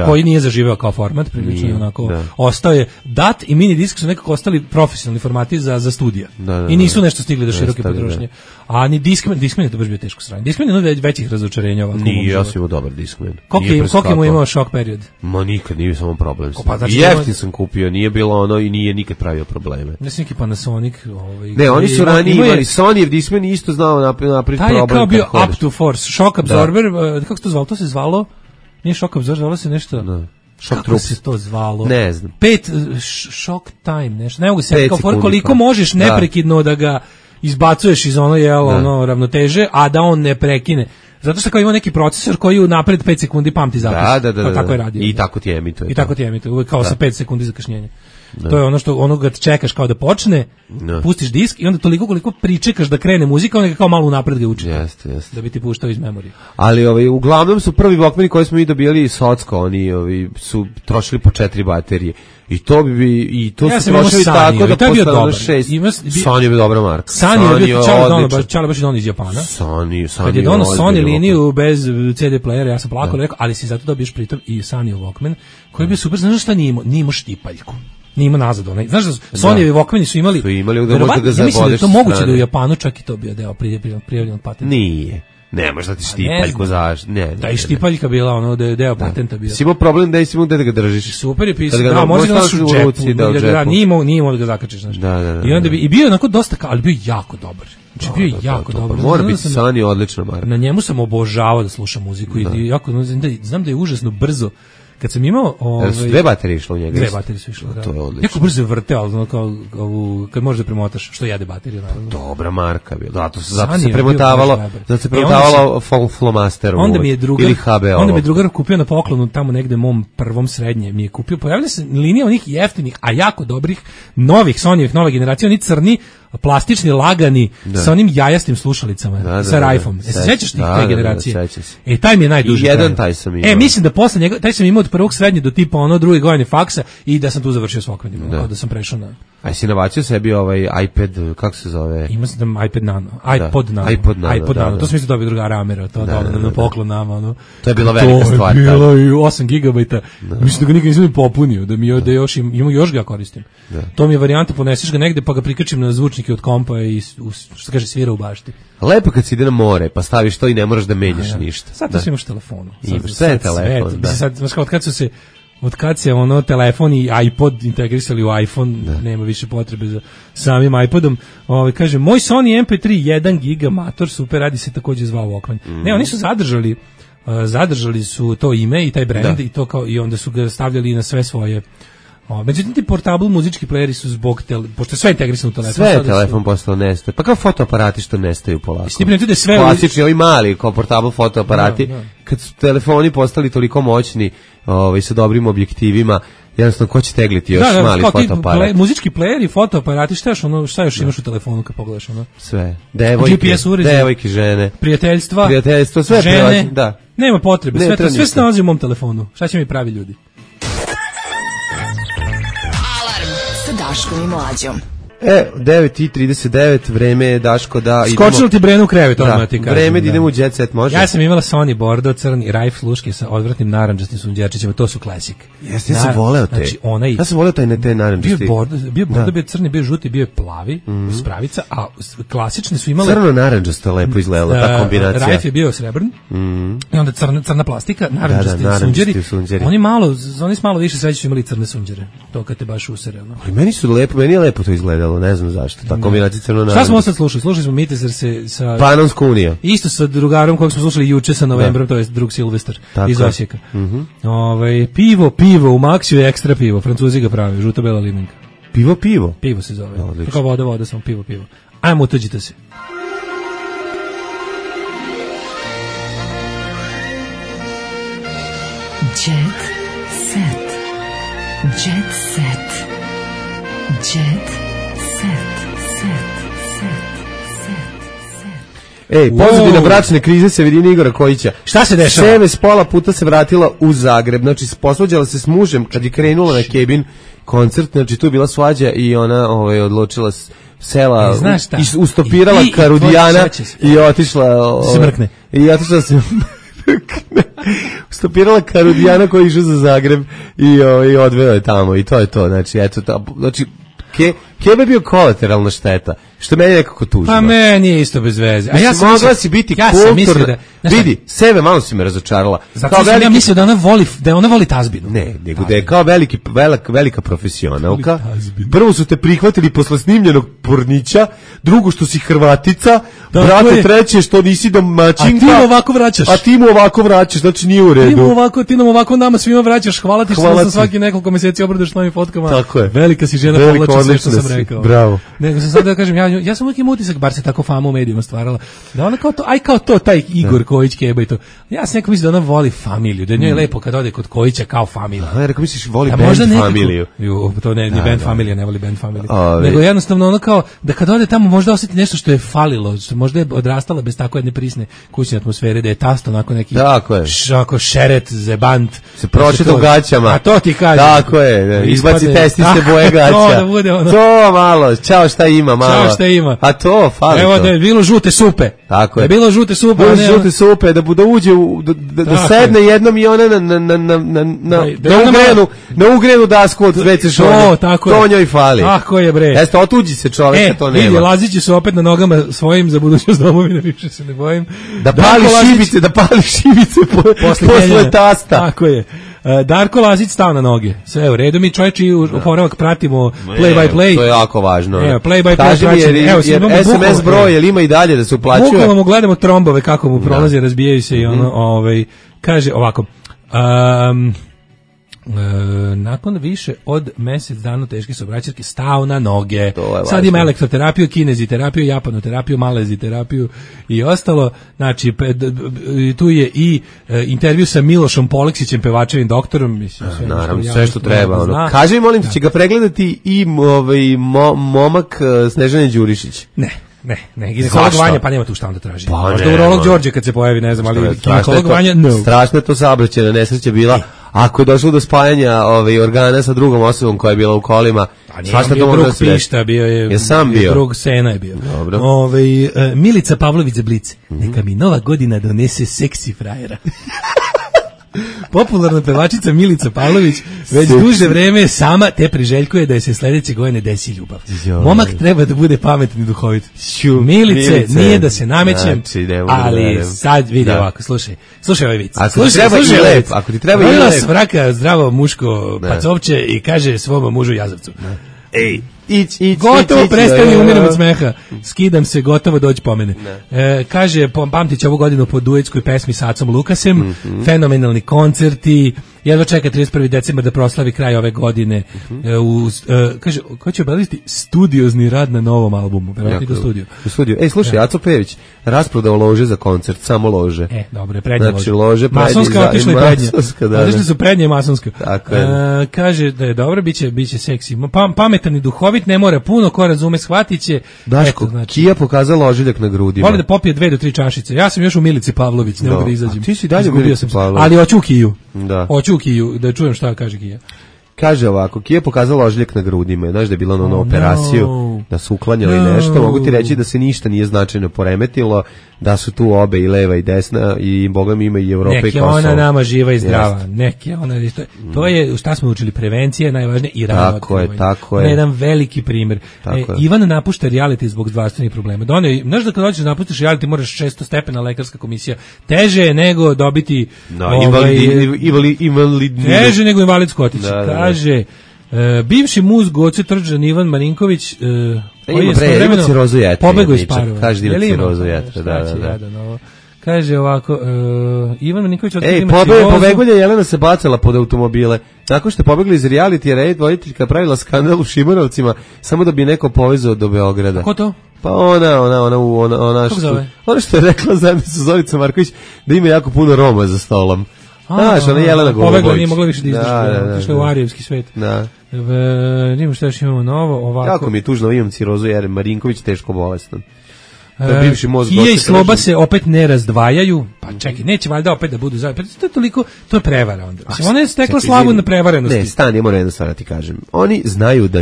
koji nije zaživeo kao format, prilično onako ostao je dat i mini disk su nekako ostali profesionalni formati za studija. I nisu nešto stigli do široke potrošnje. A ni Discman je to baš bio teško sranje. Discman je jedno od većih razočarenja ovako. Nije, ja sam imao dobar Discman. Koliko mu imao šok period? Ma nikad nije samo problem. Jeftin sam kupio, nije bilo ono i nije nikad pravio probleme. Ne sam neki Panasonic. Ne, oni su ranije imali Sonyjev Discman i isto znao napraviti problem. Taj je kao bio up to force, shock absorber, kako se to zvalo? To se zvalo, nije shock absorber, zvalo se nešto... Kako se to zvalo? Ne znam. 5 shock time, nešto. Ne mogu se kao koliko možeš neprekidno da ga izbacuješ iz ono ravnoteže, a da on ne prekine. Zato što kao ima neki procesor koji unapred 5 sekundi pamti zapis. Da. Tako je radio. I tako ti emituje. I tako ti emituje, uvek kao sa 5 sekundi zakašnjenja. To je ono što onoga čekaš kao da počne, pustiš disk i onda toliko koliko pričekaš da krene muzika, onda ga kao malo unapred ga uči. Jeste. Da bi ti puštao iz memorije. Ali uglavnom su prvi Walkmani koji smo mi dobijali iz Socko, oni su trošili po 4 baterije. I to su trošili tako da postane 6. Sony je bio dobra marka. Sony je bio Čale baš iz Japana. Kad je dono Sony liniju bez CD playera, ja sam plakao, rekao, ali si zato dobiješ pritom i Sony Walkman, koji je bio super, znaš šta nije imao štipaljku. Nije imao nazad onaj. Znaš da Sonyevi Walkmani su imali da možda ga zabodeš. Ja mislim da je to moguće da u Japanu čak i to bio deo prijavljenog patenta. Nije. Ne, možda ti štipaljku zaš. Da i štipaljka bila ono da je deo patenta bio. Si imao problem da ga držiš. Super je pisao. Da, može da nosiš u džepu. Da, nije imao da ga zakačiš, znaš. I onda bi i bio onako dosta, ali bio jako dobar. Znači bio jako dobar. Mora biti Sony odlična marka. Na njemu sam obožavao da slušam muziku i jako znam da je užasno brzo kad sam imao... Dve baterije išlo u njega? Dve baterije su išlo, da. To je odlično. Jako brzo vrte, ali kad možeš da premotaš, što jede bateriju, naravno. Dobra marka bila. Zato se premotavalo flomasterom ili HBO. Onda mi je drugar kupio na poklonu tamo negde mom prvom srednje. Mi je kupio, pojavila se linija onih jeftinih, a jako dobrih, novih Sonyjevih, nove generacije, oni crni, plastični, lagani, sa onim jajastim slušalicama, sa rajfom. Se sećaš tih te generacije? Taj mi je najduži. Jedan taj sam imao. Mislim da posle njega, taj sam imao od prvog srednje do tipa druge godine faksa i da sam tu završio s okrenima, da sam prešao na... A si nabacio sebi iPad, kako se zove? Ima sam iPad Nano, iPod Nano, to sam isto dobio druga ramera, to na poklon nama, To je bila velika stvar. To je bilo 8 GB, mislim da ga nikad nisam popunio, da još ga koristim. To mi je varijanta, poneseš ga negde pa ga prikačim na zvučnike od kompa i što kaže svira u bašti. Lepo kad si ide na more, pa staviš to i ne moraš da menjaš ništa. Sad to imaš telefonu. Sve je telefon, da. Sad, od kad se telefon i iPod integrisali u iPhone, nema više potrebe za samim iPodom. Kaže, moj Sony MP3 1 giga mator, super, radi se također zvao Walkman. Ne, oni su zadržali su to ime i taj brand i onda su ga stavljali na sve svoje. Međutim, ti portable muzički playeri su zbog pošto je sve integrisano u telefon. Sve je telefon postao nestaje. Pa kao fotoaparati što nestaju polako. Sve klasični, ovi mali kao portable fotoaparati. Kad su telefoni postali toliko moćni sa dobrim objektivima, jednostavno ko će tegliti još mali fotoaparat. Muzički playeri, fotoaparati, šta još imaš u telefonu kad pogledaš? Sve. Devojke, žene. Prijateljstvo, sve žene. Nema potrebe, sve se nalazi u mom telefonu. Šta će mi pravi ljudi? Daškom i Mlađom. 9:39, vreme je, Daško, da idemo... Skočilo ti Brenu u krevet, odmah ti kažem. Vreme da idemo u Jet Set, može? Ja sam imala Sony Bordeaux, crni rajf sluške sa odvratnim narandžastim sunđerčićima, to su klasik. Jeste, ja sam voleo te. Znači, ja sam voleo te narandžasti. Bio Bordeaux, bio crni, bio žuti, bio je plavi, spravica, a klasične su imale... Crno-narandžasta lepo izgledala, ta kombinacija. Rajf je bio srebrn, i onda crna plastika, narandžasti sunđeri. Oni s malo više sreće su imali crne sunđere, to kad te baš usere. Ali meni je lepo to izgledalo, ne znam zašto, ta kombinacija crno-narandžasta. Šta smo sad slušali? Slušali smo Mitezer sa... Panonsku uniju. Isto sa drugarom kojeg smo slušali juče sa Novembrom, to je drug Silvestar iz Osijeka. Pivo, u Maxiju je ekstra pivo, Francuzi ga pravi, žuta bela limenka. Pivo? Pivo se zove. Kao voda, samo pivo. Ajmo, utuđite se. Jet set. Jet set. Jet set. Pozadina bračne krize Severine Igora Kojića. Šta se dešava? Seve s pola puta se vratila u Zagreb, znači posvađala se s mužem kad je krenula na Kebin koncert, znači tu je bila svađa i ona odlučila sela, ustopirala Karudijana i otišla se mrkne. I otišla se stopirala Karudijana koji je išao za Zagreb i odveo je tamo i to je to, znači Kebe je bio kolateralna šteta, što meni nekako tužno. Pa meni je isto bez veze. A ja sam mogla si biti kulturna. Vidi, sebe malo si me razočarala. Zato sam ja mislio da ona voli tazbinu. Ne, nego da je kao velika profesionalka. Prvo su te prihvatili posle snimljenog pornića, drugo što si Hrvatica, brate treće što nisi domaćinka. A ti mu ovako vraćaš. Znači nije u redu. Ti nam ovako nama svima vraćaš, hvala ti što sam svaki nekoliko mjeseci obradaš novim fotkama. Tako je. Velika si žena, povlači sve što sam rekao. Bravo. Nego sam sad da kažem, ja sam uvijek im utisak, bar se tako fama u medijima stvarala, da ona kao to, taj Igor Kojić, Keba i to. Ja sam neko mislim da ona voli familiju, da je njoj lepo kad ode kod Kojića kao familija. Ja rekao misliš voli band familiju. To ne, ni band familija, ne voli band familiju. Nego jednostavno ono kao, da kad ode tamo možda osjeti nešto što je falilo, što možda je odrastala bez tako jedne prisne kućne atmosfere, da je tasto onako neki šeret, zebant. Se pročita u gaćama. A to ti kažem. Tako je, izbaci testiste boje gaća. To malo, čao šta ima. A to, fali to. Evo da je bilo žute supe. Tako je. Da je bilo žute supe. Da uđe, da sedne jednom i ona na ugrenu dasku od WC šolje. To njoj fali. Tako je, bre. Jeste, otuđi se čovjek, to nema. Vidi, Lazići su opet na nogama svojim za budućnost domovine, više se ne bojim. Da pali šibice posle tasta. Tako je. Darko Lazić stao na noge. Sve u redu, mi čovječi oporavak pratimo play by play. To je jako važno. Play by play praćimo. Jer SMS broj, jel ima i dalje da se uplaćuje? Bukvalno mu gledamo trombove kako mu prolaze, razbijaju se i ono, kaže ovako. nakon više od mjesec dana teške saobraćajke stao na noge. Sad ima elektroterapiju, kineziterapiju, japanoterapiju, maleziterapiju i ostalo. Znači, tu je i intervju sa Milošom Poleksićem, pevačevim doktorom. Mislim, naravno, sve što treba. Ono. Kaži mi, molim te, će ga pregledati i momak Snežane Đurišić? Ne, ginekolog Vanja, pa nema tu šta onda traži. Možda urolog Đorđe kad se pojavi, ne znam, ali ginekolog Vanja, no. Strašno je to saobraćajna nesreća bila. Ako je došlo do spajanja organa sa drugom osobom koja je bila u kolima, svašta to može da se reći. Bio je sam bio. Drug Sena je bio. Dobro. Milica Pavlović za Blic. Neka mi nova godina donese seksi frajera. Popularna pevačica Milica Pavlović već duže vreme sama te priželjkuje da je se sledeće godine desi ljubav. Momak treba da bude pametan i duhovit. Milice, nije da se namećem, ali sad vidi ovako, slušaj ovaj vic. Ako ti treba i lep. Vraka zdravo muško pacovče i kaže svom mužu jazavcu. Ej, gotovo prestani, umiram od smeha. Skidam se, gotovo dođi po mene. Kaže, pamtić ovu godinu po duetskoj pesmi s Acom Lukasem, fenomenalni koncerti, jedva čeka 31. decembar da proslavi kraj ove godine. Kaže, ko će obaviti studiozni rad na novom albumu? U studiju. Ej, slušaj, Aco Pejević rasprodao lože za koncert, samo lože. Dobro, prednje znači, lože. Masonska otišla i prednje. Otišli su prednje i masonska. Kaže da je dobro, biće seksi. Pametan i duhovit, ne mora puno, ko razume shvatit će. Daško, Kija pokazala ožiljak na grudima. Voli da popije 2 do 3 čašice. Ja sam još u Milici Pavlović, ne mogu da izađem. Ti si dalje u Milici Pavlović. Ali hoću u Kiju. Hoću u Kiju, da čujem šta kaže Kija. Kaže ovako, Kija pokazala ožiljak na grudima, znaš da je bila na operaciju, da su uklanjali nešto, mogu ti reći da se ništa nije značajno poremetilo, da su tu obe i leva i desna i Boga mi ima i Evropa i Kosovo. Nek je ona nama živa i zdrava, nek je ona, to je šta smo učili, prevencija je najvažnije i rano otkrivanje. Tako je. Jedan veliki primjer. Ivan napušta reality zbog zdravstvenih problema. Znaš da kad hoćeš da napustiš reality moraš 600 stepena lekarska komisija. Teže je nego dobiti teže nego invalidsku otići. Kaže, bivši muz Goce Trđan Ivan Marinković koji je ima cirozu jetre. Pobegao iz parova. Kaže da ima cirozu jetre. Kaže ovako, Ivan Marinković pobegulja Jelena se bacala pod automobile. Nakon što je pobegla iz reality, voditeljka pravila skandal u Šimanovcima samo da bi neko povezao do Beograda. Ko to? Pa ona što je rekla zajedno sa Zoricom Marković da ima jako puno Roma za stolom. Znaš, ona Jelena Golubović. Pobegla, nije mogla više da izdaš. Išla u arijevski svet. Nimo što još imamo novo, ovako. Kako mi je tužno, imam cirozu jer Marinković teško bolestan. Kija i Sloba se opet ne razdvajaju, pa čekaj, neće valjda opet da budu zajedno. To je toliko, to je prevara onda. Ona je stekla slavu na prevarenosti. Ne, stani, moram jedno stvar da ti kažem. Oni znaju da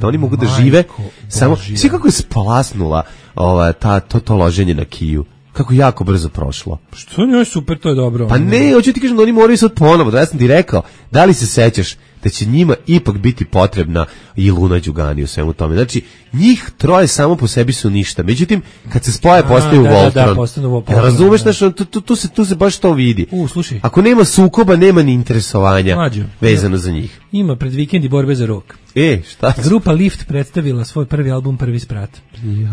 oni mogu da žive samo, svi kako je splasnula to loženje na Kiju. Kako jako brzo prošlo. Što njoj super, to je dobro. Pa ne, hoću ti kažem da oni moraju sad ponovo, da ja sam ti rekao, da li se sećaš da će njima ipak biti potrebna i Luna Đugani u svemu tome. Znači, njih troje samo po sebi su ništa. Međutim, kad se spoje postaju Voltron. Razumeš, tu se baš to vidi. Slušaj. Ako nema sukoba, nema ni interesovanja vezano za njih. Ima pred vikend i borbe za rok. Šta? Grupa Lift predstavila svoj prvi album Prvi sprat.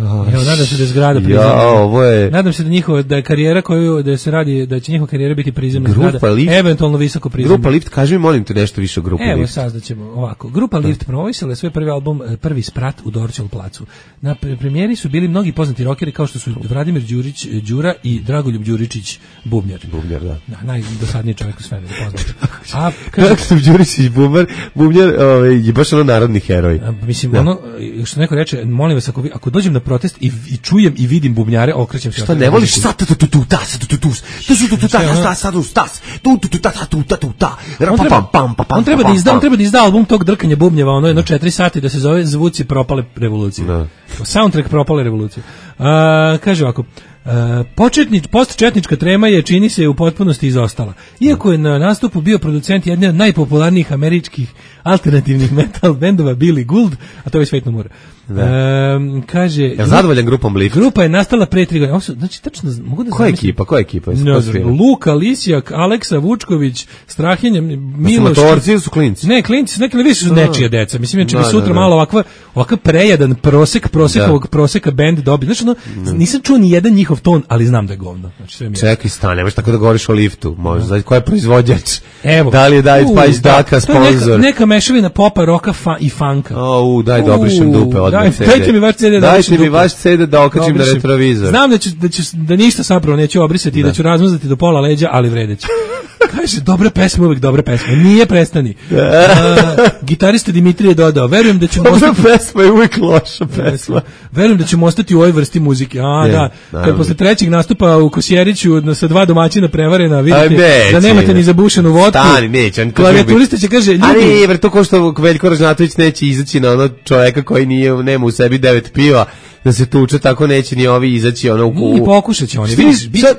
Evo, nadam se da je zgrada prizemna. Nadam se da je karijera da se radi, da će njihova karijera biti prizemna zgrada. Eventualno visoko prizemna. Grupa Lift, kaži mi, molim te nešto više o Grupi Lift. Evo, saznaćemo ovako. Grupa Lift promovisala svoj prvi album Prvi sprat u Dorćol placu. Na premijeri su bili mnogi poznati rokeri kao što su Vladimir Đura i Dragoljub Đuričić Bubnjar. Da. Najdosadniji čovjek u svemiru, poznat. Dragoljub Đuričić Bubnjar je baš narodni heroj. Mislim, što neko reče, molim vas, ako dođem na protest i čujem i vidim bubnjare, okrećem se. Šta ne voliš? On treba da izda album tog drkanja bubnjeva, ono jedno 4 sati da se zove Zvuci propale revolucije. Soundtrack propale revolucije. Kaže ovako, postčetnička trema je, čini se, u potpunosti izostala. Iako je na nastupu bio producent jedne od najpopularnijih američkih alternativnih metal bendova Billy Gould, a to je Svet no more. Kaže, je zadovoljan grupom Lift? Grupa je nastala pre 3 godine. Znači, tačno mogu da Koja ekipa? Luka Lisjak, Aleksa Vučković, Strahinja, Miloš. Motorci su klinci. Ne, klinci, neki više su nečija deca. Mislim, će bi sutra malo ovakav prejadan proseka bend dobiti. Znači, nisam čuo ni jedan njihov njihov ton, ali znam da je govno. Znači, sve mi je. Čekaj, stane, nemaš tako da govoriš o liftu. Možda, ko je proizvođač? Evo. Da li je David Pajić Daka sponsor? Neka mešavina popa, roka i funka. Daj da obrišem dupe odmah CD. Dajte mi vaš CD da Dajte mi vaš CD da okačim na retrovizor. Znam da ništa zapravo neću obrisati i da ću razmazati do pola leđa, ali vredeće. Kaže, dobra pesma, uvek dobra pesma. Nije prestani. Gitarista Dimitrije dodao, verujem da ćemo dobra pesma je uvek loša pesma. Verujem da ćemo ostati u ovoj vrsti muzike. Da. Kad posle trećeg nastupa u Kosjeriću sa 2 domaćina prevarena, vidite da nemate ni zabušenu vodku. Stani, neće. Klavijaturista će kaže, ljudi... Ali, ver, to ko što Veljko Ražnatović neće izaći na ono čoveka koji nema u sebi 9 piva, da se tuče, tako neće ni ovi izaći ono u... I pokušat će oni. Misliš da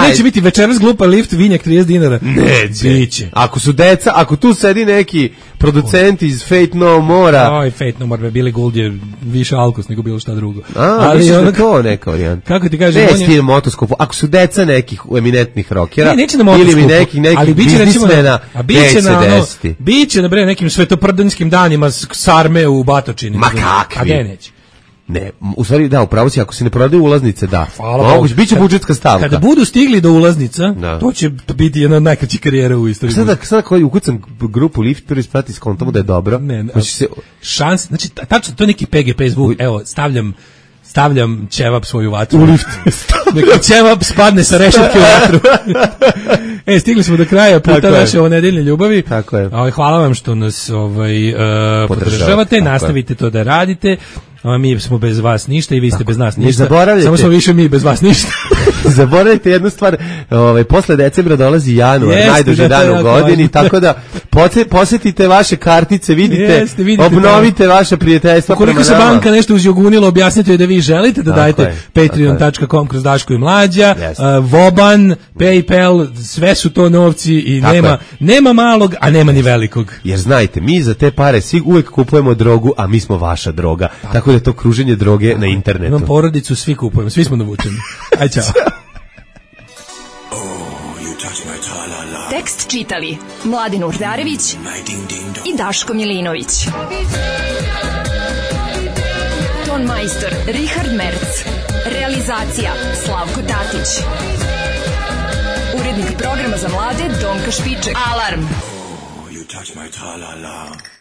neće biti večeras glupa lift, vinjak 30 dinara? Neće. Biće. Ako su deca, ako tu sedi neki producent iz Fate No More-a... Fate No More, Billy Gould je više alkos nego bilo šta drugo. Ali misliš da to neka varijanta? Kako ti kažem? Ne stil motoskopu. Ako su deca nekih eminentnih rokera... Neće na motoskopu. Ili nekih biznismena, neće se desiti. Biće na nekim svetoprdanskim danima sarme u Batočini. Ma kakvi? A gde neće? Ne, u stvari da, upravo si, ako se ne prodaju ulaznice, da. Moguće, biće budžetska stavka. Kada budu stigli do ulaznica, to će biti jedna od najkraćih karijera u istoriji. Sada koji ukucam grupu Lift, prvi sprati s kontom da je dobro. Šans, znači, tačno, to je neki PGP zvuk, evo, stavljam ćevap svoju vatru. U lift. Neka ćevap spadne sa rešetke u vatru. Stigli smo do kraja puta naše ovo nedeljne ljubavi. Tako je. Hvala vam što nas podržavate, nastavite to da radite. Mi smo bez vas ništa i vi ste bez nas ništa. Samo smo više mi bez vas ništa. Zaboravite jednu stvar, posle decembra dolazi januar, najduži dan u godini, tako da posjetite vaše kartice, vidite, obnovite vaše prijateljstva. Ukoliko se banka nešto uzjogunila, objasnite da vi želite da dajete patreon.com kroz Daško i Mlađa, Voban, PayPal, sve su to novci i nema malog, a nema ni velikog. Jer znajte, mi za te pare uvijek kupujemo drogu, a mi smo vaša droga. Tako da je to kruženje droge na internetu. Imam porodicu, svi kupujemo, svi smo navučeni. Aj, čao. Tekst čitali Mladin Urdarević i Daško Milinović. Ton majstor Richard Merc. Realizacija Slavko Tatić. Urednik programa za mlade Donka Špiček. Alarm! You touch my tra-la-la.